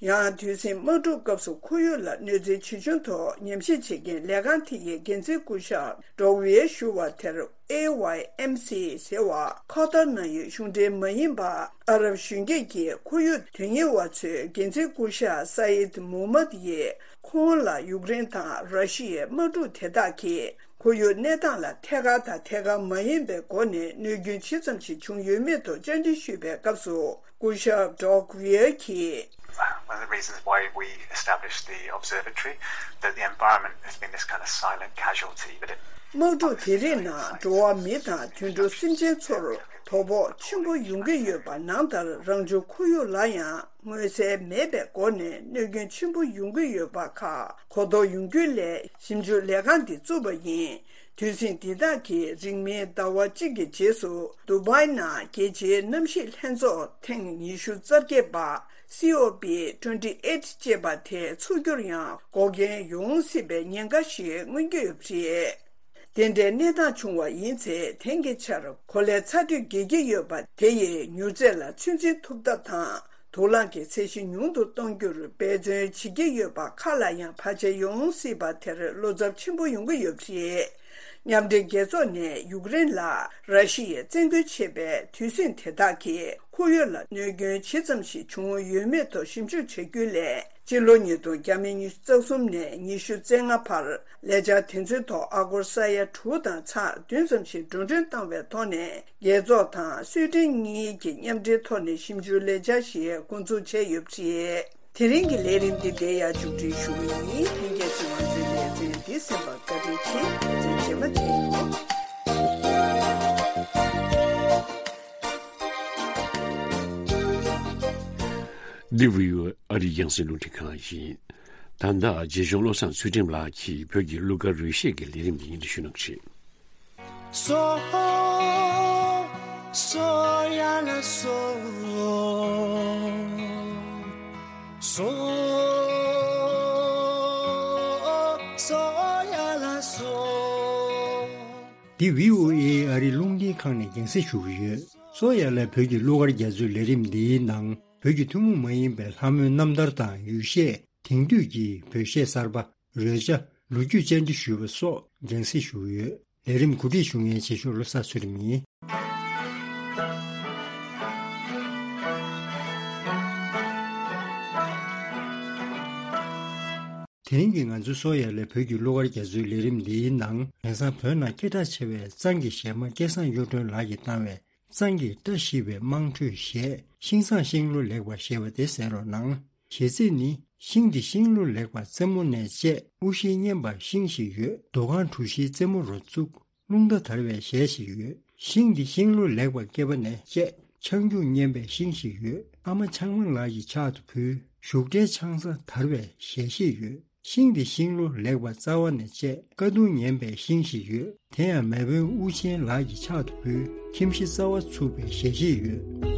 ཡང་དུས་ཟིང་དམག་འཁྲུག་སྐབས་སུ་ཁོར་ཡུག་ལ་གནོད་འཚེ་ཇི་བྱུང་ཐོག་ཉམས་ཞིབ་བྱེད་མཁན་ལས་ཁང་དེ་ཡི་འགན་འཛིན་སྐུ་ཞབས་ཌོག་ཝི་ཡེ་ཞུ་བ་དེར། ཨེ་ཝའི་ཨེམ་སི་ཟེར་བ་ཁོ་ཐར་ནང་ཡོད་གཞུང་འབྲེལ་མ་ཡིན་པ་ཨ་རབ་གཞོན་སྐྱེས་ཀྱི་ཁོར་ཡུག་དོན་གཉེར་བ་ཚོའི་འགན་འཛིན་སྐུ་ཞབས་ས་ཡིད་མུ་མད་ཡིས་ཁོང་ལ་ཡུཀ་རེན་དང་ར་ཤི་ཡའི་དམག་འཁྲུག་དེ་དག་གིས་ཁོར་ཡུག་གནས་སྟངས་ལ་ཐད་ཀར་དང་ཐད་ཀར་མ་ཡིན་པའི་སྒོ་ནས་གནོད་སྐྱོན་ཇི་ཙམ་ཞིག་བྱུང་ཡོད་མེད་ཐོག་བཅར་འདྲི་ཞུས་པའི་སྐབས་སུ། སྐུ་ཞབས་ཌོག་ཝི་ཡེ་གིས། One of the reasons why we established the observatory, that the environment has been this kind of silent casualty, but it དམག་འཁྲུག་དེ་རིགས་ནང་འགྲོ་བ་མི་དང་དུད་འགྲོ་སེམས་ཅན་ཚོར་དོ་ཕོག་ཆེན་པོ་ཡོང་གི་ཡོད་པ་ནང་ལྟར། རང་བྱུང་ཁོར་ཡུག་ལ་ཡང་མངོན་གསལ་མེད་པའི་སྒོ་ནས་གནོད་སྐྱོན་ཆེན་པོ་ཡོང་གི་ཡོད་པ་ཁག་གོ་རྟོགས་ཡོང་རྒྱུ་ལས་ཞིབ་འཇུག་ལས་ཁང་འདི་བཙུགས་པ་ཡིན། དུས་ཟིང་འདི་དག་གིས་རིང་མིན་ཟླ་བ་གཅིག་གི་རྗེས་སུ་དུ་བྷའི་ནང་རྒྱལ་སྤྱིའི་གནམ་གཤིས་ལྷན་ཚོགས་ཐེངས་ཉི་ཤུ་རྩ་བརྒྱད་པ། སི་ཨོ་པི་ཊུ་ཝེན་ཊི་ཨེ་ཊི་ཅེས་པ་དེ་ཚུགས་རྒྱུར་ཡང་འགོག་རྐྱེན་ཡོང་སྲིད་པའི་ཉེན་ཁ་ཞིག་མངོན་གྱི་ཡོད་པ་རེད། དེ་འདྲའི་གནས་སྟངས་བྱུང་བ་ཡིན་ཚེ། དེང་གི་ཆར་གོ་ལའི་ཚ་དྲོད་རྒྱས་ཀྱི་ཡོད་པ་དེ་ཡིས་མྱུར་ཚད་ལ་ཚོད་འཛིན་ཐུབ་ཐབས་དང་། དུག་རླངས་ཀྱི་ཚད་གཞི་ཉུང་དུ་གཏོང་རྒྱུར་འབད་བརྩོན་བྱེད་ཀྱི་ཡོད་པ་ཁག་ལ་ཡང་བར་ཆད་ཡོང་སྲིད་པ་དེར་བློ་འཚབ་ཆེན་པོ་ཡོང་གི་ཡོད་པ་རེད། མཉམ་འབྲེལ་རྒྱལ་ཚོགས་ནས་ཡུཀ་རེན་ལ་ར་ཤི་ཡས་བཙན་རྒོལ་བྱས་པའི་དུས་ཟིང་དེ་དག་གིས་ཁོར་ཡུག་ལ་གནོད་སྐྱོན་ཇི་ཙམ་ཞིག་བྱུང་ཡོད་མེད་ཐོག་ཞིབ་འཇུག་བྱ་རྒྱུ་ལས། སྤྱི་ལོ་ཉིས་སྟོང་ཉི་ཤུ་རྩ་གསུམ་ནས་ཉི་ཤུ་རྩ་ལྔ་བར་ལས་འཆར་དེ་ཚོའི་ཐོག་ཨ་སྒོར་ས་ཡ་དྲུག་དང་ཚེག་བདུན་ཙམ་ཞིག་འགྲོ་གྲོན་བཏང་བའི་ཐོག་ནས། རྒྱལ་ཚོགས་དང་སུའེ་ཏེན་གཉིས་ཀྱི་མཉམ་འབྲེལ་ཐོག་ནས་ཞིབ་འཇུག་ལས་འཆར་ཞིག་འགོ་འཛུགས་བྱས་ཡོད་པ་རེད། དེ་རིང་གི་ལས་རིམ་འདི་འདིར་ཡང་མཇུག་སྒྲིལ་ཞུ་གི་ཡིན། ལྷན་རྒྱས་ཚོས་ང་ཚོའི་ལེ་ཚན་འདི་གསན་པར་བཀའ་དྲིན་ཆེ། ལེ་ཚན་རྗེས་མ་མཇལ་ཡོང་། འདི་བྷི་ཨོ་ཨེ་ཨ་རིའི་རྒྱང་སྲིང་རླུང་འཕྲིན་ཁང་ཡིན། ད་ལྟ་རྗེ་གཞུང་བློ་བཟང་ཚུལ་ཁྲིམས་ལགས་ཀྱིས་བོད་ཀྱི་གླུ་གར་རོལ་གཞས་ཀྱི་ལས་རིམ་འདི་སྙན་སྒྲོན་ཞུ་གནང་གི་རེད། སོ། སོ་ཡ་ལ་སོ། སོ། སོ་ཡ་ལ་སོ། འདི་བྷི་ཨོ་ཨེ་ཨ་རིའི་རླུང་འཕྲིན་ཁང་ནས་རྒྱང་སྲིང་ཞུ་གི་ཡོད། སོ་ཡ་ལ་བོད་ཀྱི་གླུ་གར་རྒྱ་མཚོའི་ལས་རིམ་འདིའི་ནང་བོད་ཀྱི་ཐུན་མོང་མ་ཡིན་པའི་ལྷ་མོའི་རྣམ་ཐར་དང་ཡུལ་གཞས། དེང་དུས་ཀྱི་བོད་གཞས་གསར་པ། རོལ་ཆ། ལོ་རྒྱུས་བཅར་འདྲི་ཞུས་པ་སོགས་རྒྱང་སྲིང་ཞུ་གི་ཡོད། ལས་རིམ་གོ་སྒྲིག་ཞུ་མཁན་རྗེ་གཞུང་བློ་བཟང་ཚུལ་ཁྲིམས་ཡིན། དེ་རིང་གི་ང་ཚོའི་སོ་ཡ་ལ་བོད་ཀྱི་གླུ་གར་རྒྱ་མཚོའི་ལས་རིམ་འདིའི་ནང་། དེང་སང་བོད་ནང་སྐད་གྲགས་ཆེ་བའི་གཙང་གི་གཞས་མ་སྐལ་བཟང་གཡུ་སྒྲོན་ལགས་ཀྱིས་བཏང་བའི། གཙང་གི་བཀྲ་ཤིས་པའི་དམངས་ཁྲོད་གཞས། ཤིང་བཟང་ཤིང་ལོ་ལེགས་པ་ཞེས་པ་དེ་གསན་རོགས་གནང་། གཞས་ཚིག་ནི། ཤིང་འདི་ཤིང་ལོ་ལེགས་པ་རྩེ་མོ་ནས་བཅད། དབུ་ཞྭ་སྙན་པ་ཤིང་ཞིག་ཡོད། རྡོ་ཁང་གྲུ་བཞིའི་རྩེ་མོ་རུ་བཙུགས། རླུང་རྟ་དར་བའི་གཞས་ཤིག་ཡོད། ཤིང་འདི་ཤིང་ལོ་ལེགས་པ་སྐེད་པ་ནས་བཅད། ཆང་རྒྱུག་སྙན་པའི་ཤིང་ཞིག་ཡོད། ཨ་མ་ཆང་མ་ལགས་ཀྱི་ཕྱག་ཏུ་ཕུལ། བཞུགས་གྲལ་ཆང་ས་དར་བའི་གཞས་ཤིག་ཡོད། ཤིང་འདི་ཤིང་ལོ་ལེགས་པ་རྩ་བ་ནས་བཅད། ཀ་གདུང་ངན་པའི་ཤིང་ཞིག་ཡོད། དེ་ཡང་མེས་དབོན་དབུ་ཆེན་ལགས་ཀྱི་ཕྱག་ཏུ་ཕུལ། ཁྱིམ་གཞི་རྩ་བ་ཚུགས་པའི་གཞས་ཤིག་ཡོད།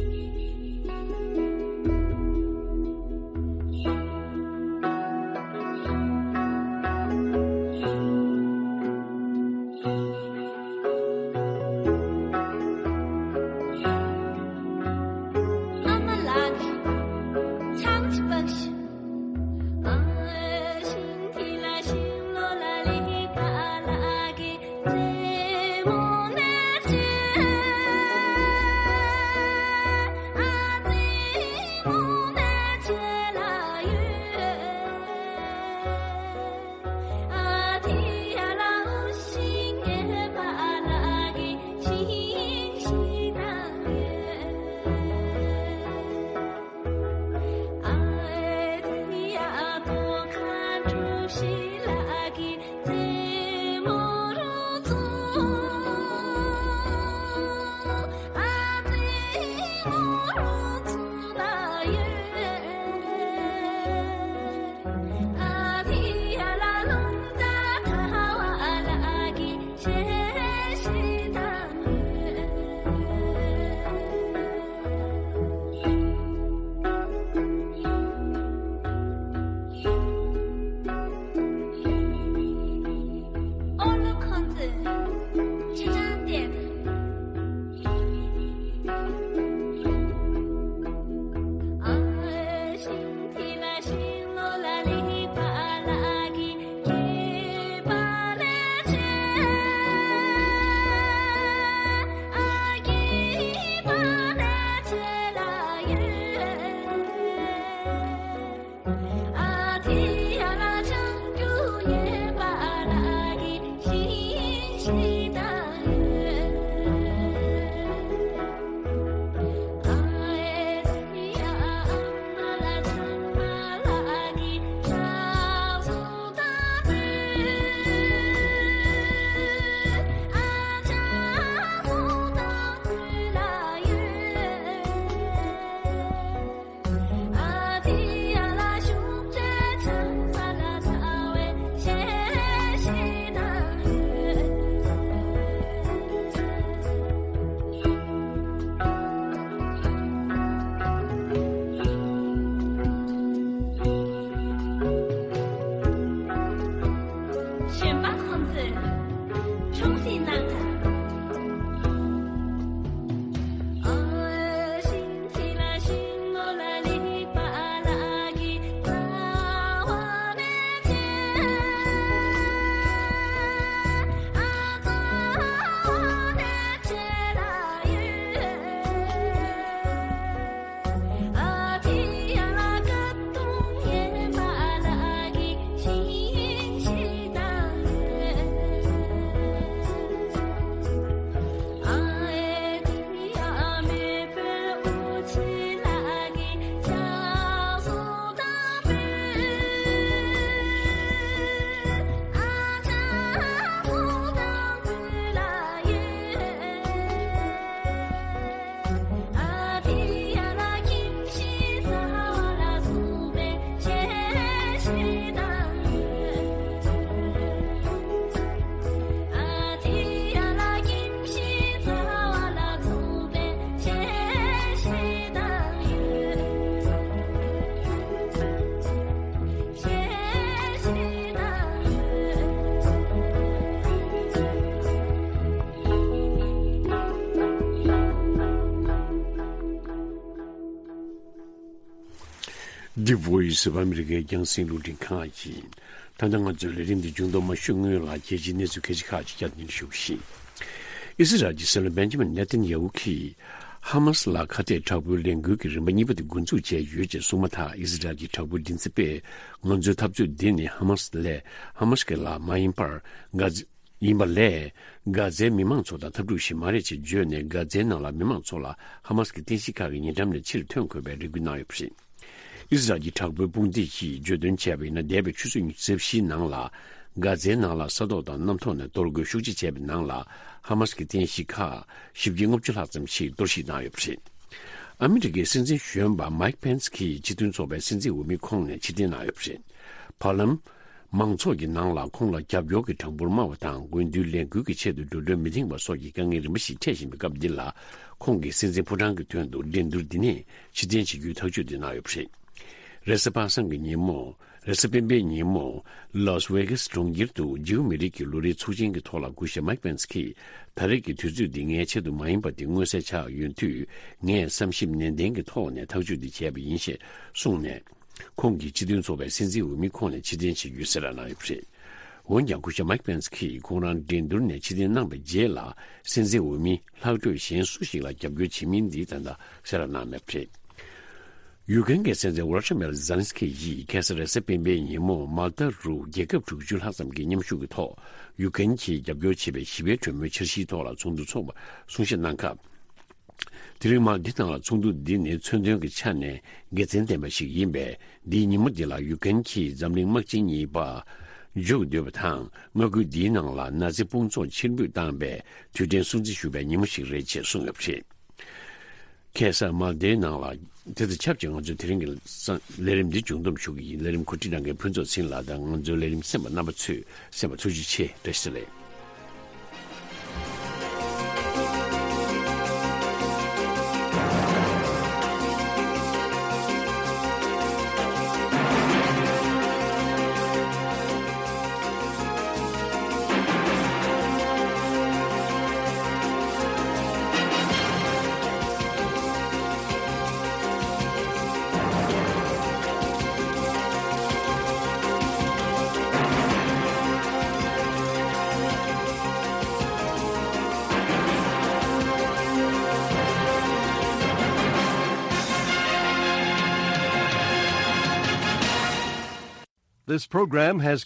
The Voice of America རྒྱང་སྲིང་རླུང་འཕྲིན་ཁང་ཡིན། ད་ལྟ་ང་ཚོའི་ལས་རིམ་འདི་མཇུག་བསྡོམས་མ་ཞུ་སྔོན་ལ་རྒྱལ་སྤྱིའི་གནས་ཚུལ་ཁག་ཅིག་བསྐྱར་ནས་ཞུ་གི་ཡིན། ཨི་སི་རལ་གྱི་སྲིད་བློན་བེན་ཇི་མིན་ནེ་ཐན་ཡ་ཧུ་གིས་ཧ་མ་སི་ལ་ཁ་གཏད་དྲག་པོའི་ལས་འགུལ་གྱི་རིམ་པ་གཉིས་པ་དེ་འགོ་འཛུགས་བྱས་ཡོད་ཅེས་གསུངས་མ་ཐག་ཨི་སི་རལ་གྱི་དྲག་པོའི་མགྲིན་ཚབ་པས་ང་ཚོའི་འཐབ་རྩོད་འདི་ནི་ཧ་མ་སི་ལས་ཧ་མ་སི་གི་ལ་མ་ཡིན་པར་ག་ཡིན་པ་ལས། གྷ་ཛའི་མི་མང་ཚོ་དང་འཐབ་འཁྲུག་ཞིག་མ་རེད་ཅེས་བརྗོད་ནས། གྷ་ཛའི་ནང་ལ་མི་མང་ཚོ་ལ་ཧ་མ་སི་གི་རྟེན་གཞི་ཁག་གི་ཉེ་འགྲམ་ནས་ཕྱིར་ཐོན་དགོས་པའི་རེ་སྐུལ་གནང་ཡོད་པ་རེད། ཨི་སི་རལ་གྱི་དྲག་པོའི་དཔུང་སྡེ་གིས་བརྗོད་དོན་བྱས་པ་ཡིན་ན། འདས་པའི་ཆུ་ཚོད་ཉི་ཤུ་རྩ་བཞིའི་ནང་ལ་གྷ་ཛའི་ནང་ལ་ས་ཐོག་དང་གནམ་ཐོག་ནས་གཏོར་རྒོལ་ཤུགས་ཆེ་བྱས་པའི་ནང་ལ་ཧ་མ་སི་གི་རྟེན་གཞི་ཁག་བཞི་བརྒྱ་ལྔ་བཅུ་ལྷག་ཙམ་ཞིག་གཏོར་བཤིག་གནང་ཡོད་པ་རེད། ཨ་མི་རི་ཀའི་སྲིད་འཛིན་གཞོན་པ་མའིག་པེན་སི་གིས་སྤྱི་མཐུན་ཚོགས་པའི་སྲིད་འཛིན་འོས་མི་ཁོངས་ནས་ཕྱིར་འཐེན་གནང་ཡོད་པ་རེད། བར་ལམ། མང་ཚོགས་ཀྱི་ནང་ལ་ཁོང་ལ་རྒྱབ་སྐྱོར་གྱི་གྲངས་འབོར་དམའ་བ་དང་། དགུན་དུས་ལས་འགུལ་གྱི་ཆེད་དུ་འགྲོ་གྲོན་མི་འདང་བ་སོགས་ཀྱི་དཀའ་ངལ་རིམ་པ་ཞིག་འཕྲད་བཞིན་པའི་སྐབས་འདི་ལ། ཁོང་གིས་སྲིད་འཛིན་ཕོ་བྲང་གི་དོན་དུ་འགྲན་བསྡུར་འདི་ནས་ཕྱིར་འཐེན་བྱེད་རྒྱུའི་ཐག་གཅོད་དེ་གནང་ཡོད་པ་རེད། རེས་གཟའ་པ་སངས་ཀྱི་ཉིན་མོ། རེས་གཟའ་སྤེན་པའི་ཉིན་མོ། ལཱ་སི་ཝེ་གྷ་སི་གྲོང་ཁྱེར་དུ་འཇིའུ་མི་རིགས་ཀྱི་ལོ་རེའི་ཚོགས་ཆེན་གྱི་ཐོག་ལ་སྐུ་ཞབས་མའིག་པེན་སི་གིས། ད་རེས་ཀྱི་དུས་ཚོད་འདི་ངའི་ཆེད་དུ་མ་ཡིན་པ་དེ་མངོན་གསལ་ཆགས་ཡོང་དུས། ངས་བསམ་ཞིབ་ནན་ཏན་གྱི་ཐོག་ནས་ཐག་གཅོད་འདི་བྱས་པ་ཡིན་ཞེས་གསུངས་ནས། ཁོང་གིས་སྤྱི་མཐུན་ཚོགས་པའི་སྲིད་འཛིན་འོས་མི་ཁོངས་ནས་ཕྱིར་འཐེན་བྱེད་རྒྱུའི་གསལ་བསྒྲགས་གནང་ཡོད་པ་རེད། འོན་ཀྱང་སྐུ་ཞབས་མའིག་པེན་སི་གིས་ཁོང་རང་འགྲན་བསྡུར་ནས་ཕྱིར་འཐེན་གནང་བའི་རྗེས་ལ། སྲིད་འཛིན་འོས་མི་ལྷག་འཕྲོས་གཞན་སུ་ཞིག་ལ་རྒྱབ་སྐྱོར་བྱེད་མིན་འདི་ད་ལྟ་གསལ་བསྒྲགས་གནང་མེད་པ་རེད། ཡུ་ཀེན་གྱི་སྲིད་འཛིན་ཝོ་ལོ་ཌི་མིར་ཛེ་ལན་སི་ཀི་ཡིས་ཁ་སང་རེས་གཟའ་སྤེན་པའི་ཉིན་མོ་མཱལ་ཏཱ་རུ་རྒྱལ་ཁབ་དྲུག་ཅུ་ལྷག་ཙམ་གྱི་མཉམ་ཞུགས་ཀྱི་ཐོག་ཡུ་ཀེན་གྱིས་རྒྱབ་སྐྱོར་བྱེད་པའི་ཞི་བའི་གྲོས་མོལ་འཆར་གཞིའི་ཐོག་ལ་ཚོགས་འདུ་འཚོགས་པར་གསུང་བཤད་གནང་སྐབས། དེ་རིང་མར་འདི་དང་ཚོགས་འདུ་འདི་ནི་མཚོན་དོན་གྱི་ཆ་ནས་དགེ་མཚན་ལྡན་པ་ཞིག་ཡིན་པས། འདིའི་ཉིན་མོ་འདི་ལ་ཡུ་ཀེན་གྱིས་འཛམ་གླིང་དམག་ཆེན་གཉིས་པ་འཇུག་འདོད་པ་དང་། མངའ་ཁུལ་འདིའི་ནང་ལ་ནཱ་ཛི་དཔུང་ཚོགས་ཕྱིར་འབུད་བཏང་པའི་དུས་དྲན་སྲུང་བརྩི་ཞུ་བའི་ཉིན་མོ་ཞིག་རེད་ཅེས་གསུངས་ཡོད་པ་རེད། ཁ་སང་མར་འདིའི་ནང་ལ། དེ་དང་ཆབས་ཅིག་ང་ཚོའི་དེ་རིང་གི་ལས་རིམ་འདི་མཇུག་བསྡོམས་ཞུ་གི་ཡིན། ལས་རིམ་གོ་སྒྲིག་གནང་མཁན་ཕུན་ཚོགས་ཚེ་རིང་ལགས་དང་། ང་ཚོའི་ལས་རིམ་གསན་པ་རྣམ་པ་ཚོས་གསན་པ་ཐུགས་རྗེ་ཆེ། བཀྲ་ཤིས་བདེ་ལེགས། This program has